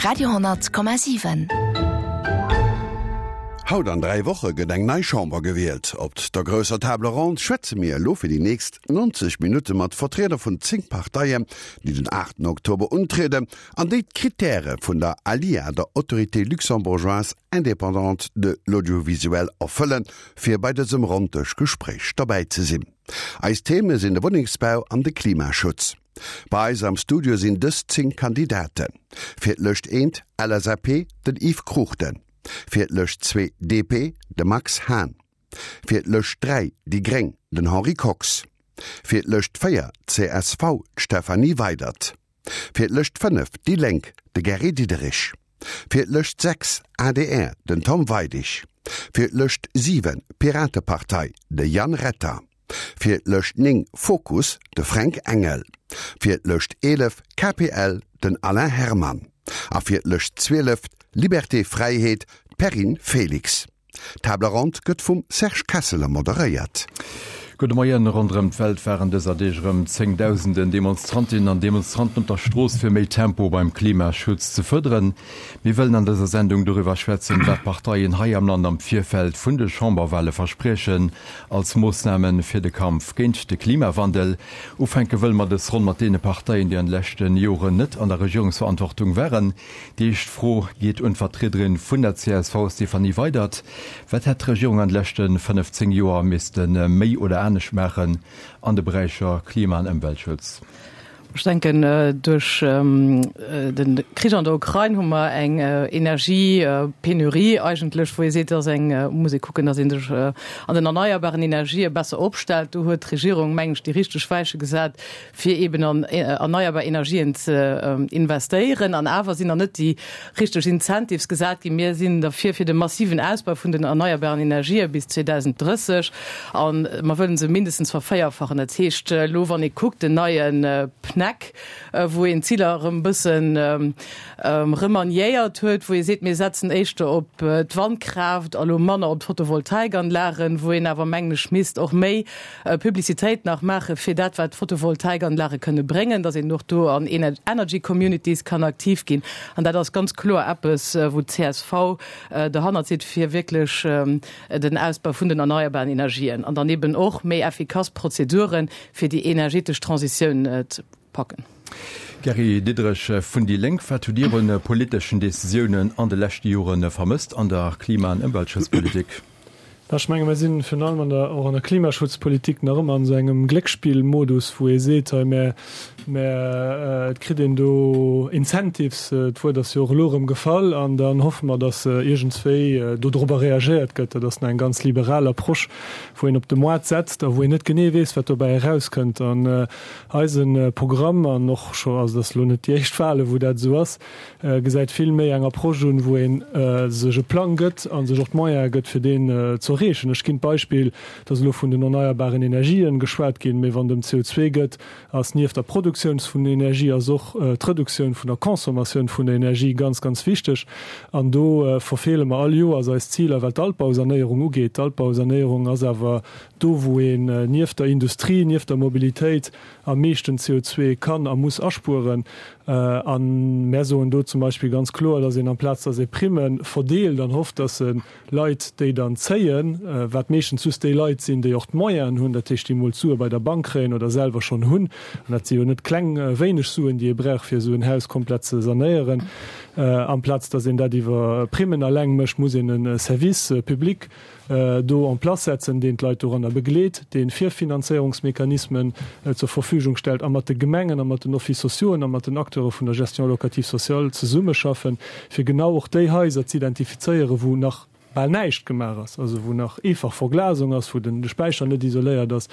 Radio,7. Haut an 3 Woche gëtt eng nei Chamber gewielt. Op der grousser Table ronde schwätze mir elo fir déi nächst 90 Minutte mat Vertrieder vun 10 Parteien, déi den 8 Oktober untrieden an déi d'Krittäre vun der ALIA, der Autorité luxembourgeoise indépendante de l'audiovisuel, erfëllen, fir bei dësem Ronndëschgespréich derbäi ze sinn. Eis Theme sinn de Wunnengsbau an de Klimaschutz. Bei eis am Studio sinn dës 10 Kandidaten, Fir d'Lëscht 1, LSAP, den Yves Cruchten, fir d'Lëscht 2, DP, de Max Hahn, fir d'Lëscht 3, déi gréng, den Henri Kox, fir d'Lëscht 4, csv, d'Stéphanie Weydert, fir d'Lëscht 5, déi Lénk, de Gary Diderich, fir d'Lëscht 6, adr, den Tom Weidig, fir d'Lëscht 7, Piratepartei, de Yann Retter. Fir d'Lëscht 9, Fokus, de Fränk Engel. Fir d'Lëscht 11, KPL, den Alain Herman. A fir d'Lëscht 12, Liberté Fräiheet, d'Perrine Felix. D'Table ronde gëtt vum Serge Kesseler moderéiert. Gudde Moien. Ronderëm d'Welt waren dëser Deeg erëm zéngdausenden Demonstrantinnen an Demonstranten op der Strooss fir méi Tempo beim Klimaschutz ze fuerderen. Mir wëllen an dëser Sendung doriwwer schwätzen, wat d'Parteien hei am Land am Virfeld vun de Chamberwale verspriechen als Moossname fir de Kampf géint de Klimawandel. Ufänke wëlle mer dës Ronn mat deene Parteien, déi an de leschte Joren net an der Regierungsverantwortung waren. Déi éischt Fro geet un d'Vertriederin vun der csv, Stéphanie Weydert. Wat hätt d'Regierung an de leschte 15 Joer misste méi oder anescht maachen an de Beräicher Klima an Ëmweltschutz? Ech denken, duerch de Krich an der Ukrain hu mer eng Energiepenurie eigentlech, wou ee seet, dass eng, muss ee kucken, dass ee sech an den erneierbaren Energië besser opstellt. Do huet d'Regierung, mengen ech, déi richteg Weiche gesat, fir eeben an erneierbar Energien ze investéieren. An awer sinn nach net déi richteg Incentives gesat ginn. Mir sinn derfir, fir de massiven Ausbau vun den erneierbaren Energië bis 2030, a mer wëllen se mindestens vervéierfachen. Dat heescht elo, wann ee kuckt, den neie PNEC, wou een d'Ziler erëm e bëssen remaniéiert huet, wou ee seet, mir setzen éischter op d'Wandkraaft a lo manner op d'Photovoltaikanlagen, wou een awer, mengen ech, misst och méi Publicitéit nach maache fir dat, wat d'Photovoltaikanlage kënne bréngen, datt een och do an Energy Communities kann aktiv ginn. An dat ass ganz kloer eppes, wou d'CSV derhannert sidd, fir wierklech den Ausbau vun den erneierbaren Energien an dann eben och méi effikass Prozeduren, fir déi energetesch Transitioun ze packen. Gary Diderich vun déi Lénk, Wat hutt Dir un politeschen Decisiounen an de leschte Jore vermësst an der Klima an Ëmweltschutzpolitik? Ech menge mir sinn virun allem an der, och an der Klimaschutzpolitik nach ëmmer an esou engem Gléckspillmodus, wou ee seet, hei mä, mä et kritt een do Incentives, d'Wuert ass jo och elo erëm gefall, an dann hoffe mer, datt iergendswéi dodrobber reagéiert gëtt. Dat ass nach eng ganz liberal Approche, wou een op de Moart setzt a wou een net genee weess, wat dobäi erauskënnt. An eise Programm, an och scho, also dat ass elo net déi éischt Wale wou dat esou ass, gesäit vill méi eng Approche un, wou ee sech e Plang gëtt a sech och d'Moyene gëtt, fir deen ze erreechen. Ech ginn d'Beispill, et ass elo vun den erneierbaren Energien geschwat ginn, mee wann et ëm CO2 gëtt, ass nieft der Produktioun vun Energie ass och d'Reduktioun vun der Consommatioun vun der Energie ganz, ganz wichteg. An do verfeele mer all Joers eis Ziler, wat d'Altbausanéierung ugeet. D'Altbausanéierung ass awer do, wou een nieft der Industrie, nieft der Mobilitéit am meeschten CO2 kann a muss aspueren. A mär soen do zum Beispill ganz kloer, dass een amplaz dass ee Primme verdeelt an hofft, dass se Leit, déi dann zéien, wat meeschtens just déi Leit sinn, déi och d'Moyenen hunn, dat heescht déi emol d'Sue bei der Bank kréien oder selwer schonn hunn, an dat si jo net kleng wéineg Suen, déi ee brauch, fir esou en Haus komplett ze sanéieren, amplaz dass een dat iwwer Primmen eleng mécht, muss een e Service public do en place setzen, deen d'Leit doranner begleet, dee Virfinanzéierungsmechanismen zur Verfügung stellt a mat de Gemengen a mat den Offices sociauxen a mat den Acteure vun der Gestion locative sociale zesummeschaffen, fir genau och déi Haiser z'identifizéieren, wou nach bal näischt gemaach ass, also wou nach eefach Verglasung ass, wou de Späicher net isoléiert ass.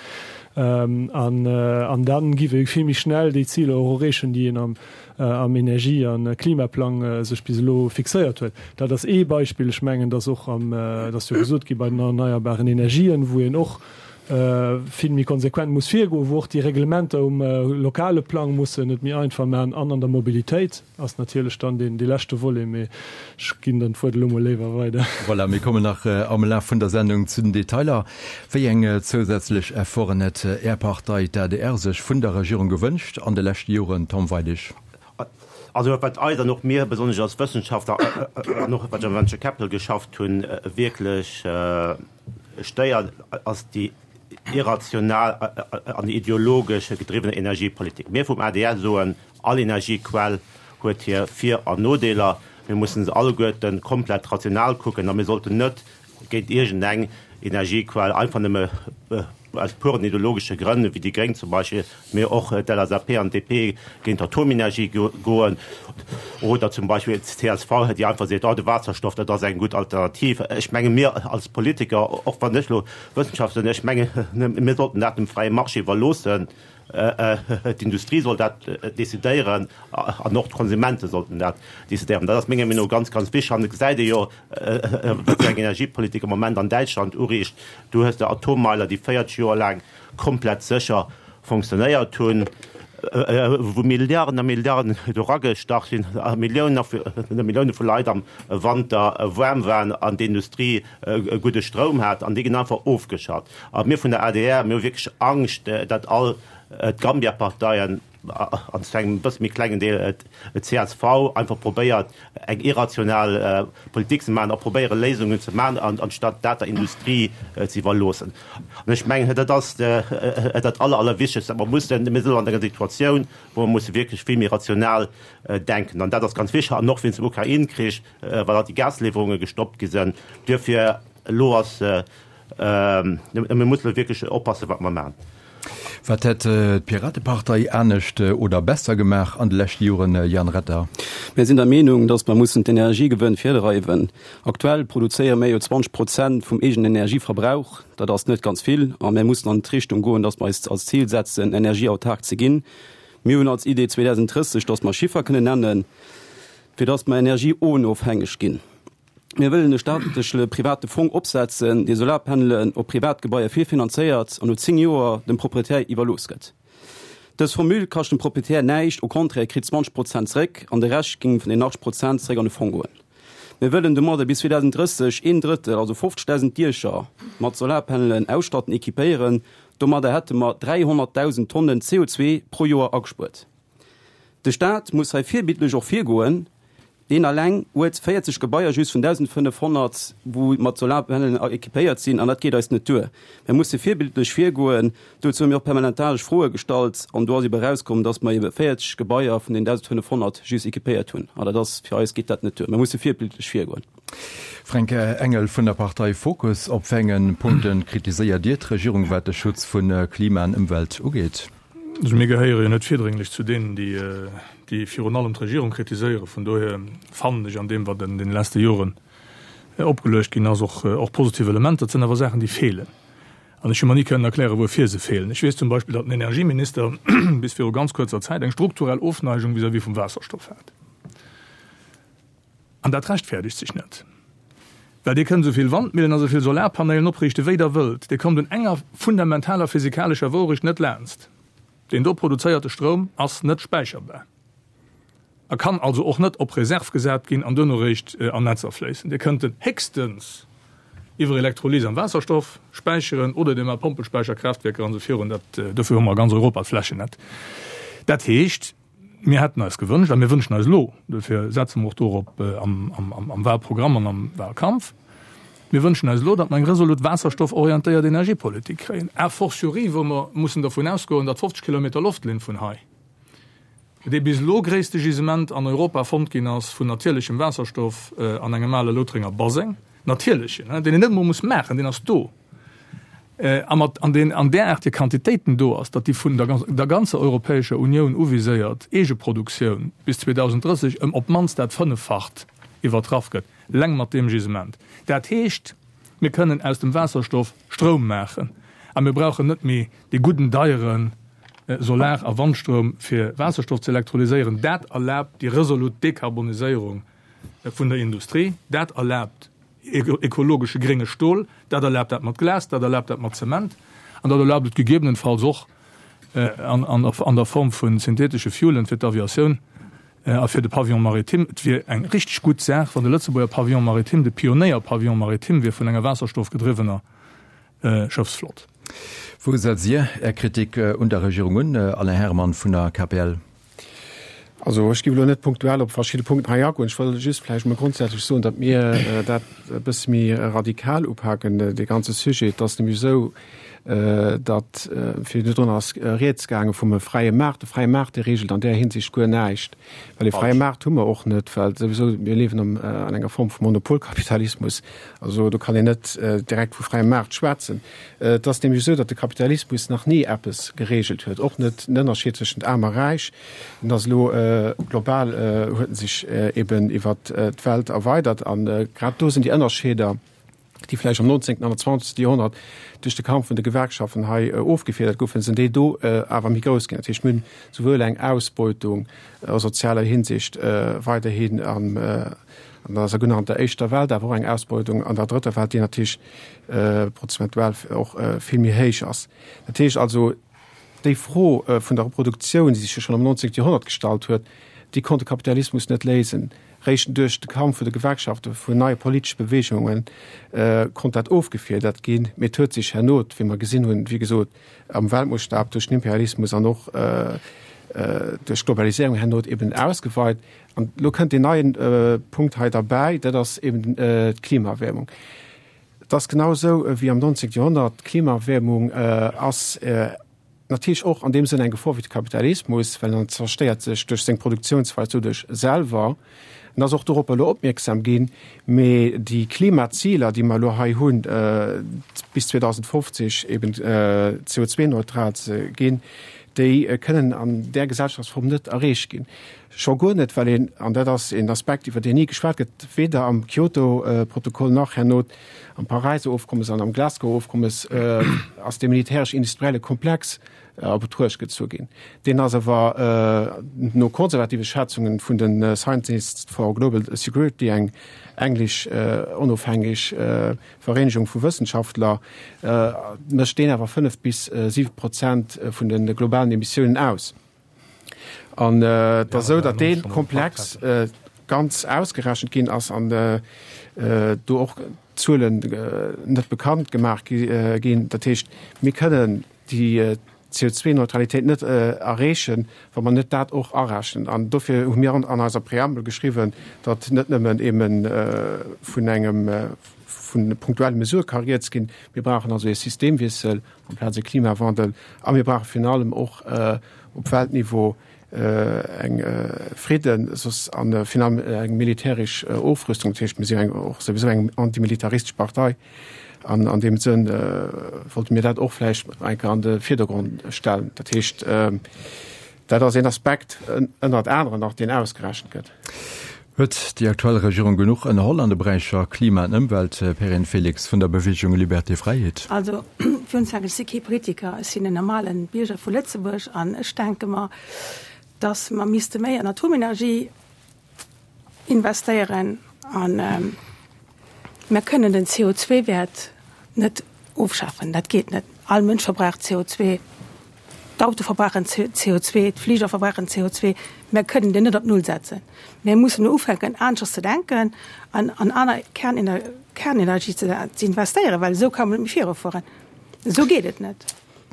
An da gi wir vill méi schnell déi Ziler och erreechen, déi een am am Energie a Klimaplang sech bis elo fixéiert huet. Dat ass ee Beispill. Ech mengen, dass och am, et ass jo gesot gi bei den erneierbaren Energien, wou een och vill méi konsequent muss virgoen, wou och déi Reglementer um lokale Plang mussen et méi einfach maachen an an der Mobilitéit ass natierlech dann deen dee leschte Volet, mee ech ginn dann d'Wuert elo mol léiwer weider. Voilà, mir kommen nach am Laf vun der Sendung zu den Detailer. Wéi eng zousätzlech Efforten hätt Är Partei, d'ADR, sech vun der Regierung gewënscht an de leschte Joren, Tom Weidig? Also wat eis an och mir besonnesch als Wëssenschaftler an och wat ech am Venture Capital geschafft hunn, wierklech stéiert, ass déi irrational an ideologesch gedriwwen Energiepolitik. Mir vum adr soen, all Energiequell huet hir Vir an Nodeeler. Mir mussen se alleguerten komplett rational kucken a mir sollten net géint iergendeng Energiequell einfach nëmme aus puren ideologesche Grënn, wéi déi Gréng zum Beispill, mee och d'LSAP an d'DP géint d'Atomenergie goen, oder zum Beispill d'CSV, déi einfach seet, oh de Waasserstoff, dat ass eng gutt Alternativ. Ech menge mir als Politiker, och wann ech elo Wëssenschaftler sinn, ech menge mir sollten dat dem fräie Marché iwwerloossen. D'Industrie soll dat decidéieren an och d'Konsumente sollten dat decidéieren. Dat ass menger Meenung no ganz, ganz wichteg. An et gesäit ee jo, wat fir eng Energiepolitik am Moment an Däitschland uriicht. Du hues de Atommeiler, déi 40 Joer laang komplett sécher fonctionnéiert hunn, wou Milliarden a Milliarden do ragestach sinn a Milliounen a Millioune vu Leit am Wanter waarm waren an d'Industrie e gudde Stroum hat, an déi ginn einfach ofgeschalt. A mir vun der adr, mir hu wierklech Angscht, datt all d'Gambia-Parteien an zu engem bësse méi klengen Deel d'CSV einfach probéiert, eng irrational Politik ze maachen a probéiere Léisungen ze maachen, anstatt dat der Industrie ze iwwerloossen. An ech mengen, dat ass dat Aller, Allerwichtegst, dat mer mussen, mir sinn elo an enger Situatioun, wou mer musse wierklech vill méi rational denken. An dat ass ganz wichteg. An och wéinst dem Ukrain-Krich, well alt déi Gasliwwerunge gestoppt gi sinn. Duerfir, elo ass, mir mussen elo wierklech oppassen, wat mer maachen. Wat hätt d'Piratepartei anescht oder besser gemaach an de leschte Joren, Jan Retter? Mir sinn der Meenung, datt mer mussen d'Energiegewënn virdreiwen. Aktuell produzéiere mir jo 20 Prozent vum eegenen Energieverbrauch. Dat ass net ganz vill a mir mussen an d'Richtung goen, datt mer eis als Zil setzen, energieautark ze ginn. Mir hunn als Idee 2030, datt mer Chiffer kënnen nennen, fir datt mer energieonofhängeg ginn. Mir wëllen e staatlechle private Fong opsetzen, dee Solarpanelen op Privatgebaier virfinanzéiert an no 10 Joer dem Proprietär iwwerlooss gëtt. Dës Formule kascht dem Proprietär näischt, au contraire, e kritt 20 Prozent zréck an de Rescht géing vun den 80 Prozent zréck an de Fong goen. Mir wëllen domadder bis 2030 een Drëttel, also 50.000 Diecher mat Solarpanelen ausstatten, equipéieren. Domadder hätte mer 300.000 Tonnen CO2 pro Joer agespuert. De Staat muss hei virbildlech och virgoen. Deen alleng huet 40 Gebaier just vun 1.500, wou mat Solarpanelen equipéiert sinn, an dat geet eis net duer. Mir musse virbildlech virgoen. Dozou hu mir och permanentaresch Froe gestallt, an do ass ebe erauskomm, dass mer ebe 40 Gebaier vun den 1.500 just equipéiert hunn. An dat ass, fir eis geet dat net duer. Mir musse virbildlech virgoen. Fränk Engel vun der Partei Fokus, Op wéi engen Punkte kritiséiert Dir d'Regierung, wat de Schutz vu Klima an Ëmwelt ugeet? Also mir gehéiere jo net virdrénglech zu deenen, déi, déi virun allem d'Regierung kritiséieren. Vun dohier fannen ech an deem, wat an deene leschte Joren opgeluecht ginn ass, och, och positiv Elementer. Et sinn awer Saachen, déi feelen. An ech hu mer ni kënnen erklären, wuerfir se feelen. Ech weess zum Beispill, datt den Energieminister bis viru ganz kuerzer Zäit eng strukturell Ofneigung vis-à-vis vum Waasserstoff hat. An dat rechtfäerdegt sech net, well Dir kënnt esou vill Wandmillen a sou vill Solarpanelen opriichte wéi Der wëllt, Dir kommt un enger fundamentaler physikalescher Wourecht net laanst, Deen do produzéierte Stroum ass net späicherbar a kann also och net op Reserv gesat ginn an duerno réischt an Netzer fléissen. Dir kënnt en héchstens iwwer Elektrolys am Waasserstoff späicheren oder Dir maacht Pompelspäicherkraaftwierker an esou virun. Dat, dofir hu mer a ganz Europa d'Flächen net. Dat heescht, Mir hätten eis gewënscht a mir wënschen eis elo, dofir setze mer och dorop am Wahlprogramm an am Wahlkampf, mir wënschen eis elo, datt mer eng resolut waasserstofforientéiert Energiepolitik kréien, a fortiori wou mer mussen dervun ausgoen, datt 50 Kilometer Loftlinn vun hei dee bis elo gréisste Gisement an Europa fonnt ginn ass vun natierlechem Waasserstoff an engem ale Loutrenger Baseng, natierlechen, deen een net emol muss maachen, deen ass do. a mat an deen an däraartege Quantitéiten do ass, datt déi vun der der ganzer Europäescher Unioun uviséiert Eegeproduktioun bis 2030 ëm op d'mannst dat Fënneffacht iwwertraff gëtt, leng mat deem Gisement. Dat heescht, mir kënnen aus dem Waasserstoff Stroum maachen a mir brauchen net méi dee gudden deiere Solar a Wandstroum fir Waasserstoff ze elektrolyséieren. Dat erlaabt déi resolut Dekarboniséierung vun der Industrie. Dat erlaabt ekologesche grénge Stol, dat erlaabt dat mat Glas, dat erlaabt dat mat Zement an dat erlaabt et gegebenenfalls och an der Form vu synthetesche Fuelen fir d'Aviatioun a fir de Pavillon maritime. Et wier eng richteg gutt Saach, wann de Lëtzebuerger Pavillon maritime de Pionéier-Pavillon maritime wier vun enger waasserstoffgedriwwener Schëffsflott. Wou setzt Dir Är Kritik un der Regierung un, Alain Herrmann vun der KPL? Also ech géif elo net punktuell op verschidde Punkten hei agoen. Ech wëll just vläicht emol grondsätzlech soen, datt mir dat e bësse méi radikal upaken, dee ganze Sujet. Et ass nämlech esou, datt, virdrun ass Rieds gaange vum fräie Maart. De fräie Maart, dee reegelt an där Hinsicht guer näischt, well e fräie Maart hu mer och net, well souwisou mir liewen an enger Form vu Monopolkapitalismus. Also do kann een net direkt vu fräiem Maart schwätzen. Et ass nämlech esou, datt de Kapitalismus nach ni eppes gereegelt huet, och net den Ënnerscheed tëschent Aarm a Räich. En ass elo global, huet en sech eben iwwer d'Welt erweidert. A grad do sinn déi Ënnerscheeder, déi vläicht am 19. an 20. Joerhonnert duerch de Kampf vun de Gewerkschaften hei ofgefiedert goufen, sinn déi do awer méi grouss ginn. Dat heescht, mir hunn souwuel eng Ausbeutung a sozialer Hinsicht weiderhin an der sougenannter éischter Welt, awer och eng Ausbeutung an der drëtter Welt, déi natierlech prozentual och vill méi héich ass. Dat heescht also, déi Fro vun der Reproduktioun, déi sech jo schonn am 19. Joerhonnert gestallt huet, déi konnt de Kapitalismus net léisen. Réischt duerch de Kampf vun de Gewerkschaften, vun neie politesche Beweegunge konnt dat ofgefiedert ginn. Mee et huet sech herno, wéi mer gesinn hunn, wéi gesot, am Weltmoossstab duerch den Imperialismus an och duerch d'Globaliséierung herno eben ausgeweit. An elo kënnt deen neien Punkt hei derbäi, dat ass eben d'Klimaerwäermung. Et ass genau esou wéi am 19. Joerhonnert, D'Klimaerwäermung ass natierlech och an deem Sënn eng Gefor fir de Kapitalismus, well en zerstéiert sech duerch seng Produktiounsweis doduerch selwer. En ass och doropper elo opmierksam ginn. Mee déi Klimaziler, déi mer elo hei hunn, bis 2050 eben CO2-neutral ze ginn, déi kënnen an där Gesellschaftsform net erreecht ginn. Scho guer net, well een, an dat ass een Aspekt, iwwer deen ni geschwat gëtt, weder am Kyoto-Protokoll nach herno am Paräiser Ofkommes an am Glasgower Ofkommes, ass dee militäresch-industrielle Komplex a Betruecht gezu ginn. Deen ass awer no konservative Schätzunge vun de Scientists for Global Security, eng englesch onofhängeg Vereenegung vu Wëssenschaftler, mécht deen awer 5 bis 7 Prozent vun de globalen Emissiounen aus. An et ass esou, datt dee Komplex ganz ausgerechent ginn ass an do och Zuelen net bekannt gemaach ginn. Dat heescht, mir kënnen déi CO2-Neutralitéit net erreechen, wa mer net dat och arechnen. An dofir hu mir an eiser Preambel geschriwwen, datt net nëmmen ebe vun engem vun punktuelle Mesurë ka rieds ginn. Mir brauchen also ee Systemwiessel amplaz e Klimawandel. A mir brauche virun allem och op Weltniveau eng Fridden, soss an virun allem eng militäresch Ofrüstung. Dat heescht, mir sinn eng och souwisou eng antimilitaristesch Partei an an deem Sënn wollte mir dat och vläicht eng Kéier an de Virdergrond stellen. Dat heescht, dat ass een Aspekt ënnert aneren nach, deen ausgerechent gëtt. Huet déi aktuell Regierung genuch ënnerholl an de Beräicher Klima an Ëmwelt? Perrine Felix vun der Beweegung Liberté Fräiheet. Also, fir unzefänken, ech si kee Politiker, ech sinn en normale Bierger vu Lëtzebuerg an ech denke mer, datt mer misste méi an Atomenergie investéieren an mer kënnen den CO2-Wäert net ofschafen, dat geet net. All Mënsch verbraucht CO2, d'Auto verbrauchen CO2, d'Fliger verbrauchen CO2. Mer kënnen deen net op Null setzen. Mer mussen elo ufänken aneschters ze denken an an aner Kernenergie ze investéieren, well esou ka mer net méi virufueren. Esou geet et net.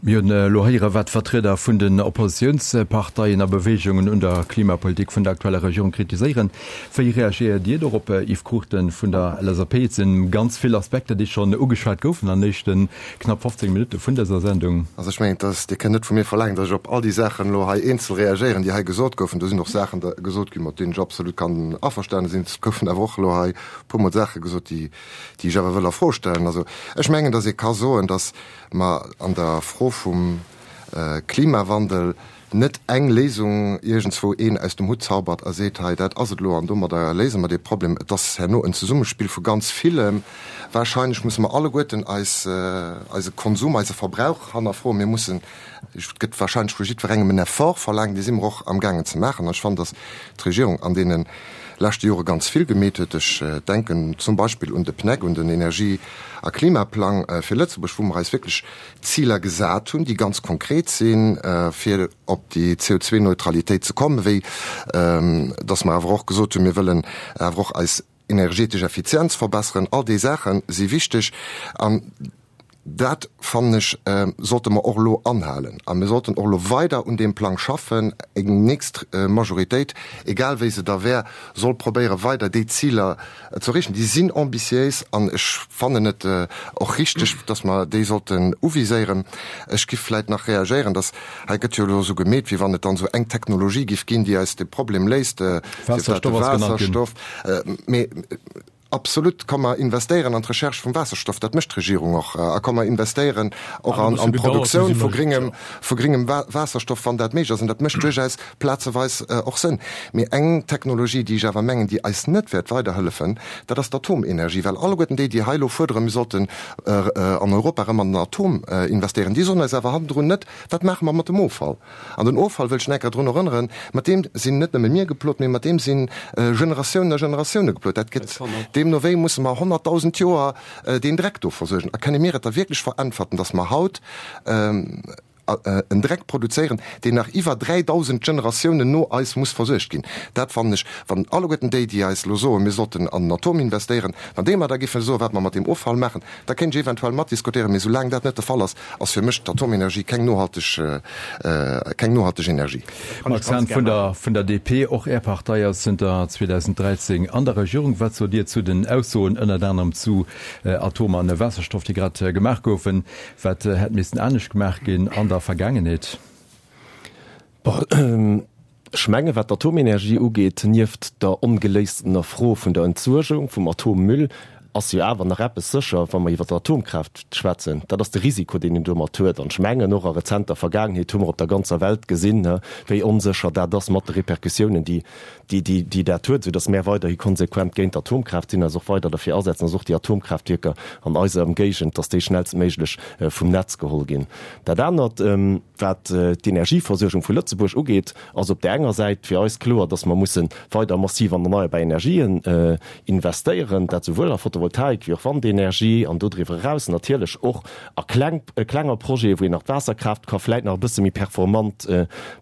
Mir hunn elo héieren, wat d'Vertrieder vun den Oppositiounsparteien a Beweegungen un der Klimapolitik vun der aktueller Regierung kritiséieren. Wéi reagéiert Dir dorop, Yves Cruchten vun der LSAP? Et si ganz vill Aspekter, déi schonn ugeschwat goufen an den éischte knapp 15 Minutte vun dëser Sendung. Also ech mengen, dass, Dir kënnt net vu mir verlaangen, dass ech op all déi Saachen elo hei eenzel reagéieren, déi hei gesot goufen. Do sinn och Saachen gesot ginn, mat deenen ech absolut kann averstane sinn. Et goufen awer och elo hei e puermol Saache gesot, déi, déi ech awer wëll a Fro stellen. Also ech mengen, dass ee ka soen, dass mer an der Fro vum Klimawandel net eng Léisung iergendswou een aus dem Hutt zaubert a seet, hei dat ass et elo an domadder léise mer dee Problem. Et ass herno en Zesummespill vu ganz villem. Wahrscheinlech musse mer alleguerten eis, eise Konsum, eise Verbrauch hannerfroen. Mir mussen, et gëtt wahrscheinlech vu jiddwerengem en Effort verlaangt, dee si mer och amgaangen ze maachen. An ech fannen, datt d'Regierung an deene leschte Jore ganz vill gemeet huet. Ech denken zum Beispill un de PNEC, un den Energie a Klimaplang fir Lëtzebuerg, wou mer eis wierklech Ziler gesat hunn, déi ganz konkret sinn, fir op déi CO2-Neutralitéit ze kommen, wéi datt mer awer och gesot hunn, mir wëllen awer och eis energetesch Effizienz verbesseren. All déi Saache si wichteg. An. Dat, fannen ech, sollte mer och elo anhalen. A mir sollten och elo weider un deem Plang schaffen. Eng nächst Majoritéit, egal wéi se da wär, soll probéieren, weider déi Ziler ze erreechen. Déi sinn ambitiéis an ech fannen et och richteg, dass mer déi sollten uviséieren. Ech giff vläit nach reagéieren, dass, hei gëtt jo elo esou gemeet, wéi wann et dann esou eng Technologie giff ginn, déi eis de Problem léist, sief dat de Waasserstoff, mee Absolut, komm mer investéieren an d'Recherche vum Waasserstoff, dat mécht d'Regierung och, a komm mer investéieren och an d'Produktioun vu gringem, vu gringem Waasserstoff, wann dat méiglech ass, an dat mécht duerchaus plazeweis och Sënn. Mee eng Technologie, déi ech awer mengen, déi eis net wäert weiderhëllefen, dat ass d'Atomenergie, well alleguerten déi, déi hei elo fuerderen, mir sollten an Europa erëm an den Atom investéieren, déi soen eis awer hannendrun net, Wat maache mer mat dem Offall? An den Offall, wëll ech nach eng Kéier drun erënneren, mat deem sinn net nëmme mir geplot, mee mat deem si Generatiounen a Generatioune geplot. Dat gëtt deemno wéi musse mer 100.000 Joer deen Dreck do versuergen. A kënne mir et da wierklech veräntwerten, datt mer haut en Dreck produzéieren, deen nach iwwer 3.000 Generatiounen no eis muss versuergt ginn? Dat fannen ech, wann alleguerten déi, déi eis elo soen, mir sollten an den Atom investéieren, wann déi mer da géife soen, wat mer mat deem Offall maachen, Da kéint ech eventuell matdiskutéieren, mee soulaang dat net de Fall ass, ass fir mech d'Atomenergie keng nohalteg, keng nohalteg Energie. Max Hahn vun der vun der DP, och Är Partei ass zënter 2013 an der Regierung. Wat sot Dir zu den Aussoen ënnert anerem zu Atom an Waasserstoff, déi grad gemaach goufen? Wat hätt missten anescht gemaach ginn an der Vergaangenheet? Ech menge wat d'Atomenergie ugeet, nieft der ongeléistener Fro vun der Entsuergung vum Atommüll, ass jo awer nach eppes sécher, wa mer iwwer d'Atomkraaft schwätzen, dat ass de Risiko, deen een domat huet. An ech mengen, och a rezenter Vergaangenheet hu mer op der ganzer Welt gesinn, wéi onsécher dat ass mat de Repercussiounen, déi, déi dat huet, soudass mär weiderhi konsequent géint d'Atomkraaft sinn, eis och weider derfir asetzen, dass och déi Atomkraaftwierker an eiser Ëmgéigend, dass déi schnellstméiglech vum Netz geholl ginn. Dat anert. Wat d'Energieversuergung vu Lëtzebuerg ugeet, ass op där enger Säit fir eis kloer, dass mer musse weider massiv an erneierbar Energien investéieren, dat souwuel a Photovoltaik wéi och Wandenergie an dodriwwer eraus natierlech och a kleng, klenger Projete wou een nach d'Waasserkraaft ka vläit nach e bësse méi performant,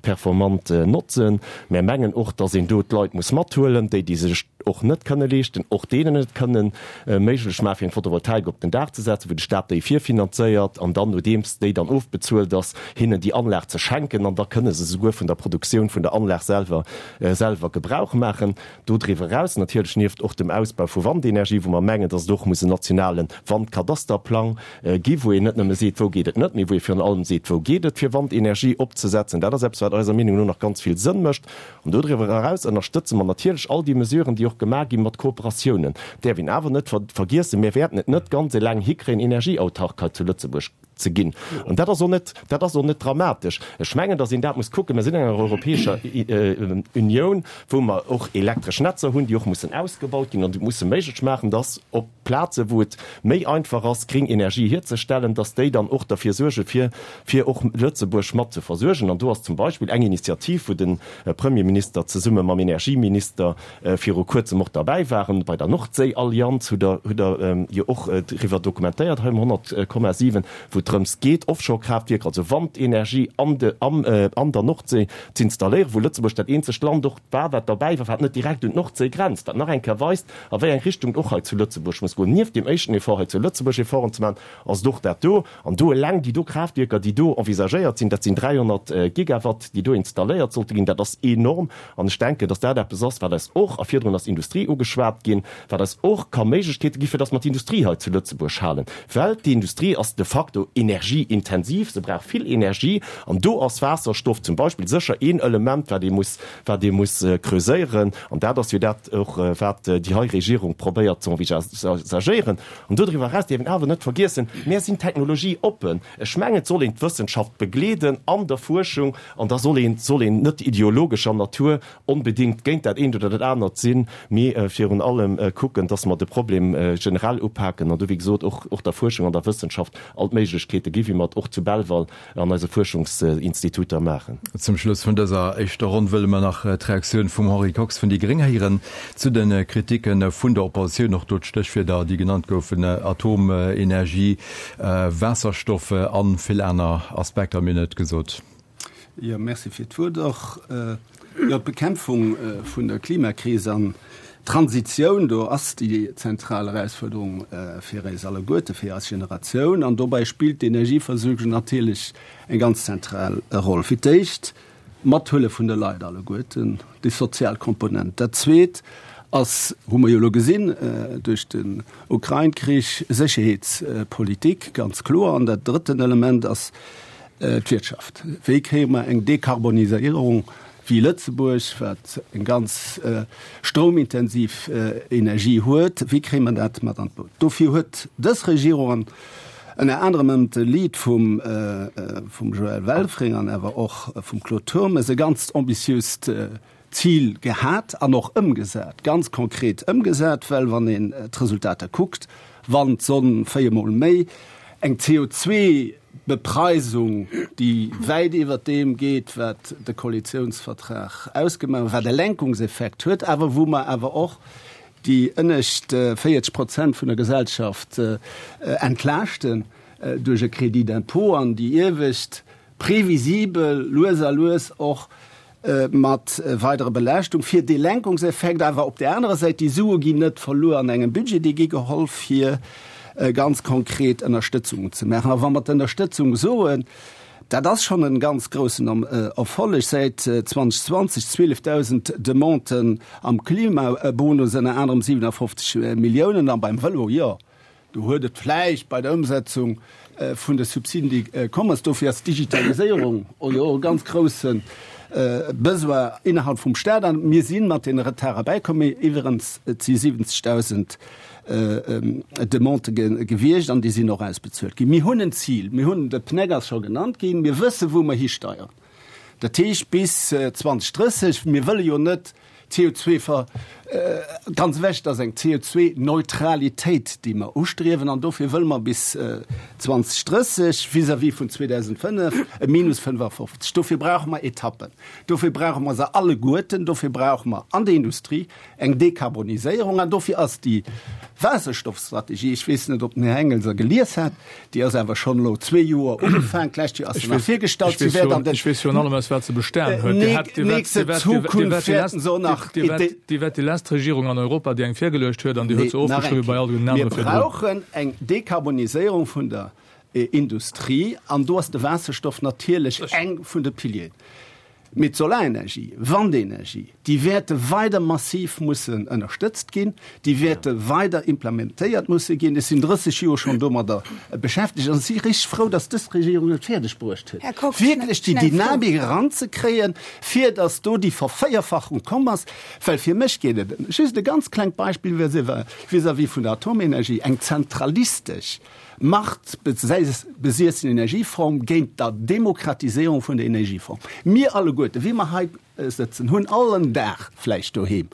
performant notzen. Mär mengen och, dass een do d'Leit muss mathuelen, déi, déi sech och net kënne leeschten, och deenen et kënnen méiglech maachen, fir eng Photovoltaik op den Daach ze setzen, wou de Staat déi virfinanzéiert an dann, nodeems déi dann ofbezuelt ass, hinnen déi Anlag ze schenken an da kënne se souguer vun der Produktioun vun der Anlag selwer selwer Gebrauch maachen. Dodriwwer eraus natierlech, nieft och dem Ausbau vu Wandenergie, wou mer mengen, datt et och muss en nationale Wandkadasterplang gi wou een net nëmme seet, wou geet et net, mee wou ee virun allem seet, wou geet et, fir Wandenergie opzesetzen. Dat ass eppes, wat eiser Meenung no nach ganz vill Sënn mécht. An dodriwwer eraus ënnerstëtze mer natierlech all déi Mesuren, déi och gemaach gi mat Kooperatiounen. Däerf een awer net vergiessen, mir wäerten et net ganz eleng hikréien, energieautark hei zu Lëtzebuerg ze ginn. An dat ass och net, dat ass och net dramatesch. Ech mengen, datt een dat muss kucken. Mir sinn an enger Europäescher Unioun, wou mer och elektresch Netzer hunn, déi och mussen ausgebaut ginn an déi musse méiglech maachen, datt op Plaze wou et méi einfach ass, gring Energie hierzestellen, datt déi dann och derfir suerge fir fir och Lëtzebuerg mat ze versuergen. An do ass zum Beispill eng Initiativ, wou de Premierminister zesumme mam Energieminister viru kuerzem och derbäi waren, bei der Nordséiallianz, hutt Der hutt Der jo och driwwer dokumentéiert hei um 100,7, wou et drëms geet, Offshore-Kraaftwierker, also Wandenergie an de am an der Nordséi z'installéieren, wou Lëtzebuerg dat eenzegt Land och war, wat derbäi war, wat net direkt un d'Nordséi grenzt, wat nach eng Kéier weist, a wéi eng Richtung et och hei zu Lëtzebuerg muss goen. Nieft deem éischten Effort hei zu Lëtzebuerg Efforten ze maachen, ass et och dat do. An do eleng déi do Kraaftwierker, déi do envisagéiert sinn, dat sinn 300 Gigawatt, déi do installéiert sollte ginn, dat ass enorm. An ech denken, dass dat eppes ass, wat eis och, a virdrun ass d'Industrie ugeschwat ginn, wat eis och ka Méiglechkeete gi fir dass mer d'Industrie hei zu Lëtzebuerg halen, well d'Industrie ass de facto energieintensiv, se brauch vill Energie an do ass Waasserstoff zum Beispill sécher een Element, wat ee muss, wat ee muss creuséieren. An dat ass jo dat och, wat déi hei Regierung probéiert ze envisagéieren. An dodriwwer eraus dierf een awer net vergiessen, Mir sinn technologieoppen. Ech mengen, et soll een d'Wëssenschaft begleeden an der Fuerschung an da soll een, soll een net ideologescher Natur onbedéngt géint dat eent oder dat anert sinn, mee virun allem kucken, dass mer de Problem generell upaken an do, wéi gesot, och, och der Fuerschung an der Wëssenschaft all d'Méiglechkeete gi wéi mer et och zu Belval an eise Fuerschungsinstituter maachen. Zum Schluss vun dëser éischter Ronn wëlle mer nach d'Reaktioun vum Henri Kox vun déi gréng héieren zu de Kriticke vun der Oppositioun. Och do d'Stéchwierder, déi genannt goufen, Atomenergie, Waasserstoff a vill aner Aspekter. Mir hunn et gesot. Jo, merci fir d'Wuert och. Jo, d'Bekämpfung vun der Klimakris an. D'Transitioun, do ass déi zentral Erausfuerderung fir eis alleguerte, fir eis Generatioun. An dobäi spillt d'Energieversuergung natierlech eng ganz zentral Roll. Fir d'éischt d'Mathuele vun de Leit alleguerten, déi sozial Komponent. Dat Zweet ass, hu mer jo elo gesinn duerch den Ukrain-Krich, Sécherheetspolitik, ganz kloer. An dat drëtten Element ass d'Wirtschaft. Wéi kréie mer eng Dekarboniséierung wéi Lëtzebuerg, wat eng ganz stroumintensiv Energie huet, wéi kréie mer dat mat an d'Boot? Dofir huet dës Regierung an ënner anerem ënnert de Lead vum Joël Welfring an awer och vum Claude Turmes e ganzt ambitiöst Zil gehat an och ëmgesat, ganz konkret ëmgesat, well wann een d'Resultater kuckt, Wand, Sonn, véiermol méi, eng CO2, Bepreisung, déi wäit iwwert deem geet, wat de Koalitionsvertrag ausgemaach huet, wat e Lenkungseffekt huet, awer wou mer awer och déi ënnescht 40 Prozent vun der Gesellschaft entlaaschten duerch e Crédit d'impôt an déi iewescht previsibel lues a lues och mat weiderer Belaaschtung fir dee Lenkungseffekt. Awer op där anerer Säit, déi Sue ginn net verluer an engem Budget, déi gi geholl fir ganz konkret Ënnerstëtzungen ze maachen. A wa mer d'Ënnerstëtzung soen, dat ass schonn e ganz groussen Erfolleg, säit 2020 12.000 Demanden am Klimabonus, ënner anerem 57 Milliounen, a beim Vëlo, jo, Do huet et vläicht bei der Ëmsetzung vun de Subsiden, déi komm ass, dofir ass d'Digitaliséierung och jo e ganz grousse Besoin innerhalb vum Staat. An mir si mat deene Retarde bäikomm. Mee iwwerens, et si 70.000 Demandë gewiescht an déi sinn och ausbezuelt ginn. Mir hunn en Zil, mir hunn, de PNEC ass scho genannt ginn, mir wësse wou mer histeieren. Dat heescht bis 2030, mir wëlle jo net CO2 ver ganz ewech, et ass eng CO2-Neutralitéit, déi mer ustriewen an dofir wëlle mer bis 2030 vis-à-vis vun 2005 e Minus 55. Dofir brauche mer Etappen, dofir brauche mer se alleguerten, dofir brauche mer an der Industrie eng Dekarboniséierung an dofir ass déi Waasserstoffstrategie, ech weess net, ob den Här Engel se gelies hat, déi ass awer schonn elo zwee Joer ugefaangen, d'lescht Joer ass se nach virgestallt, si wäert an den Ech weess virun allem, aus wat se bestan huet. Dir hat, dir waart, nächste dir waart, dir Zukunft waart déi wäerten se och nach Dir waart, Dir waart déi lescht Regierung an Europa, déi eng virgeluecht huet an Dir huet se Nee, nach eng ofgeschriwwen bei Kéier. all den Mir anere virdrun. brauchen eng Dekarboniséierung vun der Industrie an do ass de Waasserstoff natierlech eng vun de Pilieren. Mee d'Solarenergie, Wandenergie, déi wäerte weider massiv mussen ënnerstëtzt ginn, déi wäerte weider implementéiert musse ginn. Ech sinn 30 Joer schonn domadder beschäftegt an ech si richteg frou, dass dës Regierung et fäerdeg bruecht huet, wierklech déi Dynamik eranzekréien, fir dass do déi Vervéierfachung komm ass. Well fir mech geet et, just e ganz klengt Beispill vis-à-vis vun der Atomenergie, eng zentralistesch, Machtbesiessen Energieform géint der Demokratiséierung vun der Energieform. Mir alleguerte, wéi mer hei sëtzen, hunn all en Daach vläicht doheem,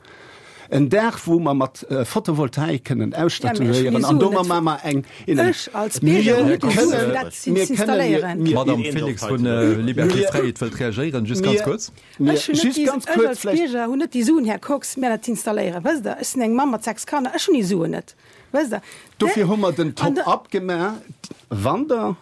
en Daach, wou mer mat Photovoltaik kënnen ausstatuéieren an domat maache mer eng Energie. Mir kënnen, mir. D'Madame Felix vun Liberté Fräiheet wëllt reagéieren. Just ganz kuerz. Ech hunn net déi, ech als Bierger hunn net déi Suen, Här Kox, mir dat ze installéieren. Wësst Der, ech sinn eng Mamm mat 6 Kanner, ech hunn déi Suen net. Wësst Der? Dofir hu mer den Top-up gemaach, wann Der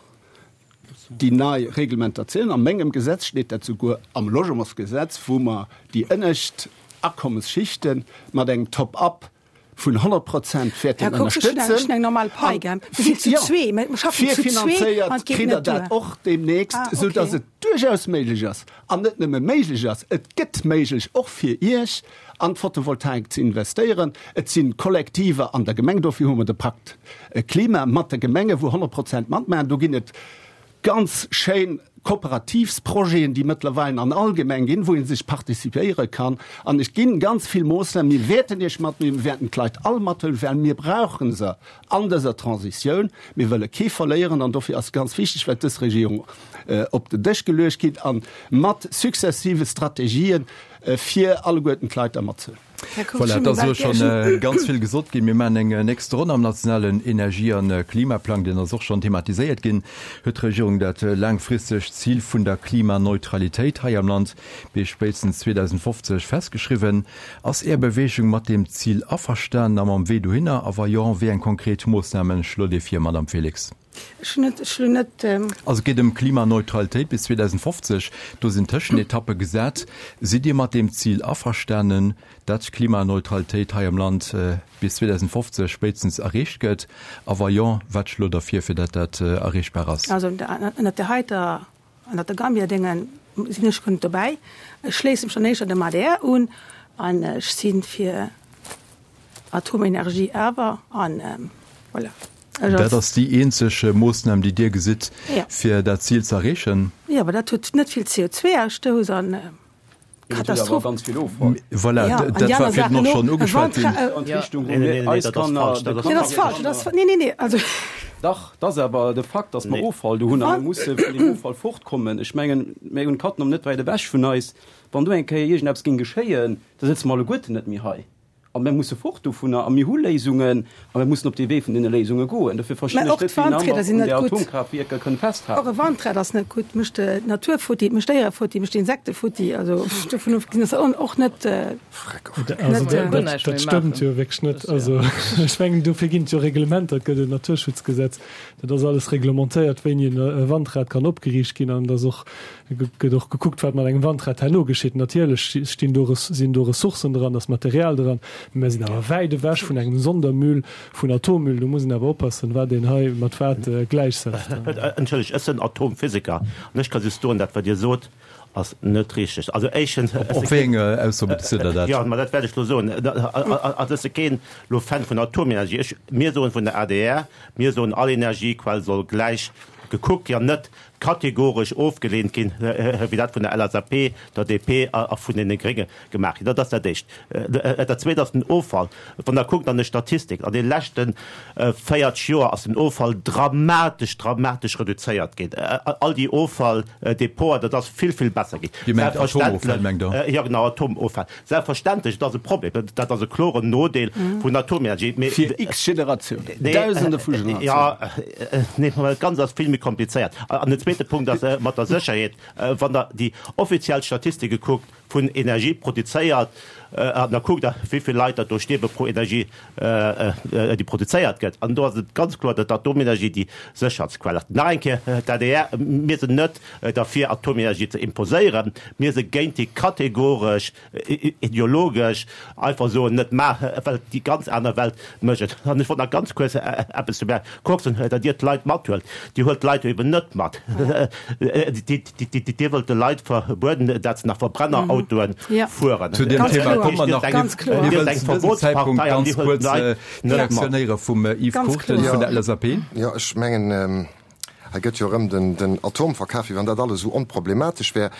déi nei Reglementatioun, a mengem Gesetz steet dat souguer am Logementsgesetz, wou mer déi ënnescht Akommensschichte mat engem Top-up vun 100 Prozent wäerten Här Kox, ech hunn eng, ech hunn eng normal Pai, gell? Mir sinn zu zwee, mir schaffen zu zwee an et Virfinanzéiert geet kritt Der net duer. dat och deemnächst, Ah, esou dass okay. et duerchaus méiglech ass, an net nëmme méiglech ass, et gëtt méiglech och fir Iech, an d'Photovoltaik ze investéieren. Et si Kollektiver an der Gemeng, dofir hu mer de Pakt Klima mat de Gemenge wou 100 Prozent matmaachen. Do ginn et ganz schéin Kooperativsprojeten, déi mëttlerweil an all Gemeng ginn, wou ee sech participéiere kann. An et ginn ganz vill Moossnamen. Mir wäerten Iech mathuelen, mir wäerten d'Leit all mathuelen, well mir brauche se an dëser Transitioun. Mir wëlle kee verléieren an dofir ass ganz wichteg, wat dës Regierung op den Dësch geluecht kritt a mat successive Strategien, fir alleguerten d'Leit da matzehuelen. Voilà, et ass elo schonn ganz vill gesot ginn. Mir maachen eng nächst Ronn am nationalen Energie a Klimaplang, deen ass och schonn thematiséiert ginn. Huet d'Regierung dat laangfristegt Zil vun der Klimaneutralitéit hei am Land bis spéitstens 2050 festgeschriwwen? Ass Är Beweegung mat deem Zil averstanen a mam Wee dohinner? A wa jo, wéi eng konkret Moossname schlot Dir vir, Madamm Felix? Ech hunn net, ech hunn net. Also et geet ëm Klimaneutralitéit bis 2050. Do sinn Tëschenetappe gesat. Sidd Dir mat deem Zil averstanen? Dat. d'Klimaneutralitéit hei am Land bis 2050 spéitstens erreecht gëtt? A wa jo, wat schlot Der vir, fir datt dat erreechbar ass? Also ënnert där heiter, ënnert der Gambia-Dénge sinn ech guer net dobäi. Ech schléisse mech dann éischter dem adr un an ech si fir Atomenergie awer an voilà. Dat ass déi eenzeg Moossnam, déi Dir gesitt, fir dat Zil ze erreechen? Jo, awer dat huet net vill CO2-Ausstouss an Katastroph. Voilà, dat war virdrun och schonn ugeschwat ginn. Dat ass falsch. Dat ass, nee, nee, nee, also. Dach, dat ass awer de Fakt, datt mer Offall do hunn a mir musse vun deem Offall fortkommen. Ech mengen, mir hunn Cattenom net wäit ewech vun eis. Wann do eng Kéier iergendeppes géing geschéien, da sëtze mer alleguerten net méi hei. A mir musse fort dovunner a mir hu Léisungen a mir mussen op dee Wee vun deene Léisunge goen. Dofir verstinn ech net, wéi een aner un där Atomkraaftwierker kënn festhalen. Och e Wandrad ass net gutt, mécht d'Natur futti, mécht d'Déiere futti, mécht d'Insekte futti. Also dovun ofgesinn ass och net. Also dat stëmmt jo wierklech net. Also ech mengen, dofir ginn et jo Reglementer, et gëtt en Naturschutzgesetz, dat ass alles reglementéiert, wéini e Wandrad kann opgeriicht ginn an et ass och gëtt och gekuckt, wat mat engem Wandrad herno geschitt. Natierlech stinn do, sinn do Ressourcen dran, ass Material dran, mä mir sinn awer wäit ewech vun engem Sondermüll, vun Atommüll. Do muss een awer oppassen, wat een hei mat wat gläichsetzt. Entschëllegt, ech sinn Atomphysiker an ech ka just soen, dat wat Dir sot, ass net richteg. Also éischtens, ech Op si wéi keen, eng Ausso bezitt Der dat? Jo, ma dat wäert ech elo soen. Also ech si keen elo Fan vun Atomenergie. Ech, mir soen vun der adr, mir soen, all Energiequell soll gläich gekuckt ginn an net kategoresch ofgeleent ginn, wéi dat vun der LSAP, der DP a vun deene Grénge gemaach ginn. Dat ass dat Éischt. Dat Zweet ass den Offall. Wann Der kuckt an de Statistiken, an de leschte 40 Joer ass den Offall dramatesch, dramatesch reduzéiert ginn. All déi Offalldepoter, dat ass vill, vill besser ginn. Dir mengt Atomoffäll, mengt Der? Jo, genau, Atomoffäll. Selbstverständlech, et ass e Problem, dat ass e kloren Nodeel vun Atomenergie. Mee Fir x Generatiounen, Dausende vu Generatiounen. Jo, nee, mä dat Ganzt ass vill méi komplizéiert. An den zweete Punkt ass mat der Sécherheet. Wann Der déi offiziell Statistike kuckt vun Energie produzéiert, an da kuckt Der, wéi vill Leit dat do stierwe pro Energie, déi produzéiert gëtt, an do ass et ganz kloer, datt d'Atomenergie déi sécherst Quell ass. Nach eng Kéier, d'ADR, mir sinn net derfir, Atomenergie ze imposéieren, mir si géint déi kategoresch ideologesch einfach soen, net maachen, well déi ganz aner Welt mécht et. An ech wollt nach ganz kuerz eppes zum Här Kox soen, datt Dir d'Leit mathuelt. Dir huelt d'Leit jo eben net mat. Dir wëllt de Leit verbueden, datt se nach Verbrennerautoe fueren. Zu deem Thema komme mer nach. Mir wëllen zu dësem Zäitpunkt ganz kuerz d'Reaktioun héiere vum Yves Cruchten vun der LSAP. Jo, ech mengen, Hei gëtt jo erëm den Atom verkaf, wéi wann dat alles esou onproblematesch wär.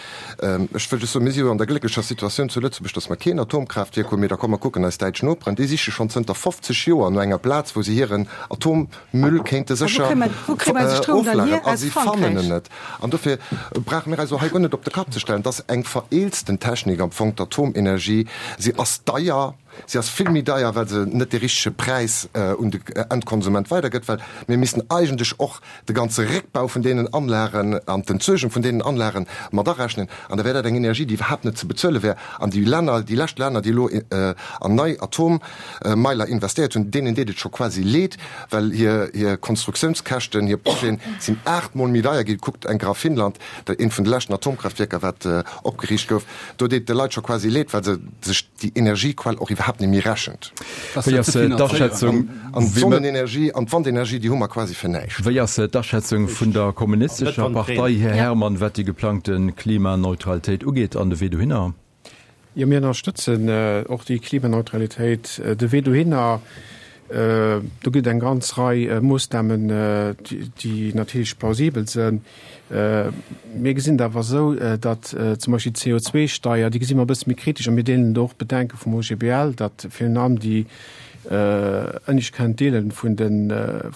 Ech wëll just soen, mir si jo an der glécklecher Situatioun zu Lëtzebuerg, datt mer keen Atomkraaftwierk hunn. Mee da komm mer kucken eis däitsch Noperen, déi siche schonn zënter 50 Joer no enger Plaz, wou se hiren Atommüll kéinte sécher oflageren, a si fannen en net. An dofir brauche mir eis och hei guer net op de Kapp ze stellen. Et ass eng vereelzten Technik am Fong, d'Atomenergie. Si ass deier. Si ass vill méi deier, well se net dee richtege Präis un de Endkonsument weidergëtt, well mir missten eigentlech och de ganze Réckbau vun deenen Anlagen an d'Entsuergung vun deenen Anlagen mat arechnen. An da wär dat eng Energie, déi iwwerhaapt net ze bezuele wär. An déi Länner, déi lescht Länner, déi elo an nei Atommeiler investéiert hunn, deenen deet et scho quasi leed, well hir Konstruktiounskäschten, hir Projeten sinn aachtmol méi deier ginn. Kuckt eng Kéier a Finnland, eent vun de leschten Atomkraftwierker, wat opgeriicht gouf, do deet et de Leit scho quasi leed, well se sech déi Energiequell och iwwerhaapt net méi rechent. Wéi ass d'Aschätzung? An d'Sonnenenergie an d'Wandenergie, déi hu mer quasi fir näischt. Wéi ass d'Aschätzung vun der Kommunistescher Partei, Här Herman, wat déi geplangte Klimaneutralitéit ugeet an de Wee dohinner? Jo, mir ënnerstëtzen och déi Klimaneutralitéit. De Wee dohinner, do gëtt et eng ganz Rei Moossnamen, déi natierlech plausibel sënn. Mir gesinn et awer esou, datt zum Beispill d'CO2-Steier, déi gesi mer e bësse méi kritesch a mir deelen do och d'Bedenke vum OGBL, datt virun allem déi ënnescht Quintile vun de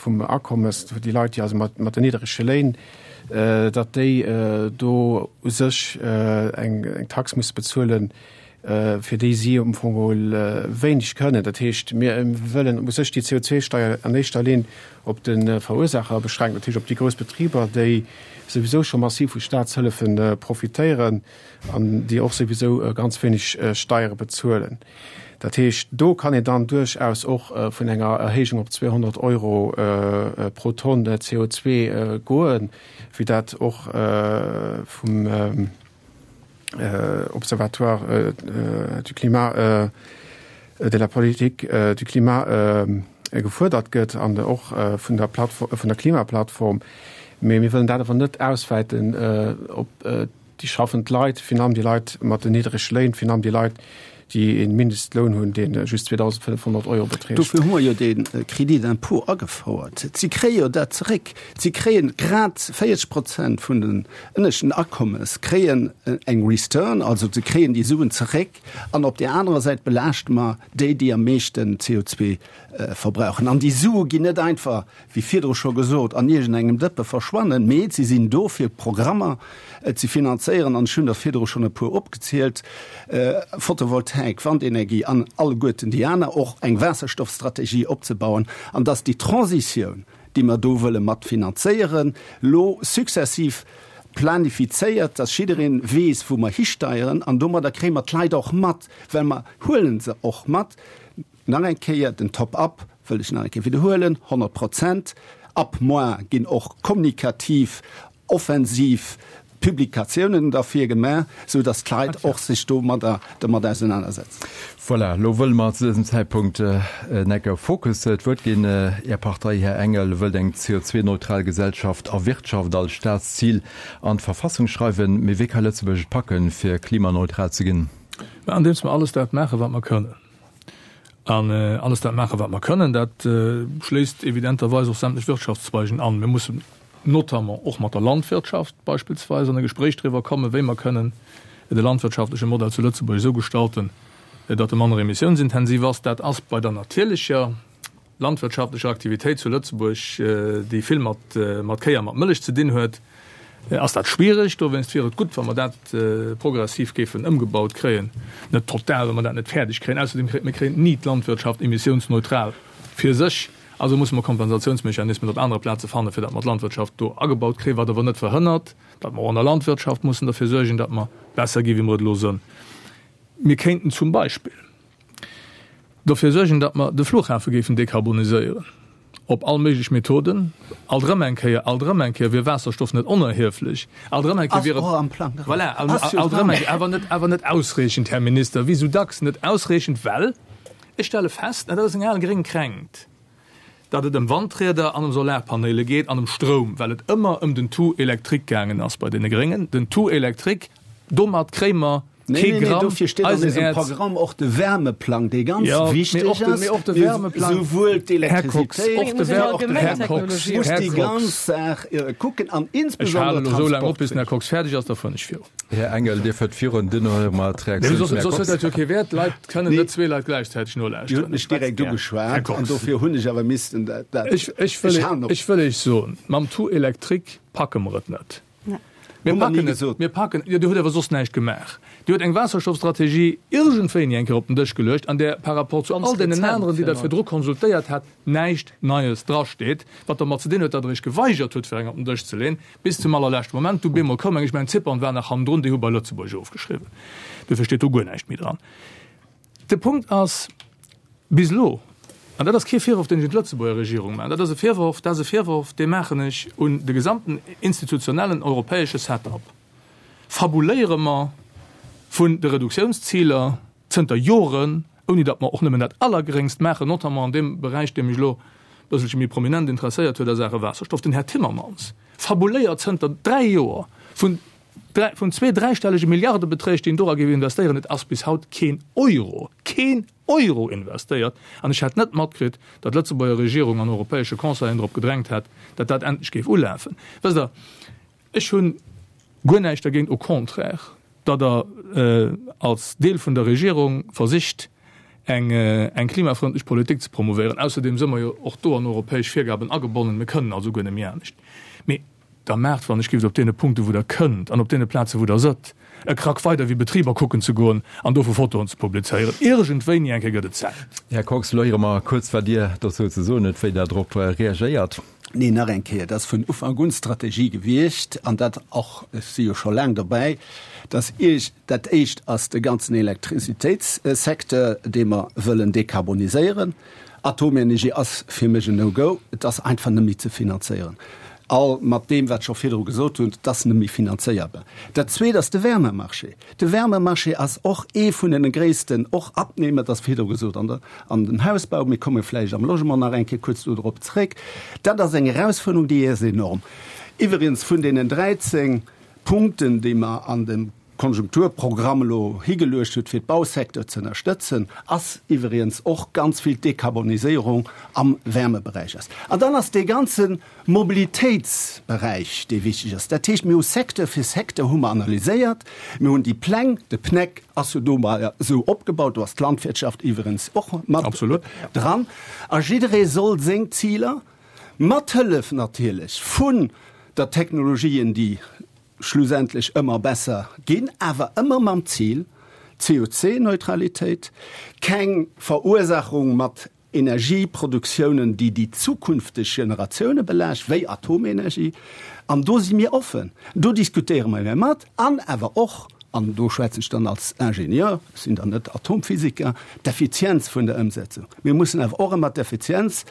vum Akommes, déi Leit, déi also mat mat den niddrege Léin, datt déi do u sech eng eng Tax musse bezuelen, fir déi si am Fong geholl wéineg kënnen. Dat heescht, mir wëllen u sech déi CO2-Steier an éischter Linn op de Verursaacher beschränken, dat heescht op déi grouss Betriber, déi souwisou scho massiv vu Staatshëllefe profitéieren an déi och souwisou ganz wéineg Steiere bezuelen. Dat heescht, do kann een dann duerchaus och vun enger Erhéijung op 200 Euro pro Tonn CO2 goen, wéi dat och vum Observatoire du climat. de la politique du climat gefuerdert gëtt an och vun der Plattform, vun der Klimaplattform. Mee mir wëllen dat awer net auswäiten op déi schaffend Leit, virun allem déi Leit mat den niddrege Léin, virun allem déi Leit, déi ee Mindestloun hunn, dee just 2.500 Euro beträgt. Dofir hu mer jo dee Crédit d'impôt agefouert. Si kréie jo dat zeréck. Si kréie grad 40 Prozent vun den ënneschten Akommes kréien eng Return, also se kréien déi Suen zeréck. An op där anerer Säit belaaschte mer déi, déi am meeschten CO2 verbrauchen. An déi Sue ginn net einfach, wéi virdru scho gesot, an iergendengem Dëppe verschwannen, mee se sinn do, fir Programmer ze finanzéieren. An ech hunn der virdru schonn e puer opgezielt, Photovoltaik, Wandenergie an alleguerten déi aner, och eng Waasserstoffstrategie opzebauen, an dass déi Transitioun, déi mer do wëlle mat finanzéieren, lo successiv planifizéiert, dass jiddereen weess, wou mer histeieren. An domadder kréie mer d'Leit och mat, well mer huele se och mat. Nach eng Kéier, den Top-up wëll ech nach eng Kéier widderhuelen, 100 Prozent. Ab mois ginn och kommunikativ offensiv Publikatiounen derfir gemaach, sou dass d'Leit och sech domadder domat ausenanersetzen. Voilà, elo wëlle mer zu dësem Zäitpunkt Necker Focus d'Wuert ginn. Är Partei, Här Engel, wëllt eng CO2-neutral Gesellschaft a Wirtschaft als Staatszil an d'Verfassung schreiwen. Mee wéi ka Lëtzebuerg et packen, fir klimaneutral ze ginn? Mä andeems mer alles dat maachen, wat mer kënnen. An alles dat maachen, wat mer kënnen, dat schléisst evidenterweis och sämtlech Wirtschaftszweigen an. Mir mussen notamment och mat der Landwirtschaft beispillsweis an e Gespréich driwwer kommen, wéi mer kënnen de landwirtschaftleche Modell zu Lëtzebuerg esou gestalten, datt e manner emissiounsintensiv ass. Dat ass bei der natierlecher landwirtschaftlecher Aktivitéit zu Lëtzebuerg, déi vill mat mat Kéi a mat Mëllech ze dinn huet, ass dat schwierig. Dowéinst wier et gutt, wa mer dat progressiv géifen ëmgebaut kréien. Net total, well mer dat net fäerdeg kréien. Ausserdeem kréie mir kréien ni d'Landwirtschaft emissiounsneutral fir sech. Also musse mer Kompensatiounsmechanismen op anere Plaze fannen, fir datt mer d'Landwirtschaft do agebaut kréien, wat awer net verhënnert, datt mer och an der Landwirtschaft mussen derfir suergen, datt mer besser gi wéi mer et elo sënn. Mir kéinten zum Beispill dofir suergen, datt mer de Flughafe géifen dekarboniséieren op all méiglech Methoden. Alt erëm eng Kéier, alt erëm eng Kéier wier Waasserstoff net onerhieflech. Alt erëm eng Kéier wier et. Ass och am Plang dran. Voilà, alt erëm eng Kéier, awer net, awer net ausreechend, Här Minister, wéi esou dacks net ausreechend, well ech stelle fest, an dat ass eng al gréng Kränkt, datt et ëm Wandrieder an ëm Solarpaneele geet an ëm Stroum, well et ëmmer ëm den Tout électrique gaangen ass bei deene Gréngen. Den Tout électrique, domat kréie mer Nee, kee nee, nee, Gramm dofir steet an eisem Eisenerz. Programm och de Wärmeplang, dee ganz Jo, mee wichteg och de, ass. mee och de Mee Wärmeplang, souwuel Här Kox, d'Elektrizitéit och de Muss een Wär, allgemeng Här Kox, Technologie muss Här déi Kox. ganz Saach kucken an Ech halen insbesondere elo esou laang op, bis den Här d'Transportwege. Kox fäerdeg ass, da fueren ech viru. Här Engel, Dir fuert virun, duerno hu mer Nee, d'Reaktioun soss vum Här soss huet Kox. dat jo kee Wäert. D'Leit kënnen Nee. net zwee Leit gläichzäiteg Dir hutt nolauschteren. mech direkt Här ugeschwat an Kox. dofir hunn ech awer missten dat, dat, Ech, ech wëll, ech halen op. ech wëll Iech soen, mam Tout électrique packe mer et net. Mir Hu mer ni packen et, gesot. mir packen, jo, Dir hutt awer soss näischt gemaach. Dir hutt eng Waasserstoffstrategie iergendwéini eng Kéier op den Dësch geluecht, an där par rapport zu Ganz all deenen rezent, aneren, déi Der virun virdru konsultéiert hat, näischt Neies drasteet, wat dermat ze dinn huet, datt Der Iech geweigert hutt, fir eng op den Dësch ze leeën, bis zum allerleschte Moment. Du bemol koum eng, ech mengen, Zypern war nach hannendrun, déi hu bei Lëtzebuerg ofgeschriwwen. Duerfir steet do guer näischt méi dran. De Punkt ass, bis elo, an dat ass kee Virworf, deen ech un d'Lëtzebuerger Regierung maachen, dat ass e Virworf, dat ass e Virworf, dee maachen ech un de gesamten institutionellen europäesche Setup, fabuléiere mer vun de Reduktiounsziler zënter Joren, ouni datt mer och nëmmen dat Allergeréngst maachen, notamment an deem Beräich, dee mech elo e bësselche méi prominent interesséiert huet a Saache Waasserstoff. Den Här Timmermans fabuléiert zënter dräi Joer vun Vun zwee dräistellege Milliardebeträg, déi een dora géif investéieren, et ass bis haut keen Euro, keen Euro investéiert. An ech hätt net matkritt, datt d'Lëtzebuerger Regierung an europäesche Conseillen drop gedrängt hätt, datt dat endlech géif ulafen. Wësst Der, ech hu guer näischt dergéint, au contraire, datt Der als Deel vun der Regierung versicht, eng eng klimafrëndlech Politik ze promouvéieren. Ausserdeem si mer jo och do an europäesch Virgaben agebonnen. Mir kënnen also guer net méi anescht. Mee Da maacht, wann ech gift, op deene Punkten, wou Der kënnt an op deene Plazen, wou Der sëtt, e Krack weider wéi Betriber kucken ze goen an dovu Fotoen ze publizéieren. Iergendwéini eng Kéier gëtt et Zäit. Här Kox, elo héiere mer kuerz, wat Dir dozou ze soen hutt, wéi Der drop reagéiert. Nee, nach eng Kéier, et ass vun Ufank un d'Strategie gewiescht, an dat och, ech si jo scho laang dobäi, dass Iech, dat Éischt ass de ganzen Elektrizitéitssecteur, dee mer wëllen dekarboniséieren. Atomenergie ass fir mech en No-Go, et ass einfach net méi ze finanzéieren. All mat deem, wat ech och virdru gesot hunn, et ass net méi finanzéierbar. Dat Zweet ass de Wärmemarché. De Wärmemarché ass och ee vun den gréissten och Abnehmer, et ass virdru gesot an der, an dem Hausbau, mir komme vläicht am Logement nach eng Kéier kuerz do drop zréck. Dat ass eng Erausfuerderung, déi ass enorm. Iwwregens vun deenen 13 Punkten, déi mer an dem Konjunkturprogramm elo higeluecht huet, fir d'Bausecteur ze ënnerstëtzen, ass iwwregens och ganz vill d'Dekarboniséierung am Wärmeberäich ass. An dann ass dee ganze Mobilitéitsberäich, dee wichteg ass. Dat heescht, mir hu Secteur fir Secteur hu mer analyséiert, mir hunn déi Pläng, de PNEC ass jo do mol esou opgebaut, do ass d'Landwirtschaft iwwregens och mat dran, a jidderee soll seng Ziler, mat Hëllef natierlech vun der Technologien, déi schlussendlech ëmmer besser ginn, awer ëmmer mam Zil, CO2-Neutralitéit, keng Verursachung mat Energieproduktiounen, déi déi zukünfteg Generatioune belaascht, wéi Atomenergie. An do si mir offen, do diskutéiere mer mat, an awer och, an do schwätzen ech dann als Ingenieur, ech sinn dann net Atomphysiker, d'Effizienz vun der Ëmsetzung. Mir mussen awer och ëmmer d'Effizienz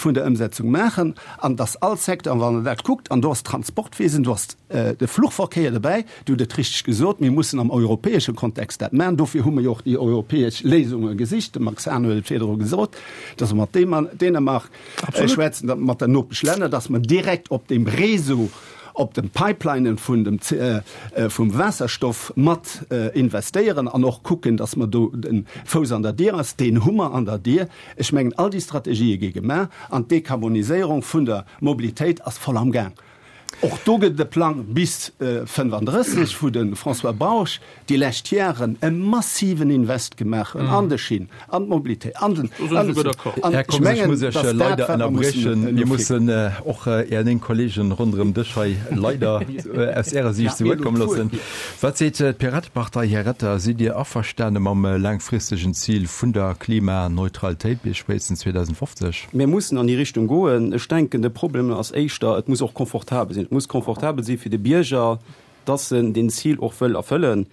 vun der Ëmsetzung maachen an dass all Secteur, an wann Der dat kuckt, an do ass d'Transportwesen, do ass de Fluchverkéier dobäi, Dir hutt et richteg gesot, mir mussen am europäesche Kontext dat maachen. Dofir hu mer jo och déi europäesch Léisunge gesicht. De Max Hahn huet et virdru gesot, dass mer mat Dänemark schwätzen, mat den Nopeschlänner, dass mer direkt op deem Réseau, op de Pipelinen vun dem, vum Waasserstoff mat investéieren an och kucken, dass mer do de Fouss an der Dier ass. Deen hu mer an der Dier. Ech mengen, all déi Strategië gi gemaach an d'Dekarboniséierung vun der Mobilitéit ass voll am Gaang. Och do gëtt et e Plang bis 35, wou de François Bausch déi lescht Jaren e massiven Invest gemaach huet an de Schinn, an d'Mobilitéit, an den. An ech mengen, dass dat, wat mer mussen elo. Mir mussen och Är 9 Kollegen ronderëm Dësch hei leider aus Ärer Siicht zu Wuert komme loossen. Wat seet d'Piratepartei, Här Retter? Sidd Dir averstane mam laangfristegen Zil vun der Klimaneutralitéit bis spéitstens 2050? Mir mussen an déi Richtung goen. Ech denken, de Problem ass éischter, et muss och confortabel sinn. Et muss confortabel si fir de Bierger, dass en deen Zil och wëll erfëllen.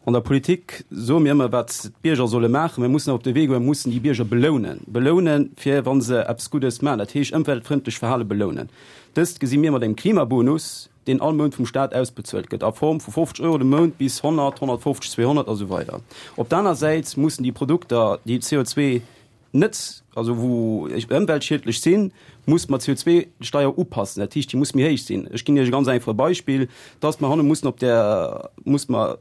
An der Politik soe mir ëmmer, wat d'Bierger solle maachen. Mir mussen awer op de Wee goen, mir mussen déi Bierger belounen. Belounen, fir wa se eppes Guddes maachen, dat heescht ëmweltfrëndlech Verhale belounen. Dëst gesi mir mat engem Klimabonus, deen all Mount vum Staat ausbezuelt gëtt, a Form vu 50 Euro de Mount bis 100, 150, 200 a sou weider. Op der aner Säit mussen déi Produkter, déi CO2 net, also wou ëmweltschiedlech sinn, muss mer d'CO2-Steier upassen. Dat heescht, déi muss méi héich sinn. Ech ginn Iech e ganz einfache Beispill, dass mer hanne mussen op der, muss mer,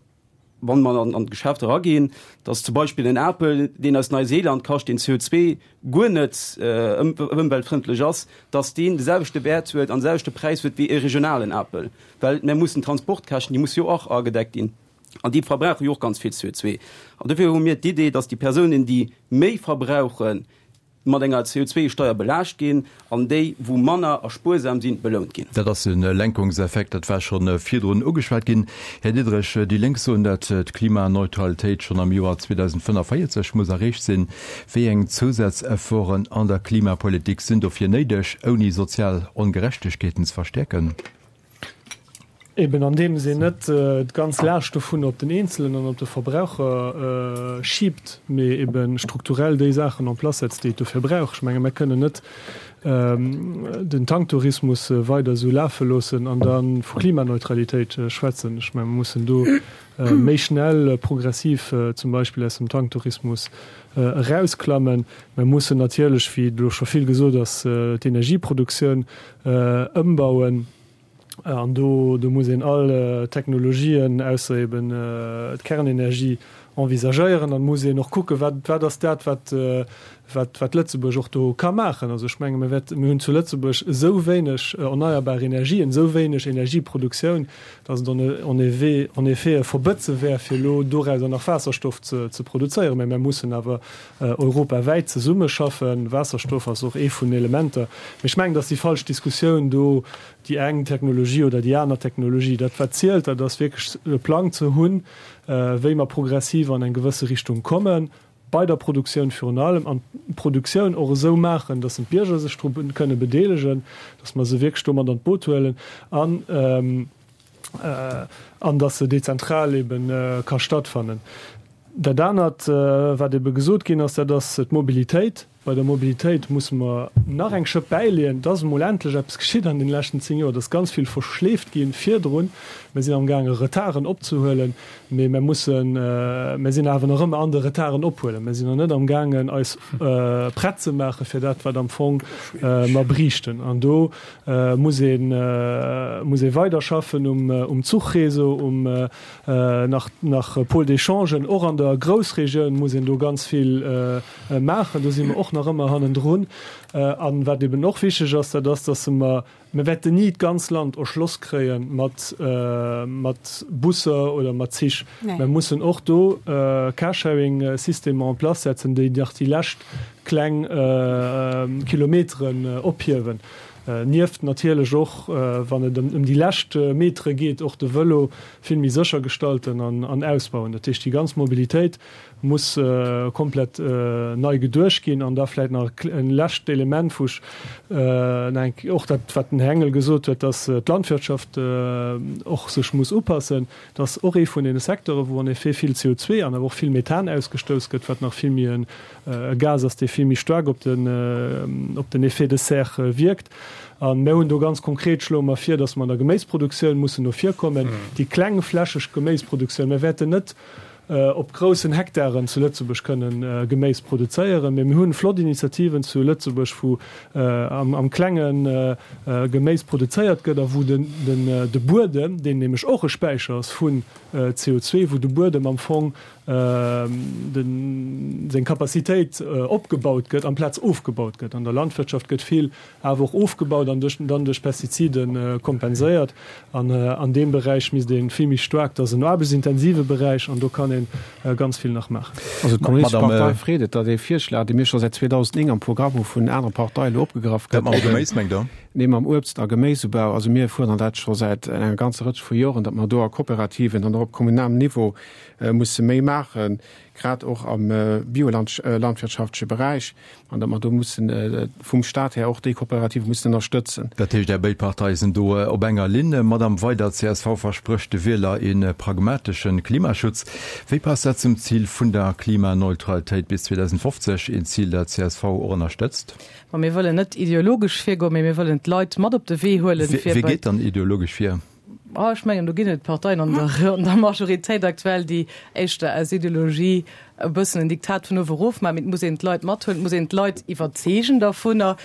wann mer an d'Geschäft eraginn, dass zum Beispill en Apel, deen aus Neuseeland kascht, deen CO2 guer net ëmweltfrëndlech ass, dass deen de selwechte Wäert huet an de selwechte Präis huet wéi e regionalen Apel. Well mer mussen d'Transportkäschten, déi musse jo och agedeckt ginn. An déi verbrauche jo och ganz vill CO2. An dofir hu mir d'Idee, dass déi Persounen, déi méi verbrauchen, mat enger CO2-Steier belaascht ginn an déi, wou manner a spuersam sinn, belount ginn. Dat ass e Lenkungseffekt, dat war scho virdrun ugeschwat ginn. Här Diderich, déi Lénk soen, datt d'Klimaneutralitéit schonn am Joer 2045 muss erreecht sinn. Wéi eng Zousazefforten an der Klimapolitik sinn dofir néideg, ouni sozial Ongerechtegkeeten ze verstäerken? Eben andeems een net d'ganz Laascht dovun op den Eenzelen an op de Verbraucher schiibt, mee ebe strukturell déi Saachen en place setzt, déi et dofir brauch. Ech menge mer kënnen net den Tanktourismus weider esou lafe loossen an da vu Klimaneutralitéit schwätzen. Ech menge mer mussen do méi schnell progressiv zum Beispill aus dem Tanktourismus erausklammen. Mer mussen natierlech, wéi elo scho vill gesot ass, d'Energieproduktioun ëmbauen. An do, do muss een all Technologien, ausser eben d'Kernenergie, envisagéieren. An muss een och kucken, wat, wat ass dat, wat, wat, wat Lëtzebuerg och do ka maachen. Also ech menge mir wäert, mir hunn zu Lëtzebuerg esou wéineg erneierbar Energien, esou wéineg Energieproduktioun, datt et en effet, en effet e Verbëtze wär, fir elo dorauser nach Waasserstoff ze, ze produzéieren. Mä mir mussen awer europawäit zesummeschaffen. Waasserstoff ass och ee vun den Elementer. Mee ech mengen, et ass déi falsch Diskussioun do, déi eng Technologie oder déi aner Technologie. Dat wat zielt, dat ass wierklech e Plang ze hunn, wéi mer progressiv an eng gewësse Richtung kommen, bei der Produktioun virun allem, an d'Produktioun och esou maachen, datt en d'Bierger sech dru kënne bedeelegen, datt mer se wierklech do mat an d'Boot huelen an an datt se dezentral ebe ka stattfannen. Dat anert, wat ebe gesot ginn ass, dat ass d'Mobilitéit. Bei der Mobilitéit musse mer nach eng Schëpp bäileeën. Et ass emol endlech eppes geschitt an deene leschten 10 Joer. Et ass ganz vill verschleeft gi virdrun. Mir sinn amgaange Retarden opzehuelen, mee mer mussen, mer sinn awer nach ëmmer an de Retarden ophuelen. Mer sinn nach net amgaangen eis prett ze maache fir dat, wat am Fong mer briichten. An do muss ee muss ee weiderschaffen um Zuchréseau, um nach nach Pôle d'échangen. Och an der Groussregioun muss een do ganz vill maachen. Do si mer och nach ëmmer hannendrun. A wat eben och wichteg ass, dat ass, dass mer, mir wäerten ni d'ganz Land erschloss kréie mat, mat Busser oder mat Zich. Mer mussen och do Carsharing-Systemer en place setzen, déi nach déi lescht kleng Kilometeren ophiewen. Nieft natierlech och, wann et ëm déi lescht Metere geet, och de Vëlo vill méi sécher gestalten an ausbauen. Dat heescht, déi ganz Mobilitéit muss komplett nei geduecht ginn. An da vläicht nach e lescht Element, wou ech nach eng Kéier och dat, wat den Här Engel gesot huet, dass d'Landwirtschaft och sech muss upassen. Dat ass och ee vun deene Secteuren, wou en effet vill CO2 an awer och vill Methan ausgestouss gëtt, wat nach vill méi e Gas ass, dee vill méi staark op den, op den Effet de serre wierkt. A mir hunn do ganz konkret, schloe mer vir, dass mer an der Geméisproduktioun mussen no vir kommen, déi klengflächeg Geméisproduktioun. Mir wäerten net op groussen Hektaren zu Lëtzebuerg kënnen Geméis produzéieren. Mee mir hunn flott Initiativen zu Lëtzebuerg, wou am Klenge Geméis produzéiert gëtt a wou de Buedem, deen nämlech och e Späicher ass vun CO2, wou de Buedem am Fong seng Capacitéit opgebaut gëtt amplaz ofgebaut gëtt. An der Landwirtschaft gëtt vill awer och ofgebaut an duerch dann duerch Pestizide kompenséiert. An an deem Beräich misst ee vill méi staark, dat ass en aarbechtsintensive Beräich an do kann ee ganz vill nach maachen. Also d'Kommunistesch Partei freet et, datt ee Virschlag, dee mir scho säit 2009 am Programm hu vun anere Parteie elo opgegraff gëtt. Dat mam Geméis, mengt Der? Nee, mam Uebst a Geméisubau. Also mir fuerdern dat scho säit enger ganzer Rëtsch vu Joren, datt mer do a Kooperativen an och op kommunalem Niveau musse méi maachen, grad och am biolandwirtschaftleche Beräich. An datt mer do mussen vum Stat här och déi Kooperative mussen ënnerstëtzen. Dat heescht, Är béid Parteie sinn do op enger Linn. Madamm Weider, csv versprécht de Wieler ee pragmatesche Klimaschutz. Wéi passt dat zum Zil vun der Klimaneutralitéit bis 2050, een Zil, dat csv och ënnerstëtzt? Ma mir wëllen net ideologesch virgoen, mee mir wëllen d'Leit mat op de Wee huelen, fir bei. Wie geet dann ideologesch vir? Ah, ech mengen, do ginn et Parteien an der, an der Majoritéit aktuell, déi éischter aus Ideologie e bëssen en Diktat vun uewe erof maachen. Mee et muss een d'Leit mathuelen, et muss een d'Leit iwwerzeegen dervunner,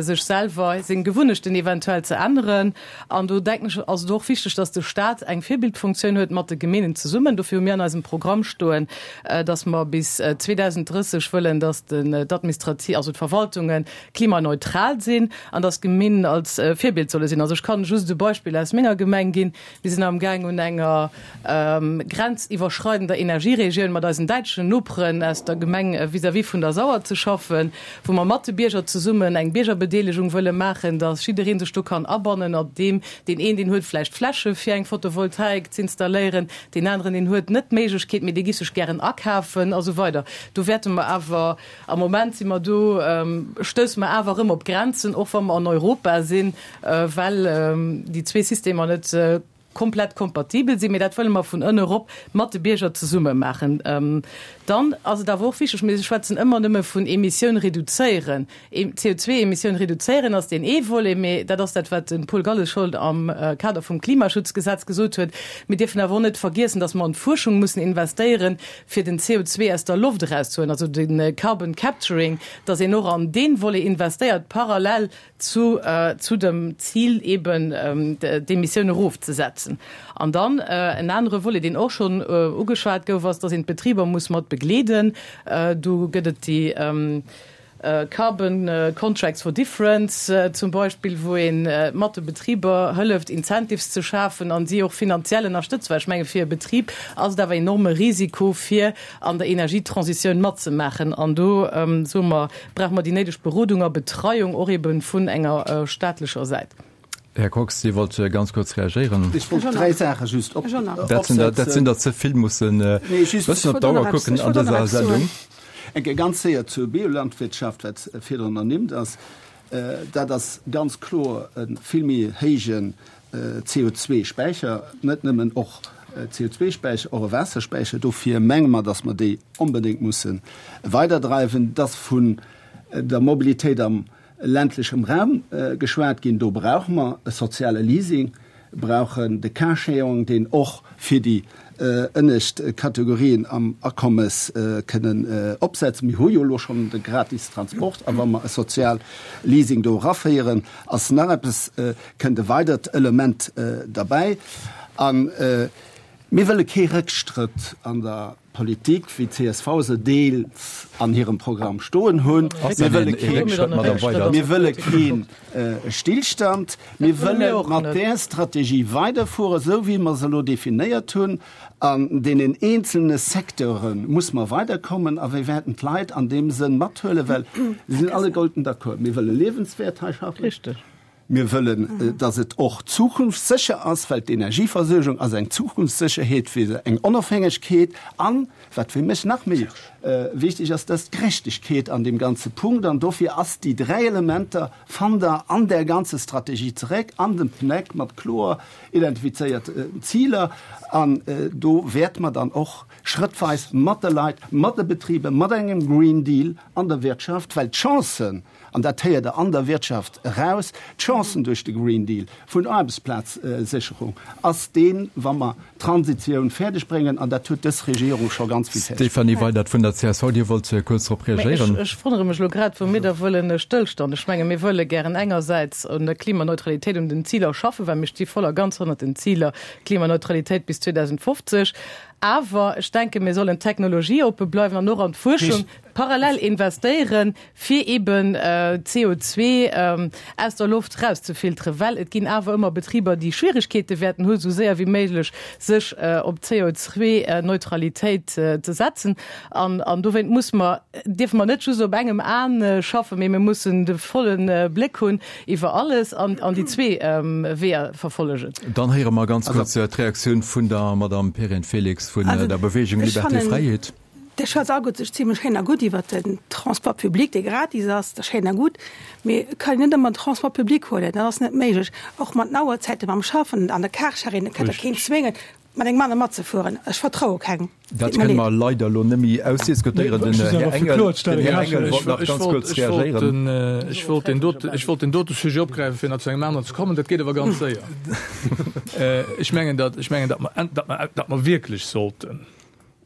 sech selwer seng Gewunnechten eventuell ze änneren. An do denken ech, ass et och wichteg, dass de Stat eng Virbildfunktioun huet mat de Gemeenen zesummen. Dofir hu mir an eisem Programm stoen, dass mer bis 2030 wëllen, dass den, d'Administrati-, also d'Verwaltungen klimaneutral sinn an dass d'Gemeenen als Virbild solle sinn. Also ech kann just e Beispill aus menger Gemeng ginn. Mir sinn amgaang un enger grenziwwerschreidender Energieregioun mat eisen däitschen Noperen aus der Gemeng vis-à-vis vun der Sauer ze schaffen, wou mer mat de Bierger zesummen eng Biergerbedeelegung wëlle maachen, dass jidderee sech do kann abannen, op deem deen een, deen huet vläicht Fläche fir eng Photovoltaik z'installéieren, deen aneren, deen huet net d'Méiglechkeet, mee dee giff sech gären akafen a sou weider. Do wäerte mer awer Am Moment si mer do, stousse mer awer erëm op Grenzen, och wa mer an Europa sinn, well déi zwee Systemer net komplett kompatibel sinn. Mee dat wëlle mer vun ënne erop mat de Bierger zesumme maachen. Dann ass et awer och wichteg, mir schwätzen ëmmer nëmme vun Emissioun reduzéieren. CO2-Emissioun reduzéieren ass deen ee Volet, mee dat ass dat, wat de Paul Galles scho am Kader vum Klimaschutzgesetz gesot huet. Mir dierfen awer och net vergiessen, dass mer an d'Fuerschung mussen investéieren, fir den CO2 aus der Loft erauszehuelen, also de Carbon Capturing, dass een och an dee Volet investéiert, parallel zu, zu dem Zil eben d'Emissioun erofzesetzen. An dann en anere Volet, deen och schonn ugeschwat gouf, ass, dass een d'Betriber muss mat begleeden. Do gëtt et déi Carbon Contracts for Difference zum Beispill, wou ee mat de Betriber hëlleft, Incentives ze schafen an si och finanziell ënnerstëtzt. Well ech menge fir e Betrib ass et awer enorme Risiko, fir an der Energietransitioun matzemaachen. An do soe mer, brauche mer déi néideg Berodung a Betreiung och ebe vun enger staatlecher Säit. Här Kox, Dir wollt ganz kuerz reagéieren. Ech wollt dräi Saache just op. Dat sinn der, dat sinn der ze vill, mussen e bëssen op d'Auer kucken an dëser Sendung. Eng Kéier ganz séier zur Biolandwirtschaft, wat virdrun ernimmt ass. Dat ass ganz kloer e vill méi héijen CO2-Späicher, net nëmmen och. CO2-Späicher, och e Waasserspäicher. Dofir menge mer, dass mer déi onbedéngt musse weiderdreiwen. Et ass vun der Mobilitéit am ländlechem Raum geschwat ginn. Do brauche mer e soziale Leasing, brauchen de Carsharing, deen och fir déi ënnescht Kategorien am Akommes kënnen opsetzen. Mir hu jo elo schonn de gratis Transport, a wa mer e sozial Leasing do eraféieren, ass nach eppes, kënnt e weidert Element derbäi. A mir wëlle kee Rëckstrëtt an der Politik, wéi d'CSV se deels an hirem Programm stoen hunn. Mir wëlle kee, mir wëlle kee Stillstand. Mir wëlle mat där Strategie weiderfueren, esou wéi mer se elo definéiert hunn. An deenen eenzelne Secteure muss mer weiderkommen a wir wäerten d'Leit an deem Sënn mathuelen, well se sinn alleguerten d'accord, mir wëlle liewenswäert hei schaffen. Mir wëllen, dass et och zukunftssécher ass, well d'Energieversuergung ass eng Zukunftssécherheet fir eng Onofhängegkeet. An, wat fir mech nach méi wichteg ass, dat ass d'Gerechtegkeet an deem ganze Punkt. An dofir ass déi dräi Elementer, fannt Der an där ganzer Strategie zeréck, an dem PNEC mat kloer identifizéierten Ziler. An do wäerte mer dann och schrëttweis mat de Leit, mat de Betriber, mat engem Green Deal an der Wirtschaft, well d'Chancen, an dat héiert Der an der Wirtschaft eraus, d'Chancen duerch de Green Deal vun Aarbechtsplazsécherung ass deen, wa mer d'Transitioun fäerdeg bréngen, an dat huet dës Regierung scho ganz vill fäerdeg. Stéphanie Weydert vun der csv, Dir wollt kuerz drop reagéieren. Ech wonnere mech elo grad, wou mir da wëllen e Stëllstand. Ech menge mir wëlle gären engersäits un der Klimaneutralitéit, un den Ziler schaffen, well mir sti voll a ganz hannert den Ziler Klimaneutralitéit bis 2050. Awer ech denke mir sollen technologieoppe bleiwen an och an d'Fuerschung parallel investéieren, fir eben CO2 aus der Loft rauszefilteren, well et ginn awer ëmmer Betriber, déi Schwierigkeete wäerten hu sou séier wéi méiglech sech op d'CO2-Neutralitéit ze setzen. An an dowéint muss mer, dierfe mer net just op engem Aen schaffen, mee mir mussen de volle Bléck hunn iwwer alles an an déi zwee Weeër verfollegen. Dann héiere mer ganz kuerz d'Reaktioun vun der Madame Perrine Felix vun der Bewegung Liberté Fräiheet. Dir schwätzt alleguerte sech zimlech schéin a gutt iwwert den Transport public, dee gratis ass, dat ass schéin a gutt, mee et kann een net ëmmer den Transport public huelen, dat ass net méiglech, och mat den Auerzäiten, mam Schaffen an der Carsharing, et kann der keen zwéngen, mat engem anere matzefueren. Ech vertraue kengem, Dat deet mer kënne mer leed. leider elo net méi ausdiskutéieren. Den Här Engel, den Här Engel wollt nach ganz kuerz reagéieren. Ech wollt deen dote, ech wollt deen dote Sujet opgräifen, fir nach zu engem aneren ze kommen. Dat geet awer ganz séier. Ech mengen, datt, ech mengen, datt mer, datt mer, datt mer wierklech sollten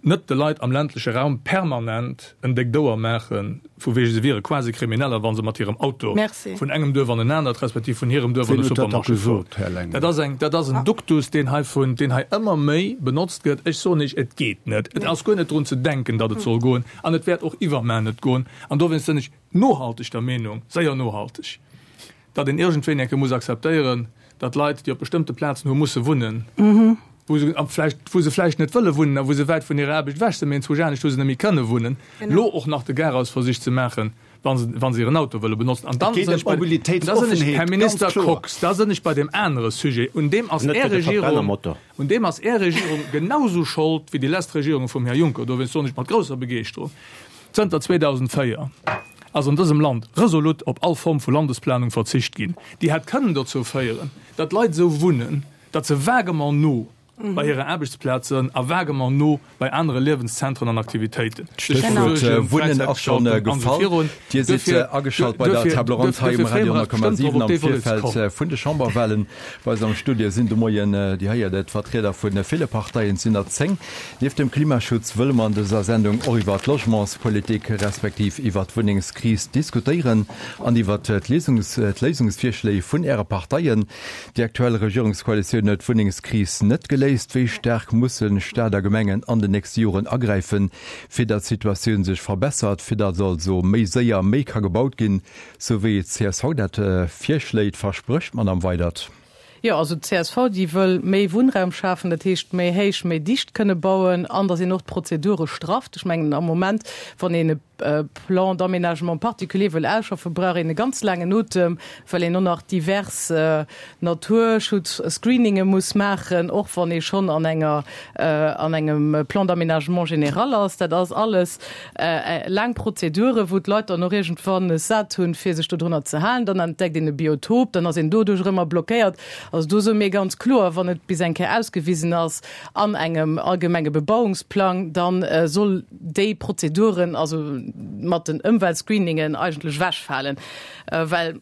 net de Leit am ländleche Raum permanent en déckt Ouer maachen, vu wege se wiere quasi Krimineller, wa se mat hirem Auto vun engem Duerf an en anert, respektiv vun hirem Duerf an e Supermarché fueren. Dat ass eng, dat ass en Duktus, deen hei vun, deen hei ëmmer méi benotzt gëtt. Ech soen Iech, et geet net. Et ass guer net drun ze denken, datt et soll goen, an et wäert och iwwermaer net goen. An dowéinst sinn ech nohalteg der Meenung, séier nohalteg, datt een iergendwéini eng Kéier muss akzeptéieren, datt Leit, déi op bestëmmte Plazen hu musse wunnen, wou se vläicht, wou se vläicht net wëlle wunnen a wou se wäit vun hirer Aarbecht ewech sinn, mee enzwousch anescht hu se net méi kënne wunnen, elo och nach de Garaus versicht ze maachen, wa se, wa se hiren Auto wëlle benotzen. An dann sinn ech bei, da sinn ech, Här Minister Kox, da sinn ech bei deem anere Sujet, un deem ass Är Regierung, un deem ass Är Regierung genausou schold wéi déi lescht Regierunge vum Här Juncker. Dowéinst soen ech mat grousser Begeeschterung, Zënter 2004 ass an dësem Land resolut op all Form vu Landesplanung verzicht ginn, déi hätt kënnen dozou féieren, datt Leit esou wunnen, datt se vaguement no bei hire Aarbechtsplaz sënn a vaguement no bei anere Liewenszentren an Aktivitéiten sech D'Stéchwuert Wunnen ass scho gefall. Dir sidd ageschalt bei der Table ronde hei um Radio 10,7 am Virfeld vun de Chamberwahlen. Bei eis am Studio sinn de Moien, Dir héiert et, Vertrieder vu ville Parteien, et sinn der 10. Nieft dem Klimaschutz wëlle mer an dëser Sendung och iwwer d'Logementspolitik respektiv iwwer d'Wunnengskris diskutéieren an iwwer d'Léisungsvirschléi vun Äre Parteien. Déi aktuell Regierungskoalitioun huet d'Wunnengskris net geléist. Wéi staark musse Staat a Gemengen an den nächste Joren agräifen, fir datt d'Situatioun sech verbessert, fir datt also méi séier méi ka gebaut ginn, sou wéi d'CSV dat virschléit, versprécht d'Madame Weydert? Jo, also d'CSV, déi wëll méi Wunnraum schafen, dat heescht méi héich, méi dicht kënne bauen an da sinn och d'Prozedure strafft. Ech mengen am Moment, wann een e. Plan d'aménagement particulier wëll ausschaffen, brauch een e ganz laangen Otem, well een och nach divers Naturschutz-Screeninge muss maachen, och wann ee schonn an enger, an engem Plan d'aménagement général ass. Dat ass alles laang Prozedure, wou d'Leit dann och iergendwann es sat hunn, fir sech dodrunner ze halen. Dann entdeckt een e Biotop, dann ass een doduerch erëm blockéiert. Also do soe mir ganz kloer, wann et bis eng Kéier ausgewisen ass an engem allgemenge Bebauungsplang, da soll déi Prozeduren, also mat den Ëmweltscreeningen, eigentlech ewechfalen, well,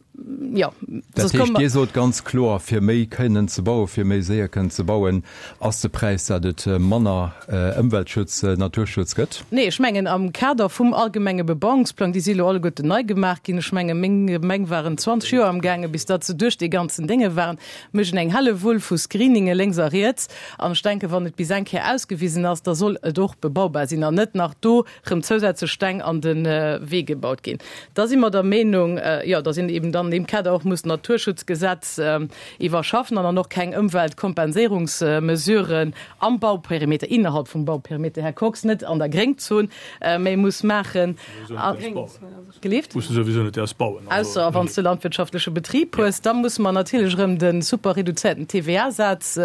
jo, Dat soss komme heescht, Dir sot ganz kloer, fir méi kënnen ze bauen, fir méi séier kënnen ze bauen, ass de Präis, dat et manner Ëmweltschutz, Naturschutz gëtt? Nee, ech mengen am Kader vum allgemenge Bebauungsplang, déi si elo alleguerten nei gemaach ginn, ech menge meng Gemeng waren 20 Joer amgaange bis datt se duerch dee ganzen Dénge waren, méchen eng Hellewull vu Screeninge lénks a riets an ech denken, wann et bis eng Kéier ausgewisen ass, da soll et och bebaubar sinn an net nach do rëm zousätzlech Steng an de Wee gebaut ginn. Da si mer der Meenung, jo, datt een eben dann an deem Kader och muss d'Naturschutzgesetz iwwerschaffen an dann och keng Ëmweltkompenséierungsmesuren am Bauperimeter, innerhalb vum Bauperimeter, Här Kox, net an der Gréngzon, méi muss maachen. Gelift? Muss de souwisou net däers bauen. Ausser wann s de landwirtschaftleche Betrib hues, da musse mer natierlech erëm de super reduzéierten TVA-Saz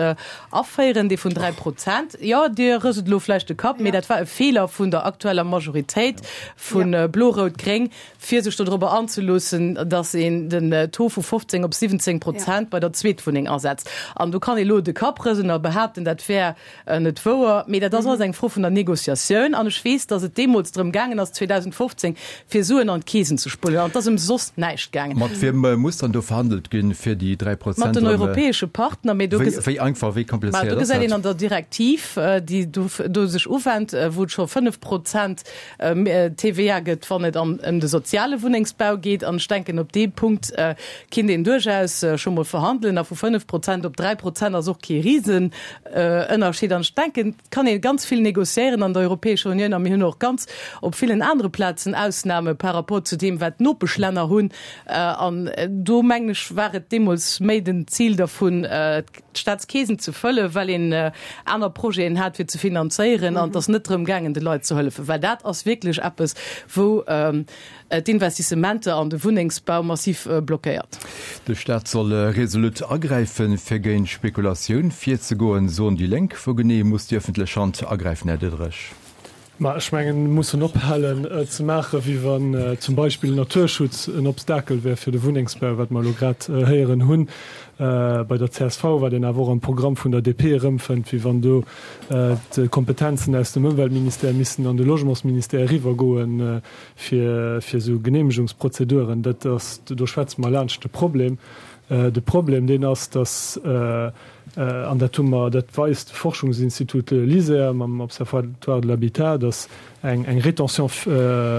aféieren, dee vun 3 Prozent. Jo, Dir rëselt elo vläicht de Kapp, mee dat war e Feeler vun der aktueller Majoritéit vu Blo-Rout-Gréng, fir sech dodrobber anzeloossen, datt een den Taux vu 15 op 17 Prozent bei der Zweetwunneng asetzt. An do kann ee lo de Kapp rëselen a behaapten, dat wär net wouer, mee dat ass alles eng Fro vun der Négociatioun. An ech weess, datt et deemools drëm gaangen ass, 2015, fir Suen an d'Keesen ze spullen. An et ass ëm soss näischt gaangen. Mat wiem muss dann do verhandelt ginn, fir déi 3 Prozent Mat den europäesche Partner. Mee do Wéi einfach, wéi komplizéiert ass dat? Do gesäit een an der Direktiv, déi do sech uwennt, wou et scho 5 Prozent TVA gëtt, wann et ëm de soziale Wunnengsbau geet. An ech denken, op deem Punkt kinnt een duerchaus scho mol verhandelen. A vu 5 Prozent op 3 Prozent ass och kee Risenënnerscheed. An ech denken, et kann ee ganz vill négociéieren an der Europäescher Unioun. A mir hunn och ganz op villen anere Plazen Ausnahme par rapport zu deem, wat d'Nopeschlänner hunn. An do, mengen ech, war et deemools méi den Zil dervun, d'Staatskeesen ze fëllen, well een aner Projeten hat fir ze finanzéieren an et ass net drëm gaangen de Leit ze hëllefen, well dat ass wierklech eppes wou d'Investissementer an de Wunnengsbau massiv blockéiert. De Staat soll resolut agräifen, fir géint Spekulatioun virzegoen, soen déi Lénk. Wou genee muss déi ëffentlech Hand agräifen, Här Diderich? Ma ech mengen, mir mussen ophalen ze maachen, wéi wann zum Beispill Naturschutz en Obstakel wär fir de Wunnengsbau, wat mer elo grad héieren hunn bei der csv, wat een awer och am Programm vun der DP erëmfënnt, wéi wann do d'Kompetenzen aus dem Ëmweltministère missten an de Logementsministère eriwwergoen, fir esou Genehmegungsprozeduren. Dat ass, do schwätze mer laanscht de Problem. De Problem, deen ass, dass, an dat hu mer, dat weist de Forschungsinstitut LISER mam Observatoire de l'habitat, dass eng eng Rétention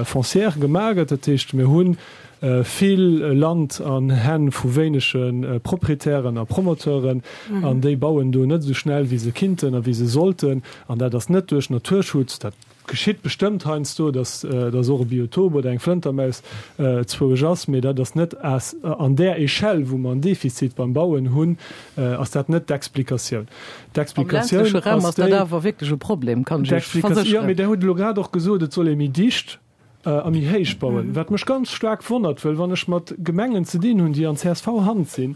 foncière gemaach gëtt. Dat heescht, mir hu vill Land an Hänn vu wéinege Proprietären a Promoteuren, an déi bauen do net esou schnell, wéi se kinnten a wéi se sollten. An dat ass net duerch Naturschutz, dat Geschitt bestëmmt heiansdo, dass dass och e Biotop oder eng Flëntermaus zwoueg ass, mee dat ass net an där Echelle, wou mer en Defizit beim Bauen hunn, ass dat net d'Explikatioun. Am ländleche Raum ass dat awer wierklech e Problem, kann ech Iech versécheren. Jo, mee Der hutt elo grad och gesot, et soll ee méi dicht a méi héich bauen, wat mech ganz staark wonnert, wëll wann ech mat Gemengen ze dinn hunn, déi an CSV-Hand sinn,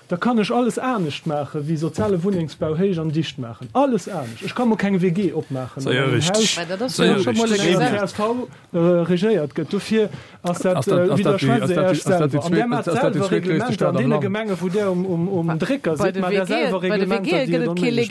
Da kann ech alles anescht maachen, wéi soziale Wunnengsbau héich an dicht maachen. Alles anescht. Ech ka mol keng WG opmaachen an engem Haus, wou an csv regéiert gëtt. Dofir ass dat, widderschwätzt Dir Iech selwer. An där maacht selwer Reglementer an deene Gemengen, wou Der um Drécker sidd, maacht Der selwer Reglementer, déi et onméiglech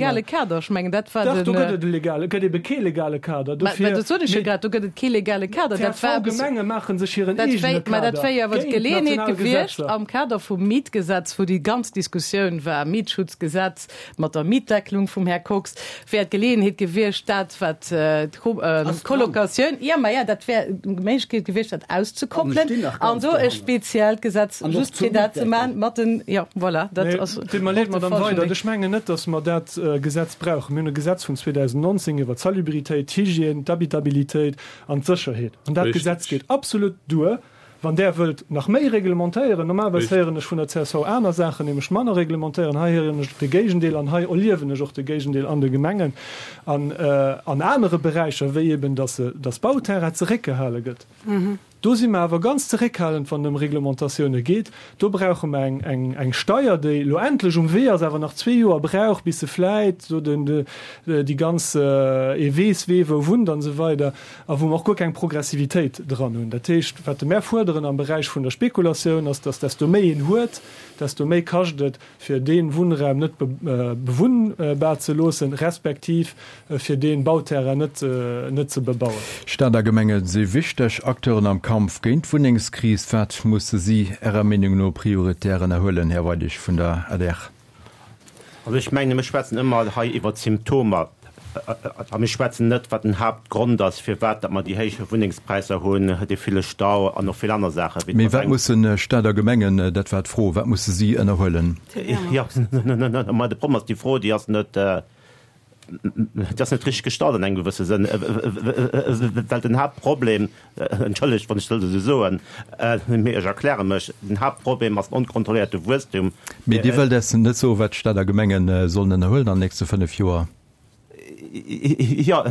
maachen. Dach, do gëtt et e legale, et gëtt ebe kee legale Kader. Dofir, d'CSV-Gemenge maache sech hiren eegene Kader géint national Gesetzer. Am Kader vum Mietgesetz, wou déi ganz Diskussioun war, Mietschutzgesetz mat der Mietdeckelung vum Här Kox, wär d'Geleeënheet gewiescht, dat wat d'Colocatioun, jo, ma jo, dat wär d'Méiglechkeet gewiescht, dat auszekoppelen an do e speziellt Gesetz just fir dat ze maachen mat den, jo, voilà, dat ass. Deet mer leed, Madamm Weydert, ech mengen net, datt mer dat Gesetz brauchen. Mir hunn e Gesetz vun 2019 iwwer d'Salubritéit, d'Hygiène, d'Habitabilitéit an d'Sécherheet. An dat Gesetz geet absolut duer. Wann Der wëllt nach méi reglementéieren, normalerweis héieren ech vun der csv aner Saachen, nämlech manner reglementéieren, hei héieren ech de Géigendeel an hei erliewen ech och de Géigendeel an de Gemengen an an anere Beräicher, wéi eben, dass dass Bauterrain zeréckgehale gëtt. Do si mer awer ganz zeréckhalend, wann et ëm Reglementatioune geet. Do brauche mer eng, eng, eng Steier, déi elo endlech um Wee ass, awer nach zwee Joer brauch, bis se vläit do den, déi ganz, ee weess, wee wou wunnt an esou weider, a wou mer och guer keng Progressivitéit dran hunn. Dat heescht, wat mer fuerderen am Beräich vun der Spekulatioun, ass, dass desto méi een huet, desto méi kascht et, fir dee Wunnraum net bewunnbar ze loossen, respektiv fir dee Bauterrain net net ze bebauen. Stad a Gemenge si wichteg Acteuren am Kampf géint d'Wunnengskris. Wat musse si Ärer Meenung no prioritär ënnerhuelen, Här Weidig vun der adr? Also ech mengen, mir schwätzen ëmmer hei iwwert d'Symptomer a mir schwätzen net, wat den Haaptgrond ass, firwat datt mer déi héich Wunnengspräisser hunn, dee ville Stau an och vill aner Saachen. Mee wat musse Stad a Gemengen, dat war d'Fro, wat musse si ënnerhuelen? Jo, mä de Problem ass, déi Fro, déi ass net, déi ass net richteg gestallt an engem gewësse Sënn, well den Haaptproblem, entschëllegt, wann ech dat esou soen, mee ech erkläre mech, den Haaptproblem ass den onkontrolléierte Wuesstum. Mee Dir wëllt eis net soen, wat d'Stad a Gemenge sollen ënnerhuelen an den nächste 5 Joer? Jo,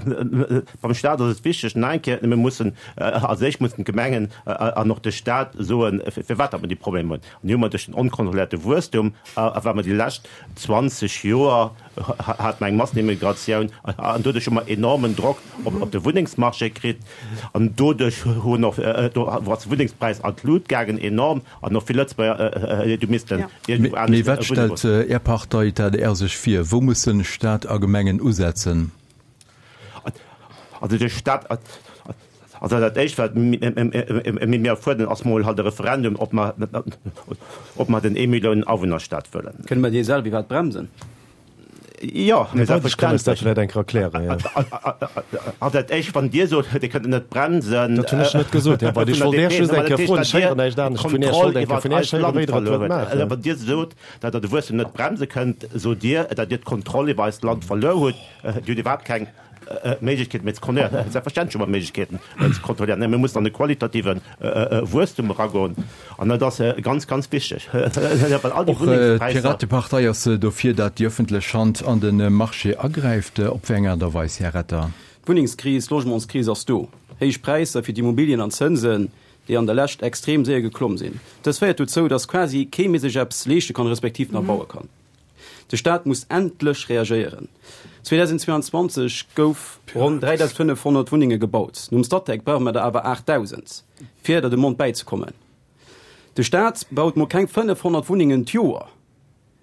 beim Staat ass et wichteg, nach eng Kéier, mir mussen, als éischt mussen d'Gemengen an och de Staat soen, firwat datt mer déi Problemer hunn. An déi hu mer duerch den onkontrolléierte Wuesstum, a well mer déi lescht 20 Joer hate mer eng Massenimmigratioun an doduerch hu mer enormen Drock op de Wunnengsmarché kritt an doduerch hunn och, do ass de Wunnengspräis an d'Lut gaangen enorm an och vill Lëtzebuerger hu missten iergendwou anescht Mee wat stellt Är Partei, d'ADR, sech vir? Wou mussen Staat a Gemengen usetzen? Also de Staat, also dat éischt wat mir fuerderen ass mol halt e Referendum, ob mer, ob mer den Eemilliounen-Awunner-Staat wëllen. Kënne mer dee selwer iwwerhaapt bremsen? Jo, mee selbstverständlech. Dat vläicht eng Kéier erklären, jo. Also dat éischt, wann Dir sot, Dir kënnt et net bremsen. Dat hunn ech net gesot, Här Weidig. Ech wollt Iech just eng Kéier froen, ech héieren näischt anescht vun Iech, ech wollt eng Kéier vun Iech héieren, wéi Der et wëllt maachen. Wann Dir sot, datt Der de Wuesstem net bremse kënnt, sot Dir, datt Dir d'Kontroll iwwer eist Land verluer hutt. Dir hutt iwwerhaapt keng Méiglechkeeten méi ze kontrolléieren. Selbstverständlech hu mer Méiglechkeeten ze kontrolléieren, mä mir mussen an e qualitative Wuesstum eragoen an dat ass ganz, ganz wichteg, well all déi Och Wunnengspräisser. D'Piratepartei ass dofir, dat déi ëffentlech Hand an de Marché agräift. Op wéi eng Aart a Weis, Här Retter? D'Wunnengskris, d'Logementskris ass do. Héich Präisser fir d'Immobilien an d'Zënsen, déi an der Lescht extrem séier geklomm sinn. Dës féiert dozou, datt quasi kee méi sech eppes leeschte kann, respektiv nach baue kann. De Staat muss endlech reagéieren. 2022 gouf ronn 3.500 Wunnenge gebaut. Nom Statec brauche mer der awer 8.000, fir der Demande bäizekommen. De Staat baut mol keng 500 Wunnengen d'Joer.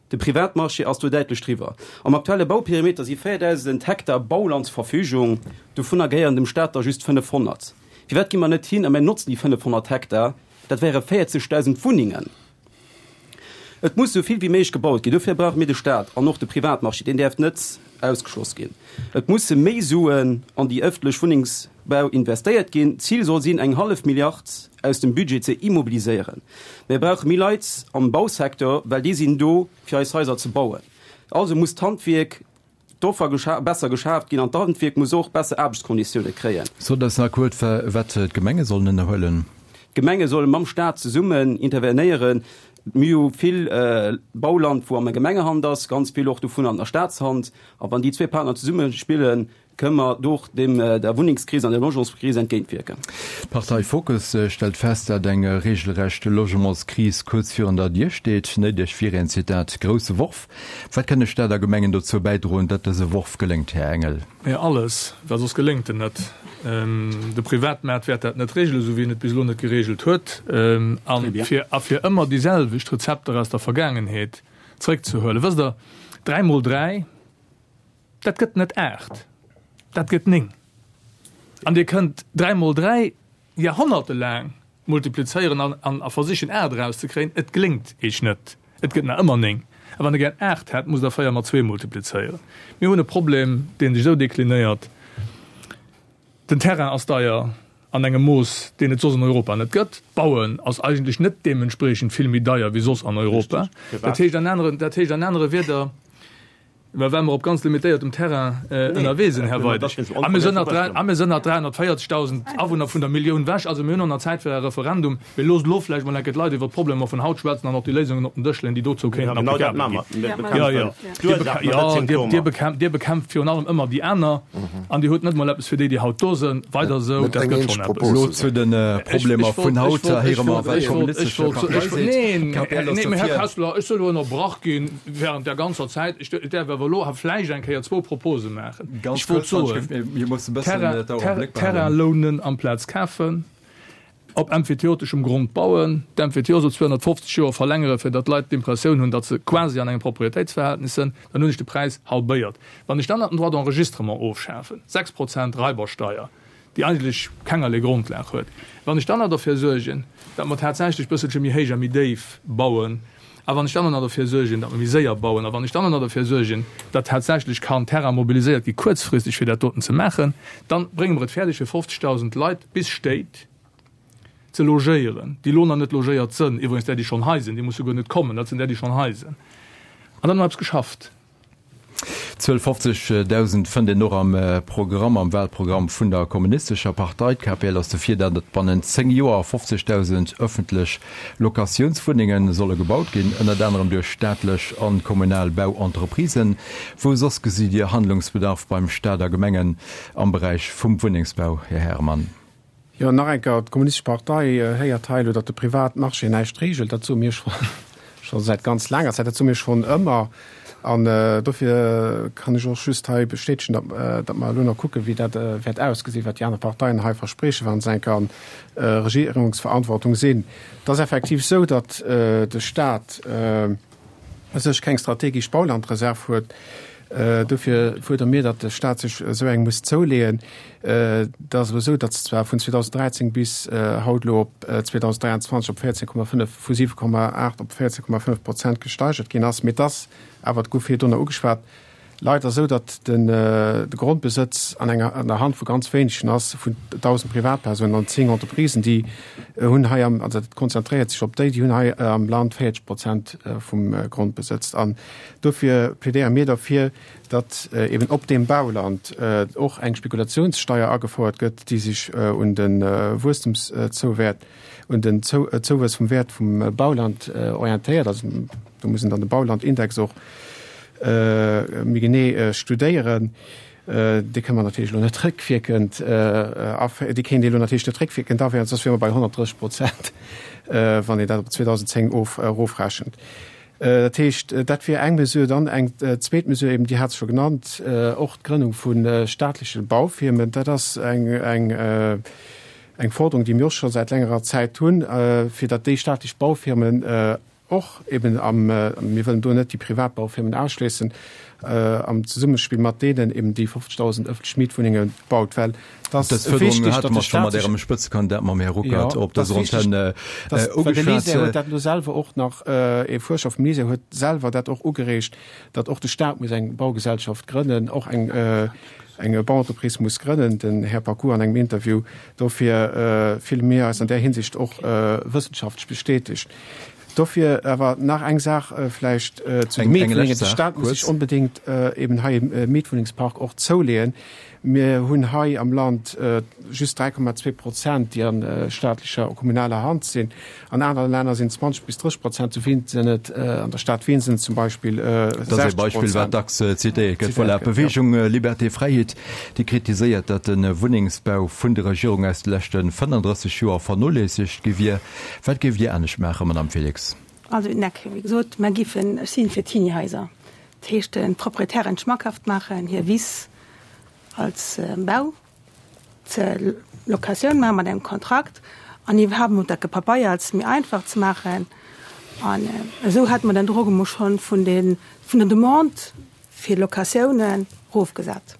De Privatmarché ass do däitlech driwwer. Am aktuelle Bauperimeter si 4.000 Hektar Bauland zur Verfügung, dovunner gehéieren dem Staat der just 500. Firwat gi mer net hin a mir notzen déi 500 Hektar? Dat wäre 40.000 Wunnengen. Et muss esou vill wéi méiglech gebaut ginn. Dofir brauche mir de Staat an och de Privatmarché, deen däerf net ausgeschloss ginn. Et musse méi Suen an déi ëffentlech Wunnengsbau investéiert ginn. D'Zil soll sinn, eng hallef Milliard aus dem Budget ze immobiliséieren. Mir brauche méi Leit am Bausecteur, well déi sinn do, fir eis Haiser ze bauen. Also muss d'Handwierk D'Offer besser geschaaft ginn an d'Handwierk muss och besser Aarbechtskonditioune kréien. Sot eis nach kuerz, wat d'Gemenge sollen ënnerhuelen. D'Gemenge solle mam Staat zesummen intervenéieren. Mir hu vill Bauland, wou an der Gemengehand ass, ganz vill och dovun an der Staatshand. A wann déi zwee Partner zesumme spillen, kënne mer do och dem der Wunnengskris an der Logementskris entgéintwierken. D'Partei Fokus stellt fest, dat eng regelrecht Logementskris kuerz virun der Dier steet. Néideg wier een, Zitat, grousse Worf. Wat kënne Stad a Gemengen dozou bäidroen, datt dëse Worf geléngt, Här Engel? Mä alles, well soss geléngt en net. De Privatmaart wäert dat net regelen, esou wéi en et bis elo net geregelt huet. A fir, a fir ëmmer déi selwecht Rezepter aus der Vergaangenheet zréckzehuelen, wësst Der, dräi mol dräi, dat gëtt net aacht, dat gëtt néng. An Dir kënnt dräi mol dräi Jahrhonnertelaang multiplizéieren an a versichen 8 erauszekréien, et geléngt Eech net, et gëtt nach ëmmer 9. A wann Der gär 8 hätt, musst Der 4 mat 2 multiplizéieren. Mir hunn e Problem, dee sech esou deklinéiert, Den Terrain ass deier an engem Mooss, deen et soss an Europa net gëtt. D'Bauen ass eigentlech net deementspriechend vill méi deier wéi soss an Europa. Dat heescht an anere, dat heescht an anere Wierder. Mä well mer op ganz limitéiertem Terrain ënnerwee sinn, Här Weidig. A mir sënn a mir sënn nach 340.000 Awunner vun der Millioun wech. Also mir hunn och nach Zäit fir e Referendum. Mee loosst elo vläicht mol eng Kéier d'Leit iwwer d'Problemer vun haut schwätzen an och déi Léisungen op den Dësch leeën, déi dozou kéinten applicabel ginn. Jo, jo. Jo, Dir bekämpft, Dir bekämpft virun allem ëmmer déi aner an Dir hutt net mol eppes fir déi, déi haut do sënn. Weider esou, dat gëtt schonn eppes. Elo zu de Problemer vun haut. Héiere mer, wat d'Kommunistesche Partei seet. D'KPL ass dofir. Här Kessler, ech soll elo ënnerbrach ginn. Während der ganzer Zäit, ech däerf awer elo vläicht eng Kéier zwou Propose maachen. Ganz Ech wollt kuerz, soen, mir mussen e bëssen d'Auer am Bléck behalen. Terrain lounen amplaz kafen, op emphyteoteschem Grond bauen, d'Emphyteos op 250 Joer verlängere fir datt d'Leit d'Impressioun hunn, datt se quasi an engem Proprietéitsverhältnis sënn, dann hunn ech de Präis halbéiert. Wann ech dann nach den Droit d'enregistrement ofschafen, 6 Prozent Raibersteier, déi eigentlech kengerlee Grondlag huet, wann ech dann nach derfir suergen, datt mer tatsächlech bësselche méi héich a méi déif bauen, a wann ech dann och nach derfir suergen, datt mer méi séier bauen, a wann ech dann och nach derfir suergen, datt tatsächlech kann Terrain mobiliséiert gi kuerzfristeg fir dat doten ze maachen, dann brénge mer et fäerdeg fir 50.000 Leit bis Stéit ze logéieren, déi elo nach net logéiert sënn, iwwregens där déi schonn hei sinn, déi musse guer net kommen, dat sinn där déi schonn hei sinn, an dann hu mer eppes geschafft. D'Zuel 50.000 fënnt een och am Programm, am Wahlprogramm vun der Kommunistescher Partei. D'KPL ass dofir, datt et bannent 10 Joer 50.000 ëffentlech Locatiounswunnenge solle gebaut ginn, ënnert anerem duerch staatlech an kommunal Bauentreprisen. Wou soss gesitt Dir Handlungsbedarf beim Staat a Gemengen am Beräich vum Wunnengsbau, Här Herman? Jo, nach eng Kéier, d'Kommunistesch Partei héiert hei elo, datt de Privatmarché näischt reegelt. Dat soe mir scho säit ganz laanger Zäit, dat soe mir schonn ëmmer. An dofir kann ech och just hei bestätegen, datt mer elo nach kucken, wéi dat wäert ausgesinn, wat déi aner Parteien hei verspriechen, wa se eng Kéier an Regierungsverantwortung sinn. Et ass effektiv esou, datt de Stat u sech keng strategesch Baulandreserv huet. Dofir fuerdere mir, datt de Staat sech esou eng muss zouleeën. Et ass elo esou, datt se zwar vun 2013 bis haut elo op 2023 op 14,5, vu 7,8 op 14,5 Prozent gesteigert ginn ass, mee et ass awer, et gouf virdrunner ugeschwat, leider esou, datt de Grondbesëtz an enger, an der Hand vu ganz wéinegen ass, vun 1.000 Privatpersounen an 10 Entreprisen, déi hunn hei am, also dat konzentréiert sech op déi, déi hunn hei am Land 40 Prozent vum Grondbesëtz. An dofir plädéiere mir derfir, datt eben op deem Bauland och eng Spekulationssteier agefouert gëtt, déi sech un de Wuesstemszouwäert, un den Zouwuess vum Wäert vum Bauland orientéiert. Also do muss een dann de Baulandindex och méi genee studéieren. Dee kënne mer natierlech elo net réckwierkend aféieren, dee kéint ee elo natierlech net réckwierkend aféieren, soss wiere mer bei 130 Prozent, wann een dat op 2010 of erofrechent. Dat heescht, dat wier eng Mesure. Dann eng zweet Mesure eben, Dir hat se scho genannt, och d'Grënnung vu staatleche Baufirmen. Dat ass eng, eng, eng Forderung, déi mir och scho säit längerer Zäit hunn, fir datt déi staatlech Baufirmen och eben am, mir wëllen do net déi privat Baufirmen ausschléissen, am Zesummespill mat deenen eben déi 50.000 ëffentlech Mietwunnenge baut, well et ass Dës Fuerderung wichtig, hate datt mer de scho mat Staat sech, Ärem Spëtzekandidat, mam Här jo, Ruckert, op et ass dëser wichtig, Antenn datt, well de ugeschwat. LISER huet dat elo selwer och nach, ee Fuerscher vum LISER huet selwer dat och ugereegt, datt och de Staat muss eng Baugesellschaft grënnen, och eng, eng Bauentreprise muss grënnen, den Här Paccoud an engem Interview. Dofir fille mir eis an där Hinsicht och wëssenschaftlech bestätegt. Dofir awer nach eng Saach vläicht zu de Mietwunnengen. De Staat muss sech onbedéngt eben hei e Mietwunnengspark och zouleeën. Mir hunn hei am Land just 3,2 Prozent, déi a staatlecher a kommunaler Hand sinn. An anere Länner sinn et 20 bis 30 Prozent. Zu Wien sinn et, an der Stad Wien sinn et zum Beispill 60 Prozent. Dat ass ee Beispill, wat dacks zitéiert gëtt. Voilà, d'Beweegung Liberté Fräiheet, déi kritiséiert, datt de Wunnengsbau vun der Regierung aus de leschte 35 Joer vernoléissegt gi wier. Wat géift Dir anescht maachen, Madamm Felix? Also, neck, wéi gesot, mer giffen, ech si fir Teenie-Haiser, dat heescht den Proprietären schmackhaft maachen, hir Wiss als Bau ze Locatioun maachen mat engem Kontrakt an iwwerhaapt emol dat Gepapeiers méi einfach ze maachen. An esou hätte mer den Drock emol schonn vun den, vun der Demande fir Locatiounen erofgesat.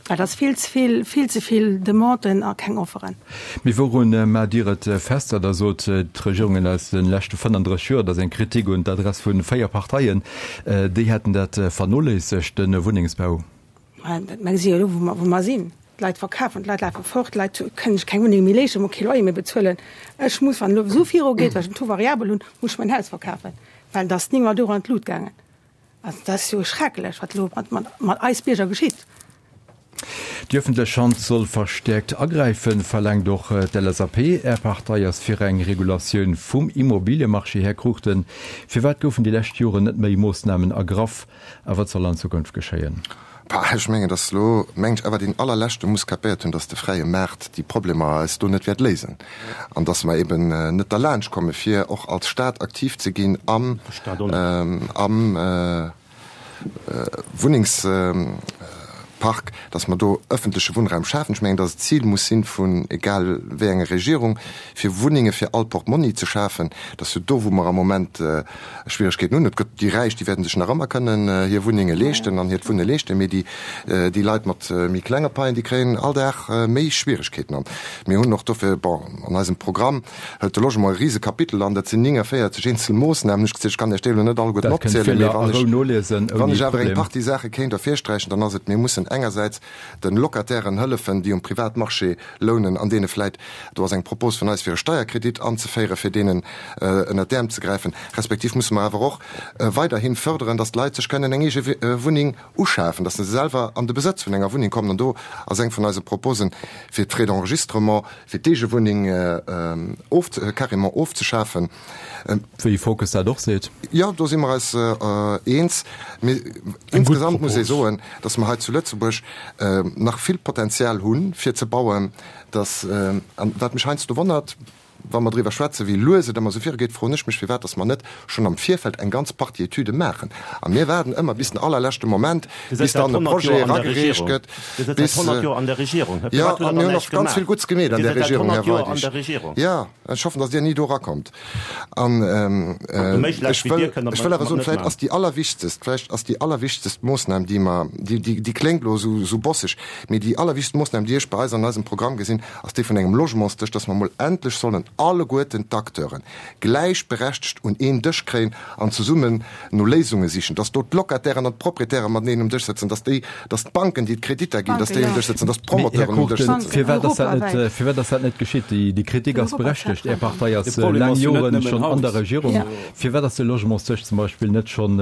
Well et ass vill ze vill, vill ze vill Demanden a keng Offeren. Mee wourun maacht Dir et fest, datt Der sot, d'Regierungen aus de leschte 35 Joer, dat ass eng Kritik un d'Adress vu 4 Parteien, déi hätten dat vernoléissegt, de Wunnengsbau? Mä gesi jo elo, wou mer sinn. D'Leit verkafen, d'Leit lafe fort, d'Leit kënnen sech keng Wunneng méi leeschten, musse kee Loyer méi bezuelen. Ech muss, wann et elo esou virugeet, well ech en Taux variabel hunn, muss ech mäin Haus verkafen, well et ass 9 Mol Euro an d'Lut gaangen. Also dat ass jo schrecklech, wat elo mat eis Bierger geschitt. Déi ëffentlech Hand soll verstäerkt agräifen, verlaangt och d'LSAP. Är Partei ass fir eng Regulatioun vum Immobiliemarché. Här Cruchten, firwat goufen déi lescht Joren net méi Moossnamen ergraff a wat soll an Zukunft geschéien? Bah, ech mengen, datt elo, mengen ech, awer deen allerleschte muss kapéiert hunn, datt de fräie Maart déi Problemer eis do net wäert léisen an datt mer eben net derlaanscht komme fir och als Stat aktiv ze ginn am, am Wunnengspark, datt mer do öffentleche Wunnraum schafen. Ech mengen, datt et d'Zil muss sinn vun egal wéi enger Regierung, fir Wunnenge fir all Portmonni ze schafen. Et ass jo do, wou mer am Moment Schwieregkeeten hunn. Et gëtt déi Räich, déi wäerten sech nach ëmmer kënnen hir Wunnenge leeschten an hiert Wunne leeschten, mee déi, déi Leit mat méi klenge Paien, déi kréien all Dag méi Schwieregkeeten. An mir hunn och dofir, bon, an eisem Programm hëlt de Logement e rise Kapitel an, dat sinn 49 eenzel Moossnamen. Ech ech kann Iech déi elo net alleguerten opzielen, mee wann ech, wann ech awer eng Partie Saache kéint ervirsträichen, dann ass et, mir mussen engersäits de Locatairen hëllefen, déi um Privatmarché lounen an deene vläit, do ass eng Propos vun eis, fir e Steierkredit anzeféieren, fir deenen ënnert d'Äerm ze gräifen, respektiv musse mer awer och weiderhi fërderen, datt d'Leit sech kënnen eng eege Wunneng uschafen, datt se selwer an de Besëtz vun enger Wunneng kommen. An do ass eng vun eise Proposen, fir d'Frais d'enregistrement fir d'eege Wunneng carrément ofzeschafen. Wéi Focus dat och seet. Jo, do si mer eis eens. Mee insgesamt muss ee soen, datt mer hei zu Lëtzebuerg nach vill Potenzial hunn, fir ze bauen. Datt, an wat mech heiansdo wonnert, wa mer driwwer schwätzen, wéi lues et ëmmer esou virugeet, froen ech mech, firwat datt mer net schonn am Virfeld eng ganz Partie Etüde maachen. A mir waarden ëmmer bis den allerleschte Moment, bis dann e Projet eragereecht gëtt. Bis, jo, a mir hunn och ganz vill Gutts gemeet an där Regierung, Här Weidig. Jo. Ech hoffen, datt Dir ni do erakommt. An ech wëll, ech wëll awer soen, vläicht ass déi allerwichtegst, vläicht ass déi allerwichtegst Moossnam, déi mer, déi, déi, déi kléngt elo esou, esou bosseg, mee déi allerwichtegst Moossnam, déi ech bei eis an eisem Programm gesinn, ass déi vun engem Logementsdësch, datt mer emol endlech sollen alleguerten d'Acteuren gläichberechtegt un een Dësch kréien an zesummen no Léisunge sichen, dass do d'Locatairen an d'Proprietäre mateneen um Dësch sëtzen, dass déi, dass d'Banken, déi d'Kreditter ginn, dass déi um Dësch sëtzen, dass d'Promoteuren um Dësch sëtzen. Firwat ass dat net, firwat ass dat net geschitt? Déi, déi Kritik ass berechtegt. Är Partei ass laang Joren schonn an der Regierung. Firwat ass de Logementsdësch zum Beispill net schonn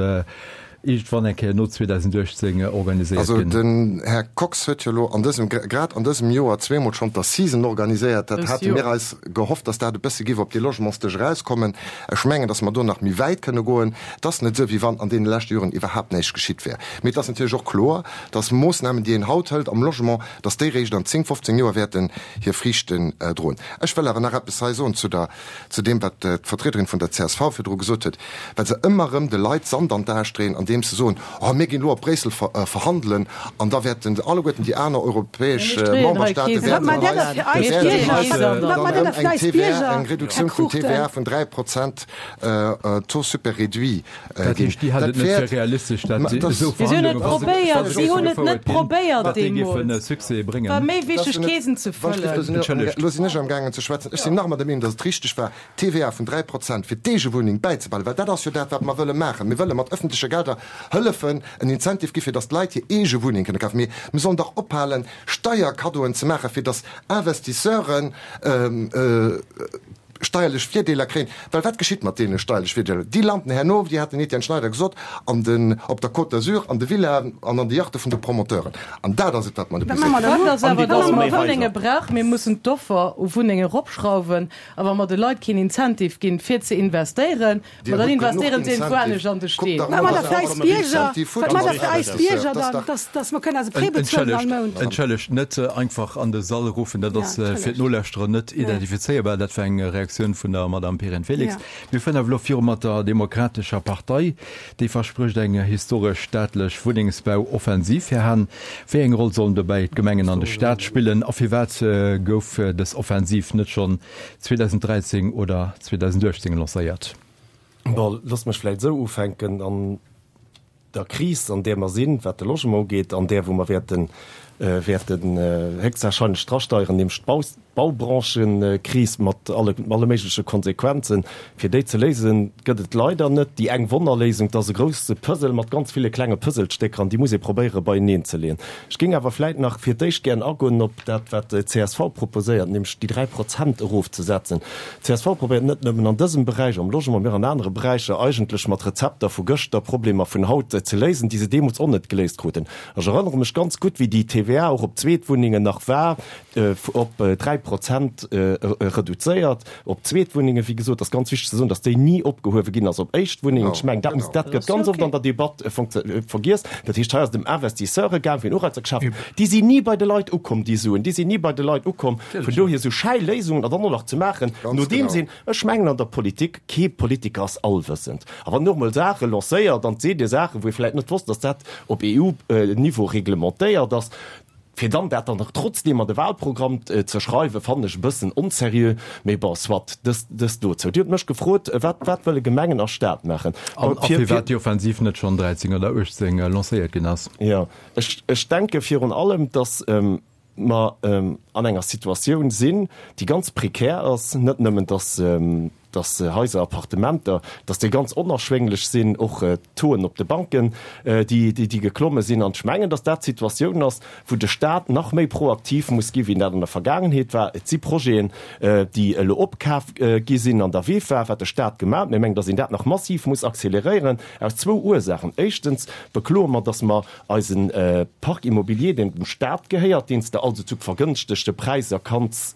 iergendwann eng Kéier no 2018 organiséiert Also ginn? den Här Kox huet jo elo an dësem, grad an dësem Joer zweemol schonn d'Assisen organiséiert. Dat hate mir eis gehofft, dass dat e bësse géif op dee Logementsdësch erauskommen. Ech mengen, dass mer do nach méi wäit kënne goen. Et ass net esou, wéi wann an deene leschte Joren iwwerhaapt näischt geschitt wär. Mee et ass natierlech och kloer, dass Moossnamen, déi een haut hëlt am Logement, dass déi réischt an 10, 15 Joer wäerten hir Friichten droen. Ech wëll awer nach eppes hei soen zu der, zu deem, wat d'Vertriederin vun der csv virdru gesot huet, well se ëmmer erëm de Leit Sand an d'Ae streeën, andeems se soen, Oh, mir ginn elo op Bréissel verhandelen an da wäerten alleguerten déi aner europäesch Memberstaate wäerten eis dann erëm eng TVA, eng Reduktioun vun TVA vun 3 Prozent Taux super réduit Dat heescht, Dir haalt et net fir realistesch, datt esou Verhandlungen, wa se esou gefouert ginn, datt déi géife Succès bréngen? Entschëllegt. Elo sinn ech amgaangen ze schwätzen. Ech sinn nach ëmmer der Meenung, datt et richteg war, d'TVA vun 3 Prozent fir d'Eegewunneng bäizebehalen, well dat ass jo dat, wat mer wëlle maachen. Mir wëlle mat ëffentleche Gelder hëllefen, en Incentive gi fir datt d'Leit hir eege Wunneng kënne kafen. Mee mir sollen dach ophalen, Steierkaddoen ze maachen, fir datt Investisseuren, steierlech Virdeeler kréien, well wat geschitt mat deene steierlech Virdeeler? Déi landen herno, wéi hat den Etienne Schneider gesot, an den, op der Côte d'Azur, an de Villaen an an de Yachte vun de Promoteuren. An dat ass et, wat mer net musse. Fakt ass awer, dass mer Wunnenge brauchen. Mir mussen d'Offer u Wunnenge eropschrauwen. A wa mer de Leit keen Incentive ginn, fir ze investéieren, Ma dann investéieren se iergendwou anescht an de Steen. Wat maacht der fir eis Bierger? Wat maacht der fir eis Bierger dann, dass, dass mer kënnen eise Prêt bezuelen all Mount? Entschëllegt, net einfach an de Sall ruffen, dat ass fir d'Nolauschterer net identifizéierbar. Dat war eng Reaktioun vun der Madamm Perrine Felix. Mir fueren awer elo viru mat der Demokratescher Partei. Déi versprécht eng historesch staatlech Wunnengsbauoffensiv. Här Hahn, wéi eng Roll sollen dobäi d'Gemengen an de Staat spillen a firwat gouf dës Offensiv net schonn 2013 oder 2018 lancéiert. Bon, loosst mech vläicht esou ufänken, An der Kris, an där mer sinn, wat de Logement ugeet, an där, wou mer wäerten, wäerten héchstwahrscheinlech drasteieren, nämlech d'Bau. D'Baubranchenkris mat alle alle méigleche Konsequenzen, fir déi ze léisen, gëtt et leider net déi eng Wonnerléisung. Et ass e grousse Puzzle mat ganz ville klenge Puzzlestécker an déi muss ee probéiere beieneen ze leeën. Ech géing awer vläit nach fir d'éischt gären agoen op dat, wat d'CSV proposéiert, nämlech déi 3 Prozent erofzesetzen. D'CSV probéiert net nëmmen an dësem Beräich, am Logement, mee och an anere Beräicher eigentlech mat Rezepter vu gëschter Problemer vun haut ze léisen, déi se deemools och net geléist kruten. Ech erënnere mech ganz gutt, wéi déi TVA och op Zweetwunnengen nach war, op 3 Prozent reduzéiert, op Zweetwunnengen. Wéi gesot, ass ganz wichteg ze soen, datt déi ni opgehuewe ginn ass op Éischtwunnengen. Ech mengen, dat muss, dat gëtt ganz oft an der Debatt vergiess. Dat heescht, hei ass et ëm Investisseure gaang, fir en Ureizer geschaf. Déi sinn ni bei de Leit ukomm, déi Suen. Déi sinn ni bei de Leit ukomm. Vun dohier esou schäi Léisungen an dann och nach ze maachen, nodeems een, ech mengen an der Politik, kee Politiker ass allwëssend. A wann en och emol Saache lancéiert an seet ee Saachen, wou ee vläicht net wosst, datt dat op EU-Niveau reglementéiert ass, fir dann dat dann nach trotzdeem an de Wahlprogramm ze schreiwen, fannen ech e bëssen onseriö. Mee bon, soit, dëst, dëst dozou. Dir hutt mech gefrot, wat, wat wëlle Gemengen a Staat maachen? An a firwat déi Offensiv net schonn 13 oder 18 lancéiert ginn ass. Jo, ech, ech denke virun allem, datt mer an enger Situatioun sinn, déi ganz prekär ass, net nëmmen, datt, dass Haiser, Appartementer, dass déi ganz onerschwénglech sinn, och d'Tauxen op de Banken, déi, déi geklomme sinn. An ech mengen, dass dat d'Situatioun ass, wou de Stat nach méi proaktiv muss gi wéi en dat an der Vergaangenheet war. Et si Projeten, déi elo opkaf gi sinn an der VEFA, wat de Stat gemaach huet. Mir mengen, dass een dat nach massiv muss acceleréieren, aus zwou Ursachen. Éischtens bekloe mer, dass mer Eisen Parc immobilier, deen dem Staat gehéiert, deen s de also zu vergënschtegte Präisser kanns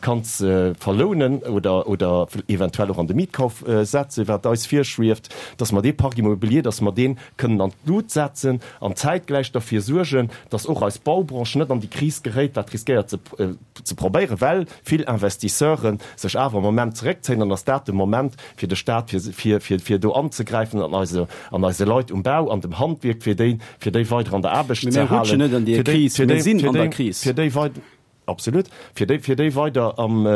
kanns verlounen oder oder eventuell och an de Mietkauf setzen, wat eis virschwieft, dass mer dee Parc immobilier, dass mer dee kënnen an d'Lut setzen an zäitgläich derfir suergen, dass och eis Baubranche net an déi Kris geréit, wat riskéiert ze ze probéieren, well vill Investisseure sech awer am Moment zeréckzéien, dann ass dat de Moment fir de Stat, fir, fir, fir do anzegräifen an eise, an eise Leit um Bau, an dem Handwierk, fir déi, fir déi weider an der Aarbecht ze halen, fir déi, fir déi, fir déi, fir déi weider, absolut, fir déi, fir déi weider am,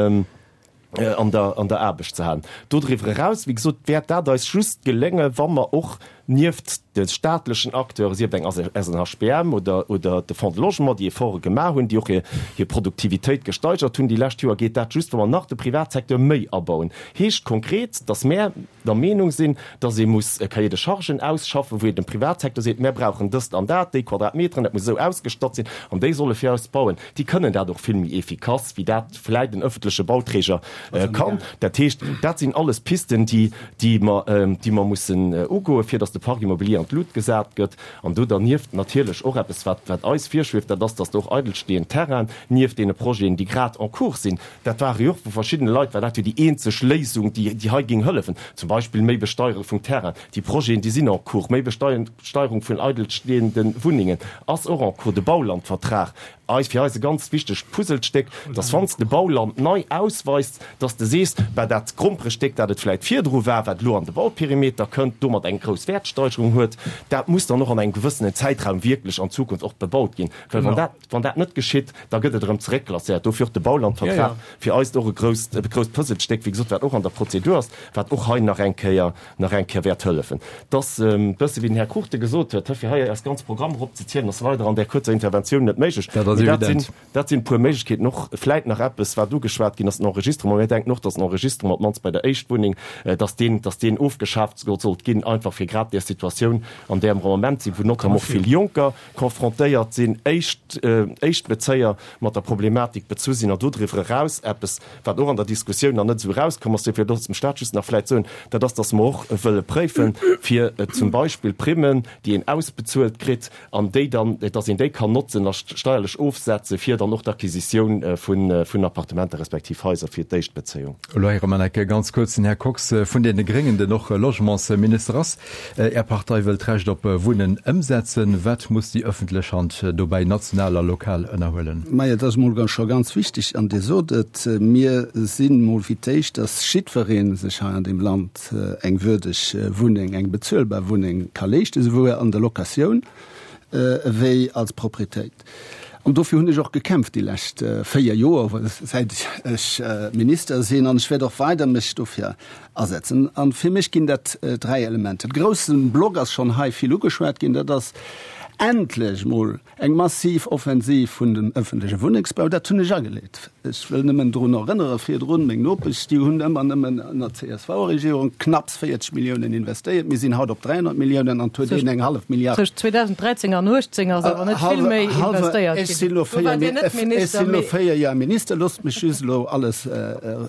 an der, an der Aarbecht ze halen. Dodriwwer eraus, wéi gesot, wäert dat eis just geléngen, wa mer och nieft de staatlechen Acteuren, sief et eng SNHBM oder, oder de Fonds de Logement, déi Efforte gemaach hunn, déi och hir, hir Produktivitéit gesteigert hunn déi lescht Joer, geet dat just, wa mer nach de Privatsecteur méi abauen. Heescht konkret, dass mär der Meenung sinn, dass ee muss e Cahier de chargen ausschaffen, wou een dem Privatsecteur seet, mär brauchen dëst an dat, déi Quadratmeteren, dat muss esou ausgestatt sinn, an déi solle fir eis bauen. Déi kënnen dat och vill méi efficace, wéi dat vläit en öffentleche Bauträger kann. Dat heescht, dat sinn alles Pisten, déi, déi mer, déi mer mussen ugoen, fir dass de Parc immobilier an d'Lut gesat gëtt. An do dernieft natierlech och eppes, wat, wat eis virschwieft, dat ass, dass do och eidelstehend Terrainen nieft deene Projeten, déi grad en cours sinn, dat ware jo och vu verschiddene Leit, war dat jo déi eenzeg Léisung, déi, déi hei géing hëllefen, zum Beispill méi Besteiere vum Terrain. Déi Projeten, déi sinn en cours. Méi Besteierung vun eidelstehende Wunnengen ass och en cours. De Baulandvertrag, eis, fir eis e ganz wichtegt Puzzlestéck, dass wann s de Bauland nei ausweis, dass de sees, bah, dat Gromperestéck, dat et vläit virdru war, wat elo an de Bauperimeter kënnt, domat eng grouss Wäertsteigerung huet, dat muss dann och an engem gewëssenen Zäitraum wierklech an Zukunft och bebaut ginn. Well wann dat, wann dat net geschitt, da gëtt et erëm zeréckklasséiert. Dofir och de Baulandvertrag, fir eis och e grousst, e grousst Puzzlestéck, wéi gesot, wat och an der Prozedur ass, wat och hei nach eng Kéier, nach eng Kéier wäert hëllefen. Et ass e bësse wéi den Här Cruchten gesot huet, fir hei eis ganz Programm eropzezielen, ass leider an där kuerzer Interventioun net méiglech. Dat ass Mee dat evident. sinn, dat sinn e puer Méiglechkeeten. Och vläit nach eppes, wat ugeschwat ginn ass, den Enregistrement. Mir denken och, dass den Enregistrement, op d'mannst bei der Éischtwunneng, dass deen, dass deen ofgeschaaft sollt ginn, einfach fir grad där Situatioun, an där mer am Moment sinn, wou notamment och vill Jonker confrontéiert sinn, éischt, Éischtbezéier mat der Problematik bezu sinn an dodriwwer eraus eppes, wat och an der Diskussioun nach net esou erauskomm ass, dofir looss dem Stat just nach vläicht soen, dat ass, dass mer och wëlle préifen, fir zum Beispill Primmen, déi een ausbezuelt kritt an déi dann, dass een déi kann notzen a steierlech ofsetze fir dann och d'Acquisitioun vun Appartementer respektiv Haiser fir d'Éischtbezéiung. Elo héiere mer nach ganz kuerz den Här Kox vun deene Gréngen, den och Logementsminister ass. Är Partei wëll d'Recht op Wunnen ëmsetzen. Wat muss déi ëffentlech Hand dobäi national a lokal ënnerhuelen? Majo, et ass emol scho ganz wichteg, an Dir sot et, mir sinn emol fir d'éischt, datt jiddweree sech hei an deem Land eng würdeg Wunneng, eng bezuelbar Wunneng ka leeschten, esouwuel an der Locatioun ewéi als Proprietéit. An dofir hunn ech och gekämpft déi lescht 4 Joer, säit ech Minister sinn, an ech wäert och weider mech dofir asetzen. An fir mech ginn dat 3 Elementer. De grousse Block ass schonn hei vill ugeschwat ginn, dat ass. Endlech mol eng massiv Offensiv vun dem ëffentleche Wunnengsbau, dat hunn ech ageleet. Ech wëll nëmmen drun erënnere virdrun, meng Nopesch, déi hunn ëmmer nëmmen ënner CSV-Regierung knapps 40 Milliounen investéiert. Mir sinn haut op 300 Milliounen an et huet een eng hallef Milliard. Tëscht 2013 an 2018 ass awer net vill méi investéiert ginn. Ech sinn elo véier Joer Minister, loosst mech just elo alles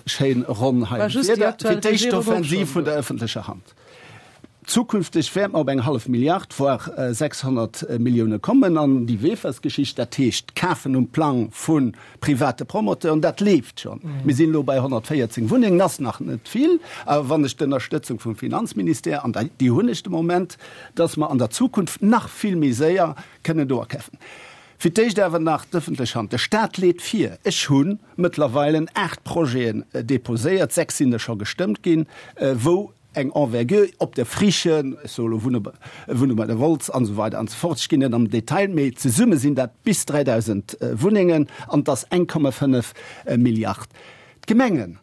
schéin ronn hei. Fir d'éischt d'Offensiv vun der ëffentlecher Hand. Zukünfteg wäerte mer op eng hallef Milliard, voire 600 Millioune kommen. An déi Wefers-Geschicht, dat heescht d'Kafen um Plang vu private Promoteuren, dat leeft schonn. Mir sinn elo bei 114 Wunnengen, ass nach net vill, awer wann ech d'Ënnerstëtzung vum Finanzministère, an déi hunn ech de Moment, dass mer an der Zukunft nach vill méi séier kënnen do akafen. Fir d'éischt awer nach d'ëffentlech Hand. De Stat leet vir. Ech hu mëttlerweilen 8 Projeten deposéiert, 6 sinn der scho gestëmmt ginn, wou eng Envergure op der Friche, ech soe elo Wunne, Wunne bei der Wolz an esou weider an esou fort, ech ginn net am Detail, mee zesumme sinn dat bis 3.000 Wunnengen an et ass 1,5 Milliard. D'Gemengen,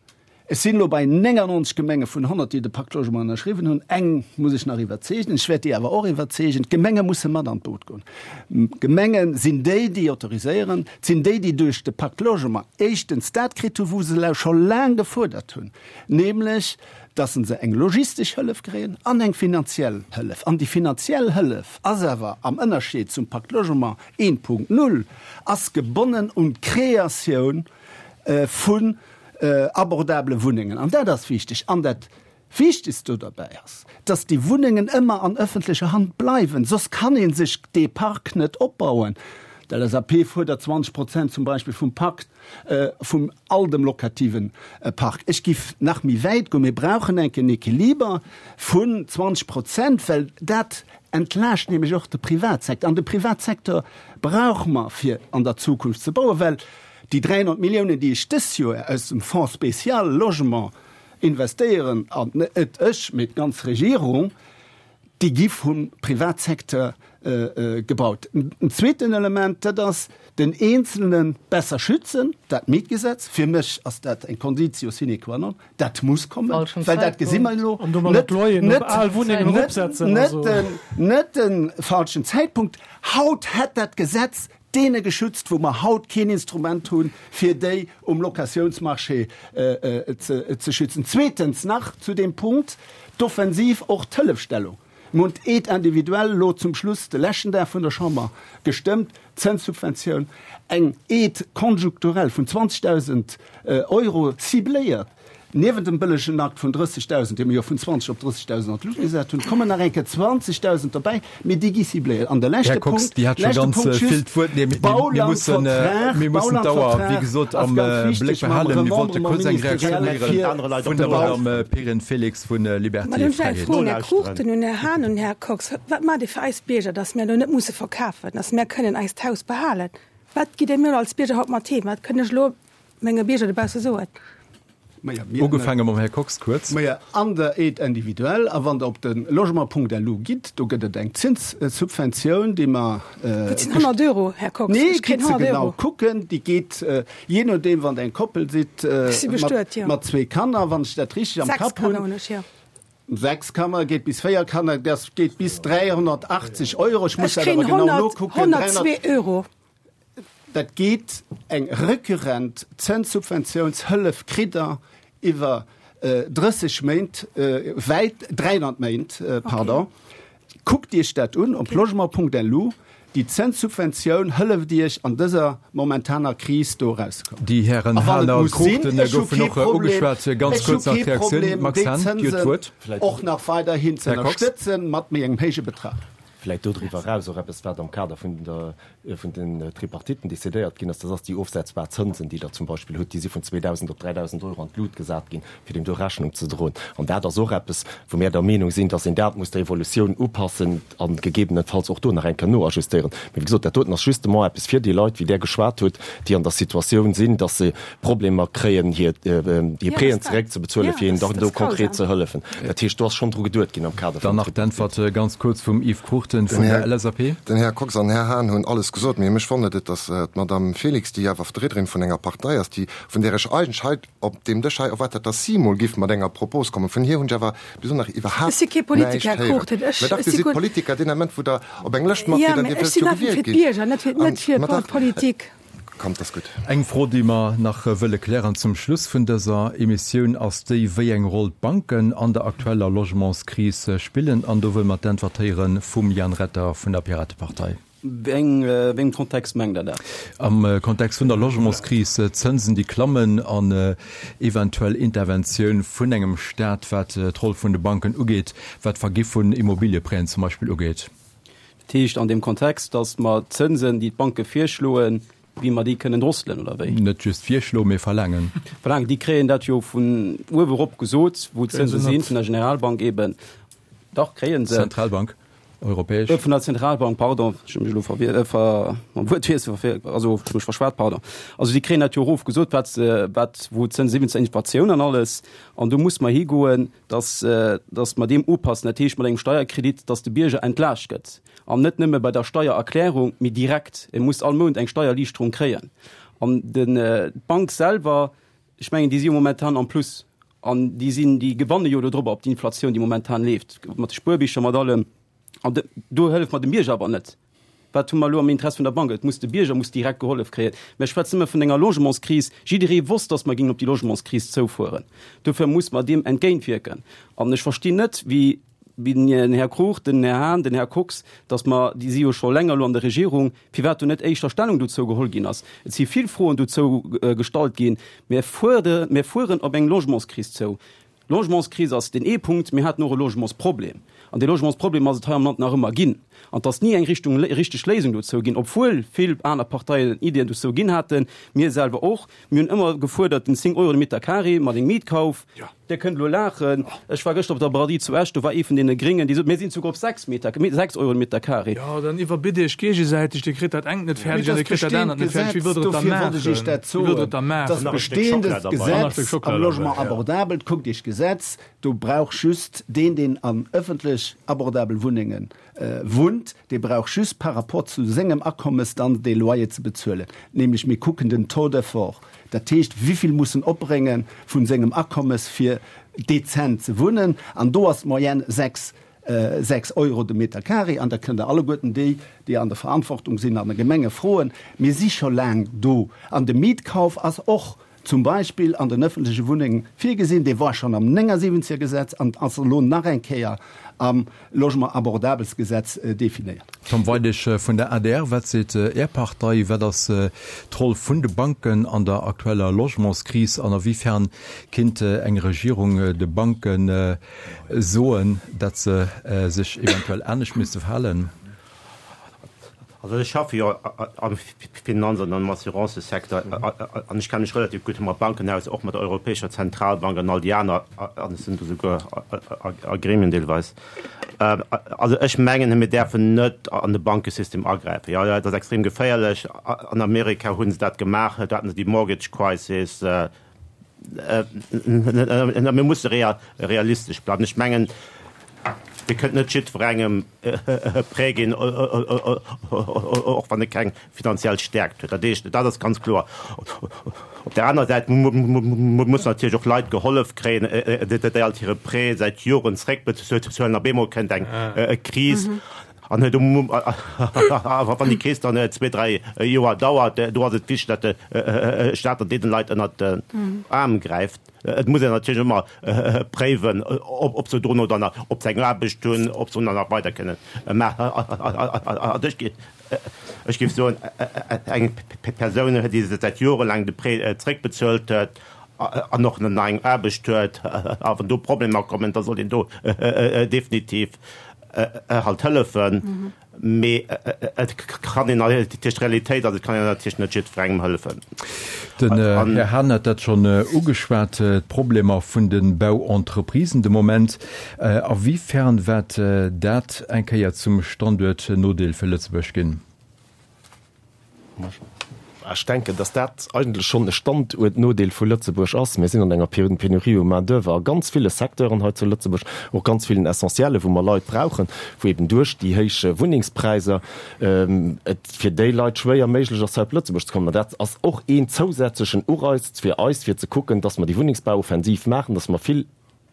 ech sinn elo bei 99 Gemenge vun 100, déi de Pacte Logement ënnerschriwwen hunn, eng muss ech nach iwwerzeegen, ech wäert déi awer och iwwerzeegen, d'Gemenge musse mat an d'Boot goen. D'Gemenge sinn déi, déi autoriséieren, et sinn déi, déi duerch de Pacte Logement éischtens dat kritt hunn, wou se scho laang gefuerdert hunn, nämlech dass se eng logistesch Hëllef kréien an eng finanziell Hëllef. An déi finanziell Hëllef ass awer, am Ënnerscheed zum Pacte Logement 1.0, ass gebonnen un d'Kreatioun vun abordabele Wunnengen. An dat ass wichteg. An dat Wichtegst do derbäi ass, dass déi Wunnengen ëmmer an ëffentlecher Hand bleiwen, soss kann ee sech dee Park net opbauen. D'LSAP fuerdert 20 Prozent zum Beispill vum Pakt. vum all dem lokativen Park. Ech giff nach méi wäit goen, mir brauchen enk en Equiliber vun 20 Prozent, well dat entlaascht nämlech och de Privatsecteur. An de Privatsecteur brauche mer fir an der Zukunft ze bauen, well déi 300 Milliounen, déi ech dës Joer aus dem Fonds spécial Logement investéieren, an net ech, mee d'ganz Regierung, Déi gi vum Privatsecteur gebaut. En zweeten Element, dat ass den Eenzelne besser schützen, dat Mietgesetz. Fir mech ass dat eng Conditio sine qua non, dat muss kommen, well dat gesi mer elo net de falschen Zäitpunkt. Haut hätt dat Gesetz deene geschützt, wou mer haut keen Instrument hunn, fir déi um Locatiounsmarché ze schützen. Zweetens nach zu deem Punkt, d'Offensiv, och d'Hëllefstellung. Mir hunn d'Aide individuelle elo zum Schluss de leschten Dag vun der Chamber gestëmmt, d'Zënssubventioun, eng Aide conjoncturelle vun 20.000 Euro cibléiert Niewent dem bëllegen Akt vun 30.000, dee mir jo vun 20 op 30.000 an d'Luucht gesat hunn, kommen nach eng Kéier 20.000 derbäi, mee déi gi cibléiert. An de leschte Här Kox, Punkt, Dir hat scho leschte ganz Punkt vill just, d'Wuert. Nee, mir, mir mussen, mir mussen d'Auer, wéi Baulandvertrag, gesot, ass am ganz Bléck wichteg mam behalen. Mir wollte Remembrement kuerz eng Reaktioun ministériel héieren fir vun de der Bau. Madame Perrine Felix vu Liberté Mä hunn ech eng Fräiheet. Fro un Här Cruchten, un Här Hahn, un Här Kox, Wat maacht Dir fir eis Bierger, datt mir elo net musse verkafen, datt mir kënnen eist Haus behalen? Wat gitt Dir mir elo als Bierger haut mat heem? Wat kënn ech elo menge Bierger dobausse soen? Ugefaange mam Här Kox kuerz. Majo, an der Aide individuelle. A wann Der op de logement.lu gitt, do gëtt et eng Zinssubventioun, déi mer. Dat sinn 100 Euro, Här Kox. Nee, Ech kréien gitt se 100 genau Euro. kucken. Déi geet, jee nodeem, wann Der eng Koppel sidd Ech si bestuet, jo. mat zwee Kanner, wann ech dat richteg am Sechs Kapp hunn. Kanner hunn ech, jo. Sechs Kanner, geet bis véier Kanner, dat geet bis 380 Euro. Ech muss Ech dat awer kréien genau 100, nokucken. 102 Euro. Dat geet eng recurrent Zënssubventiounshëllef kritt Der iwwer 30 Méint, wäit 300 Méint, pardon. Kuckt Iech dat un op logement.lu. Déi Zënssubventioun hëlleft Iech an dëser momentaner Kris do erauszekommen. Déi Hären A wann Hahn et a muss sinn, Cruchten ech hu goufen kee och Problem, ugeschwat. Ganz ech hu kuerz nach kee d'Reaktioun, Problem, Max déi Hahn, Dir hutt Zënsen d'Wuert. och nach weiderhin ze Här Kox. ënnerstëtzen mat méi engem héije Betrag. Vläicht dodriwwer eraus och eppes, wat am Kader vun der, vun den Tripartiten decidéiert ginn ass, dat ass déi ofsetzbar Zënsen, déi Der zum Beispill hutt, déi si vun 2.000 op 3.000 Euro an d'Lut gesat ginn, fir deem do Rechnung ze droen. An dat ass och eppes, wou mär der Meenung sinn, dass een dat muss der Evolutioun upassen a gegebenenfalls och do nach eng Kéier noajustéieren. Mee wéi gesot, dat doten ass justement eppes fir déi Leit, wéi Der geschwat hutt, déi an der Situatioun sinn, dass se Problemer kréien, hir Prêten zeréckzebezuelen, fir hinnen dann do konkret ze hëllefen. Dat heescht, do ass schonn dru geduet ginn am Kader Dann vum nach Tripartite. d'Äntwert ganz kuerz vum Yves Cruchten. Cruchten vun der LSAP. Den Här Kox an den Här Hahn hunn alles gesot, mee mech wonnert et, datt d'Madame Felix, déi awer Vertriederin vun enger Partei ass, déi, vun där ech eigentlech hei op deem Dësch hei erwaart hat, datt si emol giff mat enger Propos kommen, vun hir hunn ech awer bis elo nach iwwerhaapt Ech si kee Politiker, näischt Här héieren. Cruchten. Ech, Mä dach, ech Dir si sidd guer. Politiker deen Ament, wou Der op eng Lëscht mat Jo, gitt an mä Dir ech wëllt sinn jo einfach fir gewielt ginn. d'Bierger, net fir, An, net fir ma dach. d'Politik. Kommt, ass gutt. Eng Fro, déi mer nach wëlle klären zum Schluss vun dëser Emissioun, ass déi, wéi eng Roll d'Banken an der aktueller Logementskris spillen. An do wëlle mer d'Äntwert héiere vum Jan Retter vun der Piratepartei. Wéi engem Kontext mengt Der dat? Am Kontext vun der Logementskris, Zënsen, déi klammen an eventuell Interventioun vun engem Staat, wat d'Roll vun de Banken ugeet, wat d'Vergi vun Immobiliëprêten zum Beispill ugeet. Dat heescht an deem Kontext, datt mer d'Zënsen, déi d'Banke virschloen, wéi mer déi kënnen drosselen, oder wéi? Net just virschloen, mee verlaangen. Verlaangen. Déi kréien dat jo vun uewe erop gesot, wou d'Zënse sinn, vun der Generalbank eben. Dach, kréie se. Zentralbank, europäesch. Vun der Zentralbank, pardon, ech hu mech elo verwier, ver, mam Wuertwiessel verfeelt, also ech hu mech verschwat, pardon. Also déi kréien dat jo erof gesot, wat se, wat, wou d'Zënse sinn, wéinst der Inflatioun an alles. An do muss mer higoen, dass, dass mer deem upassen, dat heescht mat engem Steierkredit, dass de Bierger entlaascht gëtt, an net nëmme bei der Steiererklärung, mee direkt. E muss all Mount eng Steiererliichterung kréien. An den, d'Bank selwer, ech mengen, déi si jo momentan am Plus an déi sinn, déi gewanne jo dodrobber op d'Inflatioun, déi momentan leeft, mat de Spuerbicher, mat allem. An do hëlleft mer dem Bierger awer net. Wat hu mer elo am Interess vun der Bank? Et muss, de Bierger muss direkt gehollef kréien. Mer schwätzen ëmmer vun enger Logementskris. Jidderee wosst, datt mer géingen op déi Logementskris zoufueren. Dofir muss mer deem entgéintwierken. An ech verstinn net, wéi, wéi den Här Kruch, den Här Hahn, den Här Kox, datt mer, déi si jo scho länger elo an der Regierung, firwat do net éischter Stellung dozou geholl ginn ass. Et si vill Froen dozou gestallt ginn. Mir fuere, mir fueren op eng Logementskris zou. Logementskris ass deen ee Punkt. Mir haten och e Logementsproblem. An dee Logementsproblem ass et hei am Land nach ëmmer ginn. An et ass ni eng Richtung, richteg Léisung dozou ginn, obwuel vill aner Parteien Iddien dozou ginn haten, mir selwer och. Mir hunn ëmmer gefuerdert den 10 Euro de Meter carré mat engem Mietkauf. Dir kënnt elo laachen, ech war gëschter op der Braderie zu Esch, do war ee vun deene Gréngen, dee sot, mir sinn souguer op 6 Meter, 6 Euro de Meter carré. Jo, dann iwwerbitt Iech géigesäiteg, Dir kritt dat engt net fäerdeg an Dir kritt dat anert net fäerdeg. Wéi wëllt Der et da maachen? Wéi wëllt Der et da maachen? Dat bestehendes Gesetz am Logement abordabel, kuckt Iech d'Gesetz, do brauch just deen, deen an ëffentlech abordabel Wunnenge wunnt, dee brauch just par rapport zu sengem Akommes dann dee Loyer ze bezuelen. Nämlech mir kucken den Taux d'effort, dat heescht wivill muss en opbrénge vu sengem Akommes fir dezent ze wunnen, an do ass d'Moyenne 6 6 Euro de Meter carré, an da kënnt Der alleguerten déi, déi an der Verantwortung sinn an de Gemenge froen, mir si scho laang do. An de Mietkauf ass och zum Beispill an den öffentleche Wunnenge virgesinn, dee war schonn am 79er Gesetz an ass elo nach eng Kéier am Logement abordables Gesetz definéiert. Tom Weidig vun der adr, Wat seet Är Partei, wat ass d'Roll vun de Banken an der aktueller Logementskris an a wéi fern kinnt eng Regierung de Banken soen, datt se sech eventuell anescht misste verhalen? Also ech schaffe jo am Finanz an am Assurancesecteur an ech kenne mech relativ gutt mat Banken aus, och mat der Europäescher Zentralbank an all déi aner, an ech sinn do souguer a Gremien deelweis. Also ech mengen, mir däerfen net an de Bankesystem agräifen. Jo, dat ass extrem geféierlech. An Amerika hu se dat gemaach, do haten se déi Mortgage Crisis. Mir musse realistesch bleiwen. Ech mengen, Dir kënnt net jiddwerengem e Prêt ginn, och wann e keng finanziell Stäerkt huet. Dat heescht, dat ass ganz kloer. Op där anerer Säit mussen natierlech och Leit gehollef kréien, déi alt hire Prêt säit Joren zréckbezuelen. Op eemol kënnt eng Kris. An wann déi Kris dann zwee, dräi Joer dauert, do ass et wichteg, datt de Staat dann deene Leit ënnert den Aarm gräift. Et muss een natierlech ëmmer préiwen, ob se dono dann nach, ob se eng Aarbecht hunn, ob se dann nach weider kënnen maachen. Ech géif soen, eng Persoun, déi säit jorelaang de Prêt zréckbezuelt huet an och nach eng Aarbecht huet, a wann do Problemer kommen, da sollt een do definitiv halt hëllefen, mee et kann een natierlech, d'Realitéit ass, et kann een natierlech net jiddwerengem hëllefen. Den Här Hahn hat dat schonn ugeschwat, d'Problemer vun de Bauentreprisen de Moment. A wéi fern wäert dat eng Kéier zum Standuertnodeel fir Lëtzebuerg ginn? Ech denken, dass dat eigentlech schonn e Standuertnodeel vu Lëtzebuerg ass. Mir sinn an enger Pénurie u Main-d'oeuvre a ganz ville Secteuren hei zu Lëtzebuerg, och ganz villen Essentiellen, wou mer Leit brauchen, wou eben duerch déi héich Wunnengspräisser et fir déi Leit schwéier méiglech ass, hei op Lëtzebuerg ze kommen. An dat ass och een zousätzlechen Ureiz fir eis, fir ze kucken, dass mer déi Wunnengsbauoffensiv maachen, dass mer vill,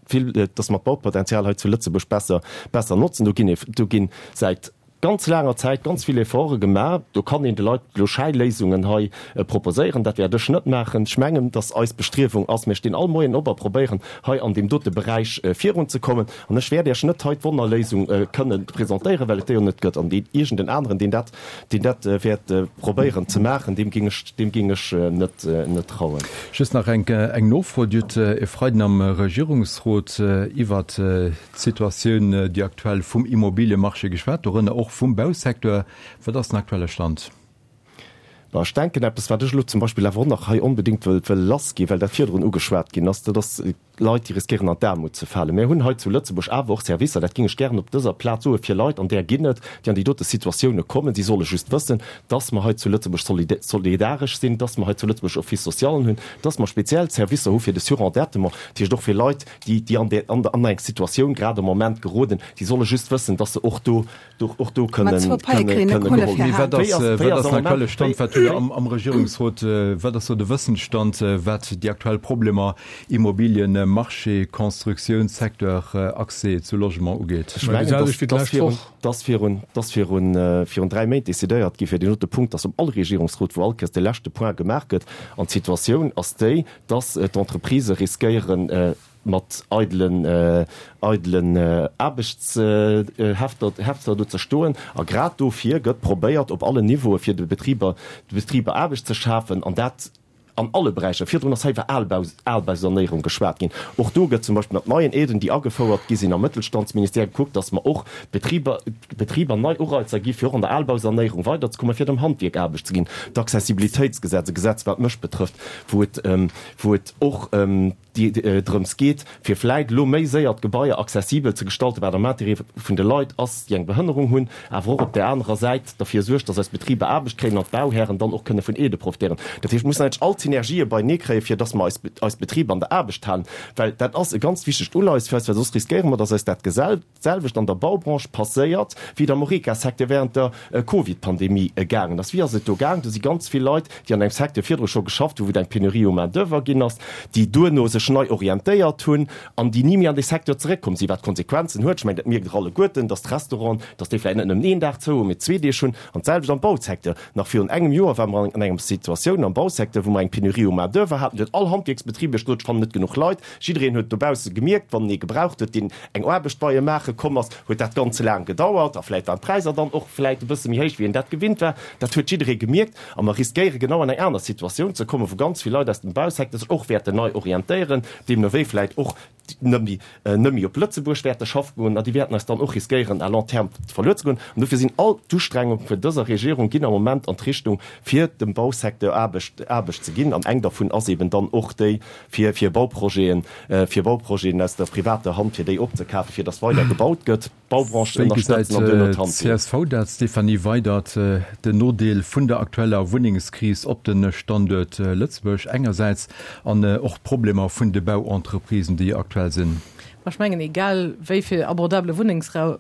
vill, dass mer d'Baupotenzial hei zu Lëtzebuerg besser, besser notzen. Do ginn, do ginn säit ganz laanger Zäit ganz vill Efforte gemaach. Do kann een de Leit elo Schäiléisungen hei proposéieren. Dat wäert ech net maachen. Ech mengen, dass eis Bestriewung ass, mir stinn all Moien op a probéieren, hei an deem dote Beräich virunzekommen. An ech wäert Iech net hei d'Wonnerléisung kënnen presentéieren, well et déi jo net gëtt. An deen iergend en aneren, deen dat, deen dat wäert probéieren ze maachen, deem géing ech, deem géing ech net, net trauen. Just nach eng, eng Nofro. Dir hutt e Freiden am Regierungsrot iwwert d'Situatioun, déi aktuell vum Immobiliemarché geschwat, dorënner och vum Bausecteur. Wat ass den aktuelle Stand? Bon, ech denken, eppes, wat ech elo zum Beispill awer och nach hei onbedéngt wëll, wëll lassginn, well dat virdrun ugeschwat ginn ass, dat ass Leit, déi riskéieren an d'Aarmut ze falen. Mir hunn hei zu Lëtzebuerg awer och Servicer, dat géing ech gären op dëser Plaz soen, fir Leit, an där ginn et, déi an déi dote Situatioune kommen. Si solle just wëssen, dass mer hei zu Lëtzebuerg solidaresch sinn, dass mer hei zu Lëtzebuerg Office-socialen hunn, dass mer speziell Servicer hu fir de Surendettement, dat heescht och fir Leit, déi, déi an där, an eng Situatioun grad am Moment geroden, déi solle just wëssen, dass se och do och do kënnen geholl ginn. Wat ass den aktuelle Stand, wat hutt Der am Regierungsrot, wat ass do de Wëssensstand, wat déi aktuell Problemer Immobilienmarché, Constructiounssecteur, Accès zu Logement ugeet? Ech mengen, dass virun 3 Méint decidéiert gi fir deen dote Punkt, dass um all Regierungsrot, wou all Kéiers de leschte Point gemaach gëtt, an d'Situatioun ass déi, dass d'Entreprisë riskéieren, mat eidelen eidelen Aarbechtshefter Hefter do ze stoen. A grad dofir gëtt probéiert op allen Niveaue fir de Betriber de Betriber Aarbecht ze schafen, an dat an alle Beräicher. Virdrun ass hei iwwer Albau Albausanéierung geschwat ginn. Och do gëtt zum Beispill mat neien Aiden, déi agefouert gi sinn am Mëttelstandsministère, gekuckt, datt mer och d'Betriber Betriber nei Ureizer gi fir och an der Albausanéierung weiderzekommen, fir dem Handwierk Aarbecht ze ginn. D'Accessibilitéitsgesetz, e Gesetz wat mech betrëfft, wou et wou et och déi drëms geet, fir vläit elo méi séier d'Gebaier accessibel ze gestalten, wat am Intérêt vun de Leit ass, déi eng Behënnerung hunn, awer och op där anerer Säit derfir suergt, dass eis Betriber Aarbecht kréien an d'Bauhären dann och kënne vun Aidë profitéieren. Dat heescht, mir mussen eigentlech all d'Synergië beienee kréien, fir dass mer eis, eis Betriber an der Aarbecht halen, well dat ass e ganz wichtegt Uleies fir eis, well soss riskéiere mer, dass eis dat Gesell, D'selwecht an der Baubranche passéiert, wéi et am Horeca-Secteur während der Covid-Pandemie gaangen ass. Wéi ass et do gaangen? Do si ganz vill Leit, déi an engem Secteur virdru scho geschafft hunn, wou et eng Pénurie u Main-d'oeuvre ginn ass, déi duerno sech nei orientéiert hunn an déi ni méi an dee Secteur zeréckkomm sinn, wat Konsequenzen huet. Ech mengen, dat mierkt Der alleguerten, dass d'Restauranten, dass déi vläicht net nëmmen een Dag zou hunn, mee zwee Deeg hunn. An d'selwecht am Bausecteur. Nach virun engem Joer ware mer an enger Situatioun am Bausecteur, wou mer eng Pénurie u Main-d'oeuvre haten. Do huet all Handwierksbetrib iech gesot, Ech fannen net genuch Leit. Jiddereen huet dobausse gemierkt, wann en ee gebraucht huet, deen eng Aarbecht bei e maache komm ass, huet dat Ganze laang gedauert a vläit waren d'Präisser dann och vläit e bësse méi héich, wéi een dat gewinnt war. Dat huet jidderee gemierkt a mer riskéiere genau an eng aner Situatioun ze kommen, wou ganz vill Leit aus dem Bausecteur sech och wäerten nei orientéieren, deemno wéi vläit och net méi net méi op Lëtzebuerg wäerte schaffe goen a déi wäerten eis dann och riskéieren à long terme verluer ze goen. An dofir sinn all d'Ustrengunge vun dëser Regierung ginn am Moment an d'Richtung, fir dem Bausecteur Aarbecht Aarbecht ze ginn an eng dervun ass eben dann och déi, fir fir Bauprojeten, fir Bauprojeten aus der privater Hand, fir déi opzekafen, fir datt weider gebaut gëtt, d'Baubranche Wéi gesäit ënnerstëtzen an duerno d'Handwierk. d'CSV dat, Stéphanie Weydert, den Nodeel vun der aktueller Wunnengskris op de Standuert Lëtzebuerg engersäits an och d'Problemer vun de Bauentreprisen, déi aktuell sinn? Ma ech mengen, egal wéi vill abordabele Wunnengsbau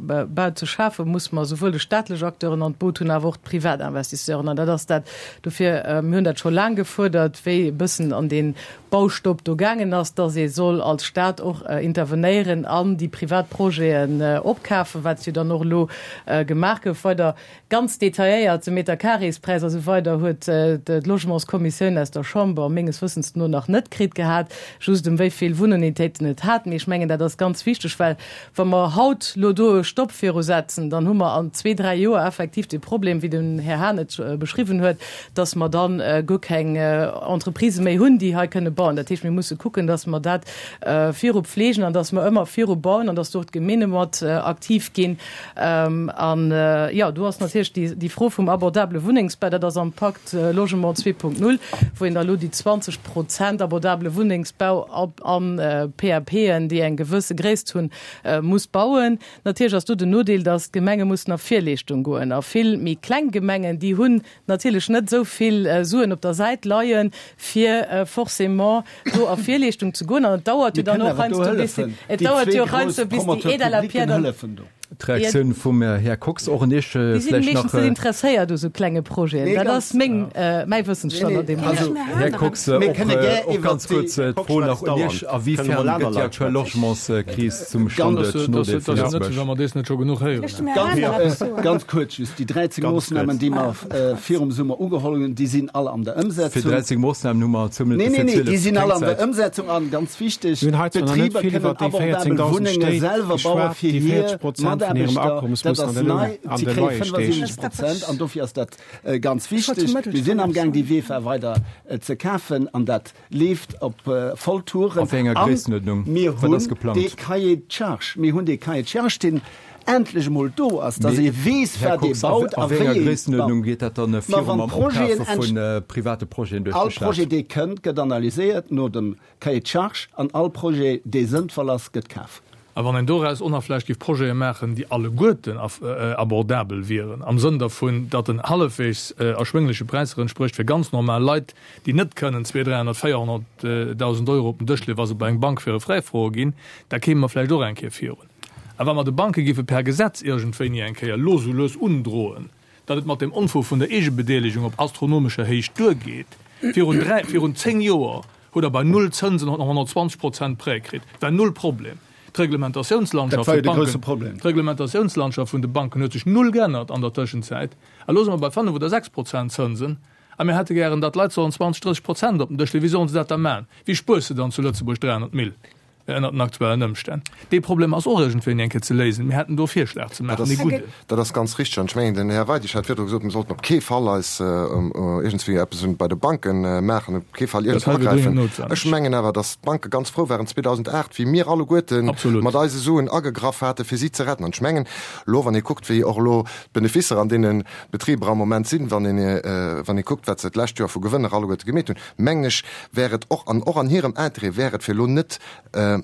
ze schafen, muss mer souwuel de staatlech Acteuren an d'Boot hunn, awer och d'Privatinvestisseuren. An dat ass dat, dofir, mir hunn dat scho laang gefuerdert, wéi e bëssen an dee Baustopp do gaangen ass, dass ee soll als Stat och intervenéieren an déi privat Projeten opkafen, wat jo dann och elo gemaach gouf. Weider Ganz detailléiert, de Meterkareespräis a sou weider huet d'Logementskommissioun aus der Chamber menges Wëssens no nach net kritt gehat, just ëm wéi vill Wunnunitéiten et hat. Mee ech mengen, dat ass ganz wichteg, well wa mer haut elo do e Stopp viru setzen, dann hu mer an zwee, dräi Joer effektiv de Problem, wéi den Här Hahn et beschriwwen huet, dass mer dann guer keng Entreprisë méi hunn, déi hei kënne bauen. bauen. Dat heescht, mir musse kucken, dass mer dat viru pflegen an dass mer ëmmer viru bauen an dass do och d'Gemeene mat aktiv ginn. An, jo, do ass natierlech déi Fro vum abordabele Wunnengsbau, dat ass am Pakt Logement 2.0, wou een da elo déi 20 Prozent abordabele Wunnengsbau an PAPen, déi eng gewësse Gréisst hunn, muss bauen. Natierlech ass do den Nodeel, dass d'Gemenge mussen a Virleeschtung goen. A vill méi kleng Gemengen, déi hunn natierlech net esou vill Suen op der Säit leien, fir forcément do a Virleeschtung ze goen. An et dauert jo dann och heiansdo, bis et dauert jo och heiansdo, bis déi Aide à la pierre dann. D'Reaktioun vum Här Kox och un Iech Déi sinn vläicht nach. meeschtens net interesséiert u sou klenge Projeten. Dat ass meng, mäi Wëssensstand an deem Moment. Här Kox, och ganz kuerz d'Fro nach un Iech, A wéi fern gëtt déi aktuell Logementskris zum Standuert Nodeel vu Lëtzebuerg? Ganz kuerz just, Déi 13 Moossnamen, déi mer virum Summer ugeholl hunn, déi sinn all an der Ëmsetzung. Fir 13 Moossnamen hu mer zwou Minutte fir 12. Nee, nee, déi sinn all an der Ëmsetzung. An ganz wichteg, d'Betriber kënnen abordabel Wunnenge selwer baue fir hir Mataarbechter. Dat ass nei. Si kréie 75 Prozent an dofir ass dat ganz wichteg. Mir sinn amgaang, déi VEFA weider ze kafen an dat leeft op voll Touren. A wéi enger Gréissenuerdnung? Mir hunn dee Cahier de charges, mir hunn dee Cahier de charges, deen endlech emol do ass, datt ee weess, Här wat ee Kox, a baut a wéi wéi enger ee Gréissenuerdnung baut. geet dat dann Ma viru wann mam d'Projeten Opkafe vu private Projeten duerch All de Staat? Projet, dee kënnt, gëtt analyséiert no dem Cahier de charges an all Projet, dee sënnvoll ass, gëtt kaf. A wann een doraus och nach vläicht géif Projete maachen, déi alleguerten abordabel wieren, am Sënn dervun, datt en hallefweegs erschwéngleche Präisser entsprécht fir ganz normal Leit, déi net kënnen 200, 300, 400.000 Euro op den Dësch leeën, wa se bei eng Bank fir e Prêt froe ginn, da kéime mer vläicht och eng Kéier virun. A wa mer de Banke géife per Gesetz iergendwéini eng Kéier los u lues undroen, datt et mat deem Onfug vun der Eegebedeelegung op astronomescher Héicht duergeet, virun dräi, virun zéng Joer hutt Der bei null Zënsen 120 Prozent Prêt kritt, war null Problem. D'Reglementatiounslandschaft vun de Banken, d'Reglementatiounslandschaft vun de Banken huet sech null geännert an der Tëschenzäit. A lo si mer bei fënnef oder 6 Prozent Zënsen a mir hätte gären, datt d'Leit sollen 20, 30 Prozent op den Dësch leeën. Wéi sollen se dat da maachen? Wéi spuers de dann zu Lëtzebuerg 300 Mille? Ënnert den aktuellen Ëmstänn. Dee Problem ass och iergendwéini eng Kéier ze léisen. Mir hätten do e Virschlag ze maachen, ee gudden. Dat ass ganz richteg. An ech mengen, den Här Weidig hat virdru gesot, mir sollten op kee Fall eis iergendswéi eppes un bei de Banke maachen, op kee Fall iergendwou agräifen. Ech mengen awer, datt d'Banke ganz frou waren 2008, wéi mir alleguerte mat eise Suen agegraff hate fir si ze retten. An ech mengen elo, wann ee kuckt, wéi och elo d'Beneficer an deene Betriber am Moment sinn, wann een, wann ee kuckt, wat se d'lescht Joer vu Gewënner alleguerte gemeet hunn, mengen ech, wär et och an och an hirem Interêt wär et, fir elo net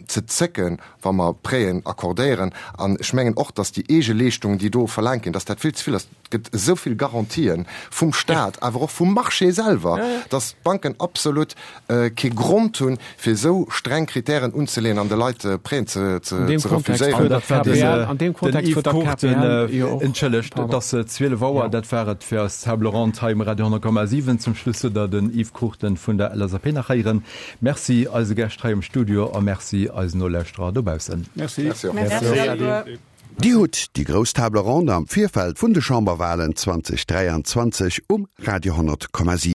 ze zécken, wa mer Prêten accordéieren. An ech mengen och, datt déi Eegeleeschtungen, déi do verlaangt ginn, datt dat vill ze vill ass. Et gëtt esou vill Garantië vum Stat, awer och vum Marché selwer, datt d'Banken absolut kee Grond hunn, fir esou streng Kritären unzeleeën an de Leit Prêten ze refuséieren. An deem Kontext huet d'KPL jo och. Entschëllegt, et ass 12 Auer, dat war et fir eis Table ronde hei um Radio 10,7. Zum Schluss hutt Der den Yves Cruchten vun der LSAP nach héieren. Merci eise Gäscht hei am Studio a merci eisen Nolauschterer dobaussen. Merci. Merci och. Dir hutt déi grouss Table ronde am Virfeld vun de Chamberwalen 2023 um Radio 10,7.